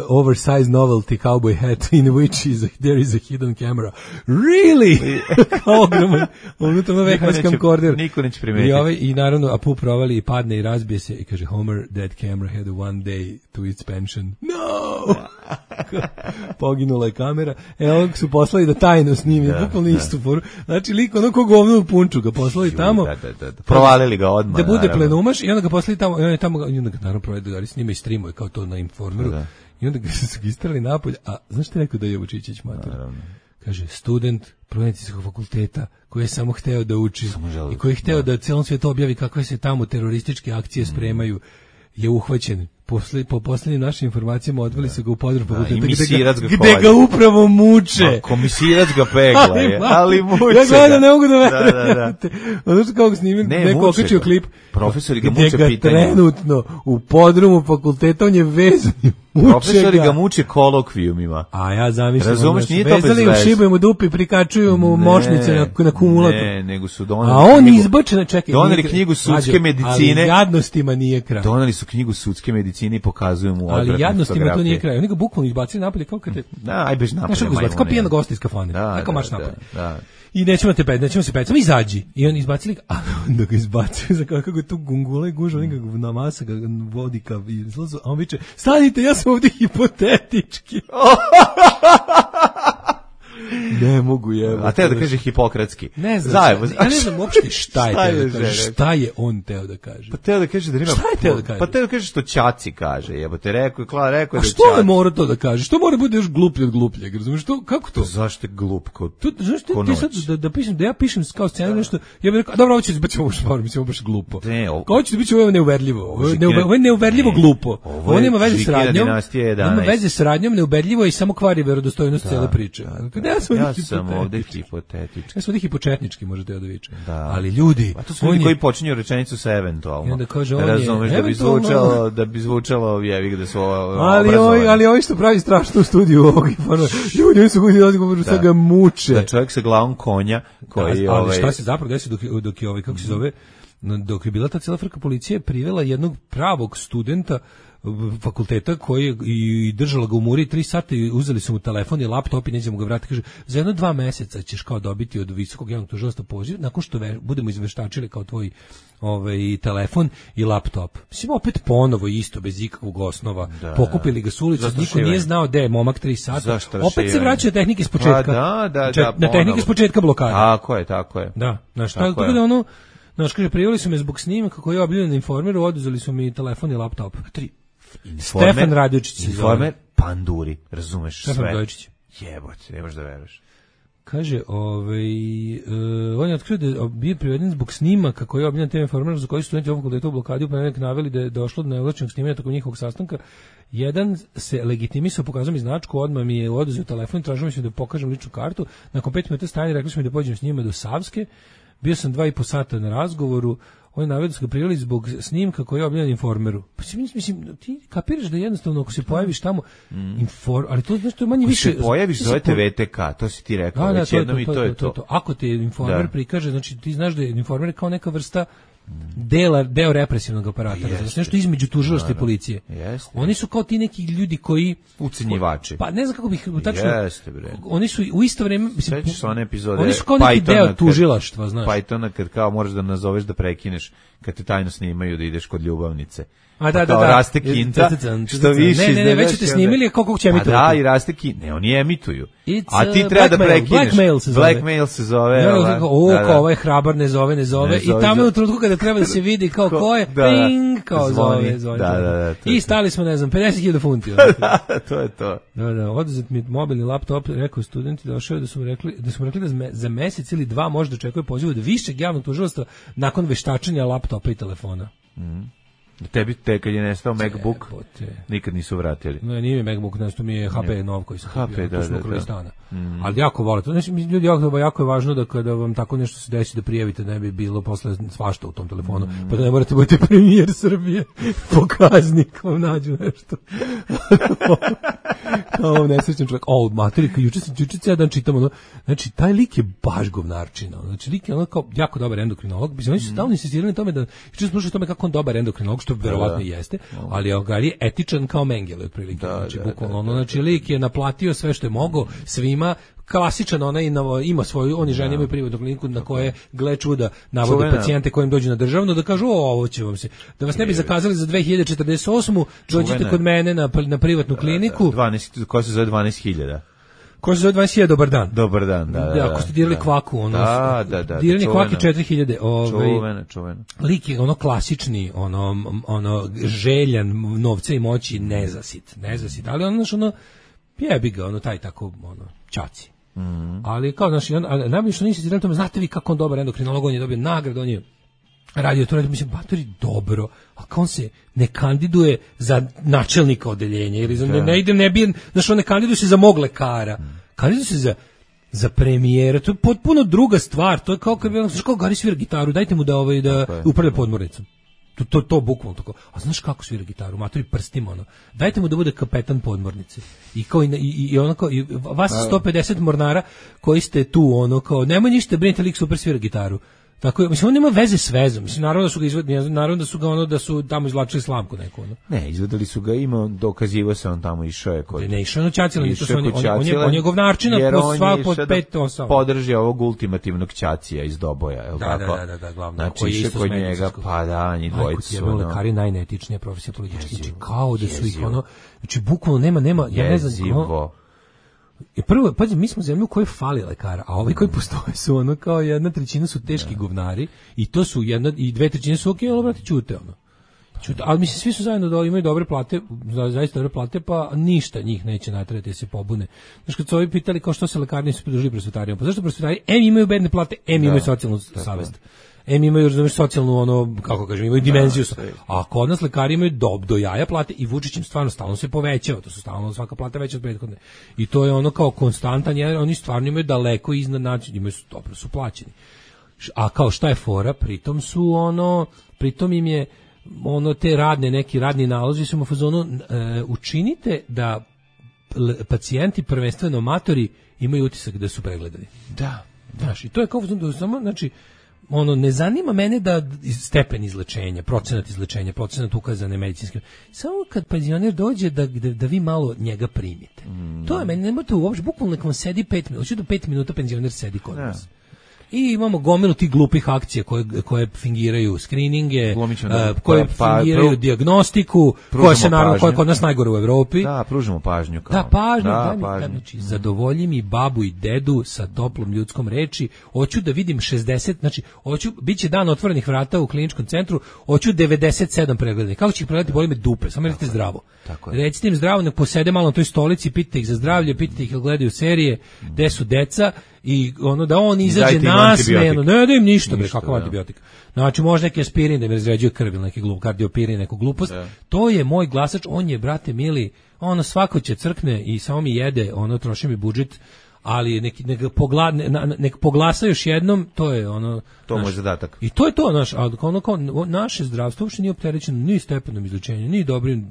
oversized novelty cowboy hat in which there is a hidden camera. Really? Ogroman. Unutra na VHS camcorder. Niko neće primetiti. I naravno Apu provali i padne i razbije se i kaže Homer, that camera had one day to its pension. No! Poginula je kamera. Evo su poslali da tajno snimi, bukvalno istu foru. Znači lik ono ko govno u punču ga poslali tamo. Da. Provalili ga odmah. Da bude plenumaš i onda ga poslali tamo, i onda ga naravno provede da snima i streamuje kao to na Informeru. I onda ga su istrali napolje. A znaš što je rekao da je Vučićić mater? Kaže, student Medicinskog fakulteta koji je samo hteo da uči i koji je hteo da celom svijetu objavi kakve se tamo terorističke akcije spremaju, je uhvaćen. Po posljednjim našim informacijama odveli su ga u podrum fakulteta gde ga upravo muče. Komisirac ga pegla je, ali muče ga. Ja gledam, ne mogu da verujem. Ono što kako snimim, neko okačio klip. Profesori ga muče pitanje. Gde ga trenutno u podrumu fakulteta, on je vezan. Profesori ga muče kolokvijumima. A ja zamišljam. Razumeš, nije to bez veze. Vezali u šibu mu dupi, prikačuju mu mošnice na kumulatu. Ne, nego su doneli. A on izbačen, čekaj. Doneli knjigu sudske medicine. Ali jadnostima nije kraj. Doneli su knjigu sudske medicine i pokazuju mu odvratne fotografije. Ali jadnostima to nije kraj. Oni ga bukvalno izbacili napolje kao kad te... Da, aj bež napolje. Znaš kako kao pijena gosta iz kafane. Neko marš napolje. I nećemo se peti, samo izađi. I on izbacili ga, a onda ga izbacili za kako je tu gungula i guža, on ga namasa, ga vodi ka izlazu, a on viče, stanite, ja sam ovdje hipotetički. Ne mogu je. A teo da kaže hipokratski. Ne znam. Ja ne znam uopšte šta je teo da kaže. Šta je on teo da kaže? Pa teo da kaže da nema. Šta je teo da kaže? Pa teo da kaže što ćaci kaže. Jebote, rekao je da ćaci. A što je mora to da kaže? Što mora bude još gluplje od glupljeg? Razumeš što? Kako to? Zašto je glup kod? Zašto ti sad da ja pišem kao scenarij nešto, ja bih rekao, dobro, hoće da baš špar, mislim baš glupo. Kao će da biće ovo neuverljivo. Ovo je neuverljivo glupo. Ovo nema veze s radnjom. Nema veze s radnjom, neuverljivo i samo kvari verodostojnost cele priče. Ja sam ovdje hipotetički. Ja sam ovdje hipočetnički, možete da viče. Ali ljudi... A to su ljudi koji počinju rečenicu sa eventualno. I onda kaže, razumeš da bi zvučalo jevik da su ali ovi što pravi strašnu studiju ovog informa. Ljudi su ljudi odgovoru sa ga muče. Da čovjek sa glavom konja koji... Ali šta se zapravo desi dok je ovaj, kako se zove... dok je bila ta cijela frka, policija je privela jednog pravog studenta fakulteta koji je i držala ga u muri 3 sata i uzeli su mu telefon i laptop i neće mu ga vratiti. Kaže, za 1-2 meseca ćeš kao dobiti od visokog javnog tužilaštva poziv nakon što budemo izveštačili kao tvoj telefon i laptop. Mislim, opet ponovo isto, bez ikakvog osnova. Pokupili ga s ulice, niko nije znao gde je momak 3 sata. Opet se vraćaju tehnike s početka. Na tehnike s početka blokade. Tako je. Da, znaš, tako da ono, znaš, kaže, prijavili su me zbog snimaka koji je objavljen na Informeru, oduzeli su mi telefon i laptop. Stefan Radojčić. Informer, panduri, razumeš sve. Stefan Radojčić. Jebote, nemaš da veruješ. Kaže, on je otkrio da je bio priveden zbog snimaka koji je objavljen na Informeru, za koji su studenti ovog fakulteta u blokadi u ponedeljak naveli da je došlo do neovlašćenog snimanja tokom njihovog sastanka. Jedan se legitimisao, pokazao mi značku, odmah mi je oduzeo telefon, tražio mi da pokažem ličnu kartu. Nakon 5 minuta stajanja rekli su mi da pođem s njima do Savske. Bio sam 2,5 sata na razgovoru. Oni naveli su ga prijavili zbog snimka koji je objavljen Informeru. Pa mislim, ti kapiraš da jednostavno ako se pojaviš tamo, ali to znači to je manje više. Ako se pojaviš zovete VTK, to si ti rekao, već jednom i to je to. Ako te Informer prikaže, znači ti znaš da je Informer kao neka vrsta deo represivnog aparata, znači nešto između tužilaštva i policije. Oni su kao ti neki ljudi koji ucenjivači. Pa ne znam kako bih tačno. Oni su u isto vrijeme, mislim, sećaš se one epizode. Oni su kao neki deo tužilaštva, znaš. Pythona kad kao moraš da nazoveš da prekineš kad te tajno snimaju da ideš kod ljubavnice. Da. Raste kinta, što više. Ne, već te snimili, kako će emitovati. Da, i raste kinta. Ne, oni emituju. A ti treba da prekineš. Blackmail se zove. Kao ovaj hrabar ne zove. I tamo je u trenutku kada treba da se vidi kao ko je, ping, kao zove. Da. I stali smo, ne znam, 50.000 funti. To je to. Da, oduzet mi mobilni laptop, rekao studenti, došao da su rekli da za mesec ili 2 može da očekuje poziv od višeg javnog tužilaštva nakon veštačenja laptopa i telefona. Tebi kad je nestao MacBook, nikad nisu vratili. Ne, nije mi MacBook, nešto mi je HP nov koji sam kupio, to smo ukrali stana. Ali jako vole to. Znači, ljudi, jako je važno da kada vam tako nešto se desi da prijavite, ne bi bilo posle svašta u tom telefonu, pa da ne morate budete premijer Srbije, pokaznik, vam nađu nešto. Kao nesrećan čovjek. Materi, juče dan čitam ono, znači, taj lik je baš govnarčina. Znači, lik je ono kao jako dobar endokrinolog. Oni su stalno insistirali na tome da, juče smo slušali o tome kako on dobar endokrinolog, što verovatno jeste, ali je etičan kao Mengele otprilike. Znači, bukvalno ono, znači, lik je naplatio sve što je mogao svima, klasičan onaj ima svoju, oni žene imaju privatnu kliniku na koje gle čuda navode pacijente kojim dođu na državno da kažu ovo će vam se, da vas ne bi zakazali za 2048. dođite kod mene na privatnu kliniku. 12, ko se zove 12.000. Ko se zove 20.000, dobar dan. Dobar dan, da. Ako ste dirali kvaku, ono. Da. Diranje kvake 4.000. Čuveno. Lik je ono klasični, ono željan novca i moći, nezasit. Ali ono, jebi ga, ono, taj tako, ono, čaci. Ali kao, znači, najbolje što nisi zirali tome, znate vi kako on dobar endokrinolog, on je dobio nagradu, on je radio to, mislim, batori dobro, a kao on se ne kandiduje za načelnika odeljenja, ili ne bi, znači, on ne kandiduje se za mog lekara, kandiduje se za premijera, to je potpuno druga stvar, to je kao kad bi, znači, kao Gari svira gitaru, dajte mu da upravlja podmornicom. To bukvalno tako. A znaš kako svira gitaru? Matori prstima, ono. Dajte mu da bude kapetan podmornice. I kao i ono kao i vas 150 mornara koji ste tu, ono kao nemoj ništa brinite, lik super svira gitaru. Tako je, mislim, on nema veze s vezom. Mislim, naravno da su ga ono, da su tamo izvlačili slamku neku, ono. Ne, izvedali su ga, dokazivo se on tamo išao je kod. Ne, išao je Ćacila, on je govnarčina po sva pod 5-8. Podrži ovog ultimativnog Ćacija iz Doboja, je l' tako? Da, glavno. Znači, išao kod njega, pa da, njih dvojicu. Ajko, lekari najneetičnija profesija politički, znači, kao da su ih, ono, znači, bukvalno nema, ja ne znam, i prvo, pazi, mi smo zemlju u kojoj fali lekara, a ovi koji postoje su ono kao 1/3 su teški govnari i to su 2/3 su okej, ali brate ćute ono. Ali mislim svi su zajedno da imaju dobre plate, zaista dobre plate, pa ništa njih neće naterati da se pobune. Znači kad su ovi pitali kao što se lekari nisu pridružili prosvetarijama, pa zašto prosvetari imaju bedne plate, imaju socijalnu savest. Imaju, razumiješ, socijalnu, ono, kako kažem, imaju dimenziju. A kod nas lekari imaju do jaja plate i Vučić im stvarno stalno se povećava, to su stalno svaka plata veća od prethodne. I to je ono kao konstantan, jer oni stvarno imaju daleko iznad način, imaju dobro su plaćeni. A kao šta je fora, pritom im je ono te neki radni nalozi su mu fazonu, učinite da pacijenti, prvenstveno amatori, imaju utisak da su pregledani. Da. Znaš, i to je kao samo, znači, ne zanima mene da stepen izlečenja, procenat ukazane medicinske. Samo kad penzioner dođe da vi malo njega primite. To je meni, nemojte uopšte, bukvalno nek vam sedi 5 minuta, hoću da 5 minuta penzioner sedi kod nas. I imamo gomilu tih glupih akcija koje fingiraju skrininge, koje fingiraju dijagnostiku, koja se naravno koja je kod nas najgore u Evropi. Da, pružimo pažnju. Kao. Da, pažnju. Znači, zadovolji mi babu i dedu sa toplom ljudskom reči. Hoću da vidim 60, znači, biće dan otvorenih vrata u kliničkom centru, hoću 97 pregleda. Kako će ih pregledati, boli me dupe, samo recite zdravo. Recite im zdravo, nek posede malo na toj stolici, pitajte ih za zdravlje, pitajte ih jel gledaju serije, gde su deca, i da on izađe nasmejano, ne da im ništa, kakav antibiotik. Znači, može neki aspirin da mi razređuje krv ili neki kardiopirin, neku glupost. To je moj glasač, on je, brate mili, svako će crkne i samo mi jede, troši mi budžet, ali nek poglasa još jednom, to je to moj zadatak. I to je to, naše zdravstvo uopšte nije opterećeno ni stepenom izlečenja, ni dobrim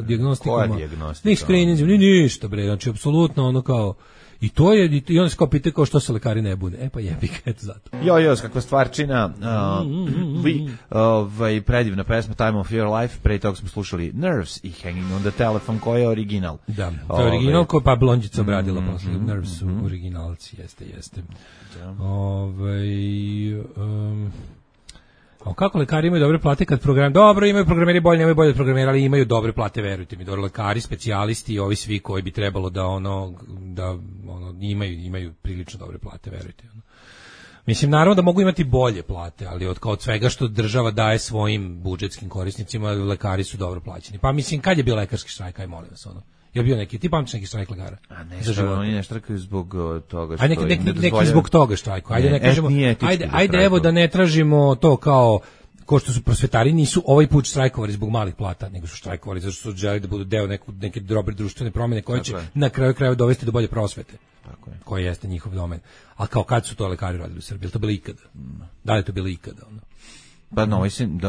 dijagnostikama, ni screeningom, ni ništa, bre, znači, apsolutno kao. I to je, i onda se kao pitaju kao što se lekari ne bune. Pa jebi ga, eto zato. Kakva stvarčina. Predivna pesma Time of Your Life. Pre toga smo slušali Nerves i Hanging on the Telephone, koji je original. Da, to je original koji pa Blondjica obradila posle. Nerves su originalci, jeste. Kako lekari imaju dobre plate kad program... Dobro, imaju programeri bolje, nemaju bolje programeri, ali imaju dobre plate, verujte mi. Dobro, lekari, specijalisti, ovi svi koji bi trebalo da imaju prilično dobre plate, verujte. Mislim, naravno da mogu imati bolje plate, ali od svega što država daje svojim budžetskim korisnicima, lekari su dobro plaćeni. Pa mislim, kad je bio lekarski štrajk, aj molim vas, je bio neki, ti pamtiš neki štrajk lekara? A ne, oni ne štrajkuju zbog toga što neki zbog toga štrajku. Ajde, ne kažemo, ajde evo da ne tražimo to kao što su prosvetari, nisu ovaj put štrajkovali zbog malih plata, nego su štrajkovali zato što su želi da budu deo neke dobre društvene promjene koje će na kraju krajeva dovesti do bolje prosvete. Tako je. Koji jeste njihov domen. A kao kad su to lekari radili u Srbiji? Je li to bilo ikada? Da li je to bilo ikada? Pa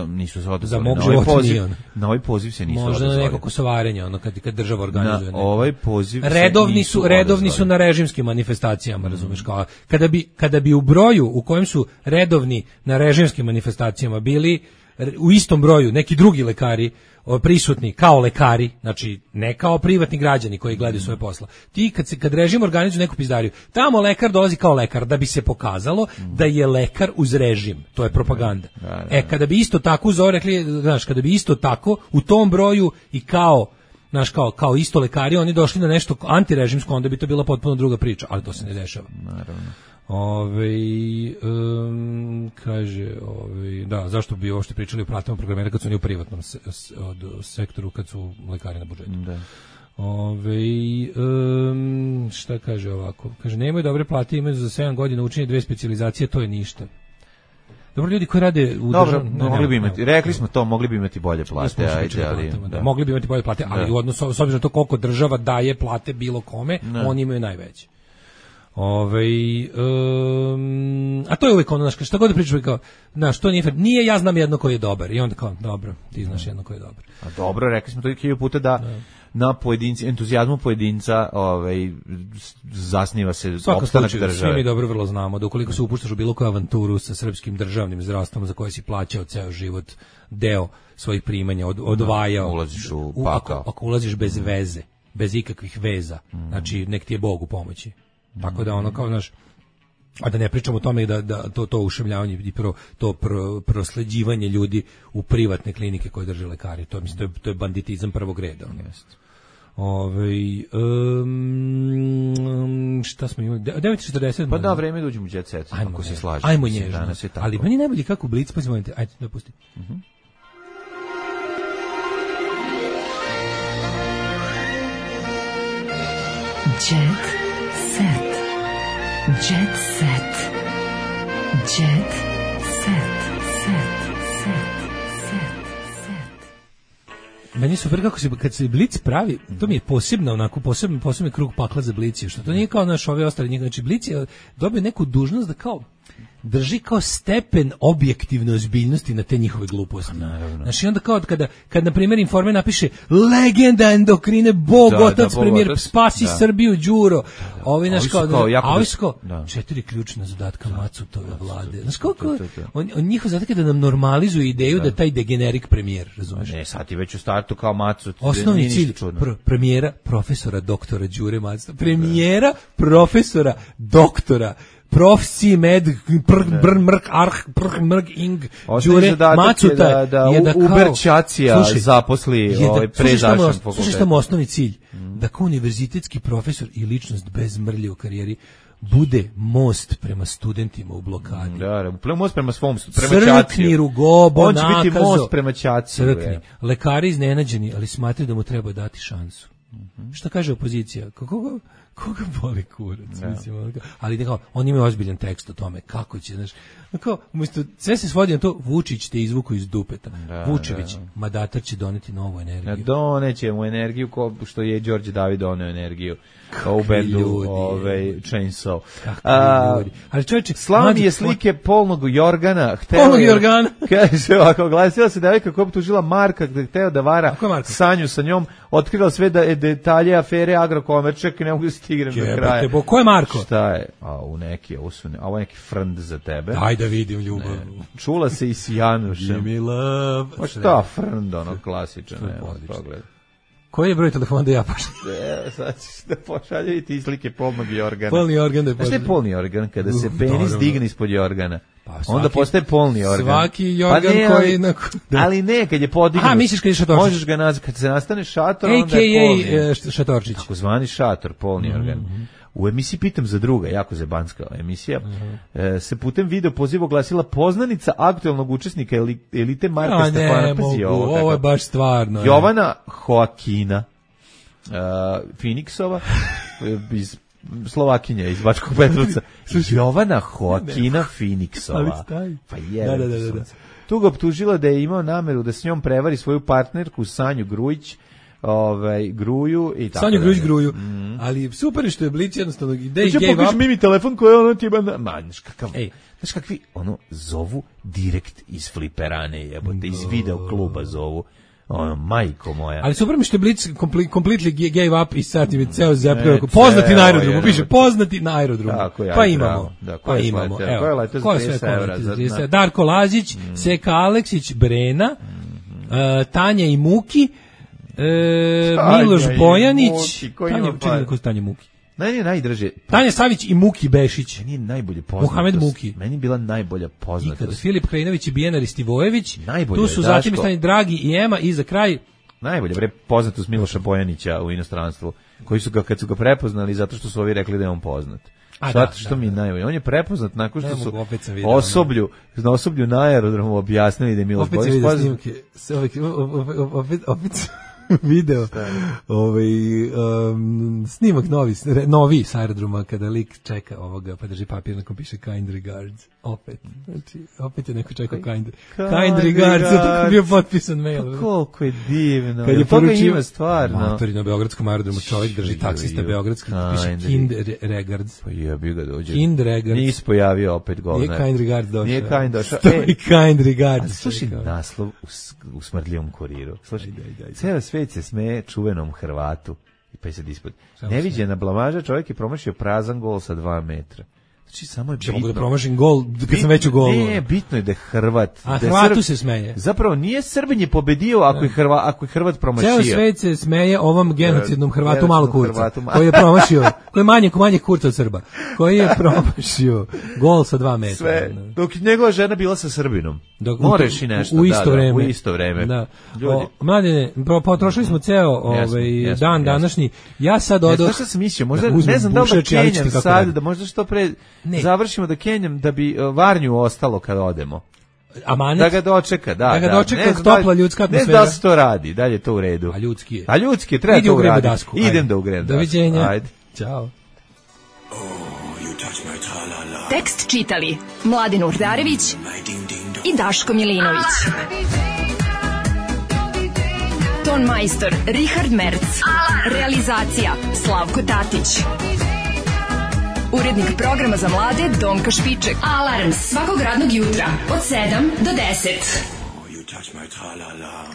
nisu se odazvali. Za mog života nije. Na ovaj poziv se nisu odazvali. Možda na neko kosovarenje, kad država organizuje. Na ovaj poziv redovni su na režimskim manifestacijama, razumeš, kao kada bi u broju u kojem su redovni na režimskim manifestacijama bili u istom broju neki drugi lekari prisutni kao lekari, znači ne kao privatni građani koji gledaju svoje posla. Ti kad režim organizuje neku pizdariju, tamo lekar dolazi kao lekar da bi se pokazalo da je lekar uz režim. To je propaganda. Kada bi isto tako kada bi isto tako u tom broju i kao kao isto lekari oni došli na nešto antirežimsko, onda bi to bila potpuno druga priča, ali to se ne dešava. Naravno. Zašto bi uopšte pričali o platama programera kad su oni u privatnom sektoru, kad su lekari na budžetu. Da. Šta kaže ovako? Kaže, nemaju dobre plate, imaju za 7 godina učenje 2 specijalizacije, to je ništa. Dobro, ljudi koji rade u mogli bi imati, rekli smo to, mogli bi imati bolje plate, mogli bi imati bolje plate, ali u odnosu s obzirom na to koliko država daje plate bilo kome, oni imaju najveće. A to je uvijek šta god da pričaš kao, to nije ja znam jedno koji je dobar, i onda kao, dobro, ti znaš jedno koji je dobar. A dobro, rekli smo to i 1000 puta da na pojedinci, entuzijazmu pojedinca zasniva se opstanak države. Svi mi dobro vrlo znamo da ukoliko se upuštaš u bilo koju avanturu sa srpskim državnim zdravstvom za koje si plaćao ceo život deo svojih primanja, odvajao, ulaziš u pakao. Ako ulaziš bez veze, bez ikakvih veza, znači nek ti je Bog u pomoći. Tako da kao a da ne pričamo o tome da to ušemljavanje i to prosleđivanje ljudi u privatne klinike koje drže lekari, to mislim to je banditizam prvog reda. Šta smo imali? 9:40. Pa da, vreme da uđemo u jet set, ako se slažeš. Ajmo nježno. Ali meni najbolje kako Blic, pa ćemo, ajde da pusti. Jet set. Jet set. Jet set. Meni je super kad se Blic pravi, to mi je posebno krug pakla za Blic, što to nije kao naš ove ostali njih, znači Blic je dobio neku dužnost da kao drži kao stepen objektivne ozbiljnosti na te njihove gluposti. Znači onda kao kad na primjer Informer napiše legenda endokrine, bog, otac, premijer, spasi Srbiju, Đuro. Ovi naš kao, a 4 ključna zadatka Macutove vlade. Znaš kako, on njihov zadatak je da nam normalizuju ideju da taj degenerik premijer, razumeš? Ne, sad ti već u startu kao Macut. Osnovni cilj premijera, profesora, doktora Đure Macuta. Premijera, profesora, doktora Profsi med brn mrk arh mrk ing Đure Macuta da Uber Ćacija zaposli prezašan fakultet. Slušaj šta mu osnovni cilj, da kao univerzitetski profesor i ličnost bez mrlje u karijeri bude most prema studentima u blokadi. Da, most prema svom prema Ćaciju. Crkni rugobo, on će biti most prema Ćaciju. Crkni. Lekari iznenađeni, ali smatraju da mu treba dati šansu. Šta kaže opozicija? Koga boli kurac, mislim, ali nekako, on ima ozbiljan tekst o tome, kako će, znaš, kao, umjesto, sve se svodi na to, Vučić te izvuku iz dupeta, Vučević, mandatar će doneti novu energiju. Doneće mu energiju, što je Đorđe David doneo energiju, u bendu Chainsaw. Ali čovječe, Slavi je slike polnog Jorgana, polnog Jorgana, kaže ovako, glasila se devojka koja je optužila Marka da je hteo da vara Sanju sa njom, otkrila sve da je detalje afere Agrokomerčak i ne mogu da stigrem do kraja. Ko je Marko? Šta je? Ovo je neki frnd za tebe. Daj da vidim ljubav. Čula se i s Janušem. Give me love. Pa šta frnd, ono klasičan. Koji je broj telefona da ja pošaljem? Sad ćeš da pošalje i ti slike polnog Jorgana. Polni organ da je pošaljem. Šta je polni organ? Kada se penis digne ispod Jorgana. Onda postaje polni organ. Svaki Jorgan koji... Ali ne, kad je podignut. Misliš kad je šatorčić? Možeš ga nazvati, kad se nastane šator, onda je polni. A.k.a. šatorčić. Tako zvani šator, polni organ. U emisiji Pitam za druga, jako zebanska emisija, se putem video poziva oglasila poznanica aktualnog učesnika elite Marka Stefana. Ovo je baš stvarno. Jovana Joakina Finiksova iz Slovakinja, iz Bačkog Petrovca. Jovana Joakina Finiksova. Pa je. Tu ga optužila da je imao nameru da s njom prevari svoju partnerku Sanju Grujić, Gruju i tako. Sanju Grujić Gruju. Ali super je što je Blic jednostavno gave up. Pokaži mi telefon koji ono ti znaš kakvi ono zovu direkt iz fliperane, jebote, iz video kluba zovu. Majko moja. Ali super mi što je Blitz completely gave up i sad je ceo zapravo poznati na aerodromu, piše poznati na aerodromu. Pa imamo. Pa imamo. Ko je sve kolega? Darko Lazić, Seka Aleksić, Brena, Tanja i Muki, Miloš Bojanić, Tanja Muki. Meni je najdraže. Tanja Savić i Muki Bešić. Meni je najbolje poznatost. Mohamed Muki. Meni je bila najbolja poznatost. Ikada Filip Krajinović i Bijena Ristivojević. Tu su zatim stani Dragi i Ema i za kraj najbolje poznatost Miloša Bojanića u inostranstvu, koji su ga, kad su ga prepoznali zato što su ovi rekli da je on poznat. Zato što mi najbolje. On je prepoznat nakon što su na osoblju na aerodromu objasnili da je Miloš Bojanić poznat. Opet video snimak novi s aerodroma kada lik čeka ovoga pa drži papir na kom piše kind regards opet je neko čekao kind regards tako bio potpisan mail. Koliko je divno kad je poručio stvarno matori na beogradskom aerodromu čovjek drži taksista beogradski piše kind regards pa ja bi ga dođe kind regards nisi pojavio opet govnar nije kind regards došao nije kind došao kind regards slušaj naslov u Smrdljivom kuriru slušaj ceo svet se smeje čuvenom Hrvatu i pa je sad ispod. Neviđena blamaža, čovjek je promašio prazan gol sa 2 metra. Znači, samo je bitno. Mogu da promašim gol, kad sam već u golu. Ne, bitno je da je Hrvat. A Hrvatu se smeje. Zapravo, nije Srbin je pobedio ako je Hrvat promašio. Ceo svet se smeje ovom genocidnom Hrvatu malo kurca, koji je promašio, koji je manje kurca od Srba, koji je promašio gol sa 2 metra. Sve, dok njegova žena bila sa Srbinom. Moraš i nešto. U isto vreme. U isto vreme. Da. Mladine, potrošili smo ceo dan današnji. Ja sad odoh. Znaš šta sam mislio? Možda, ne znam da li da kenjam sad, da možda što pre završimo da kenjam da bi Varnju ostalo kad odemo. Amanet? Da ga dočeka, da ga dočeka topla ljudska atmosfera. Ne znam da se to radi, dalje to u redu. A ljudski je. A ljudski je, treba to uraditi. Idem da ugrem dasku. Doviđenja. Ajde. Ćao. Tekst čitali Mladin Urdarević i Daško Milinović. Ton majstor Richard Merc. Realizacija Slavko Tatić. Urednik programa za mlade Donka Špiček. Alarms svakog radnog jutra od 7 do 10. You touch my tra-la-la.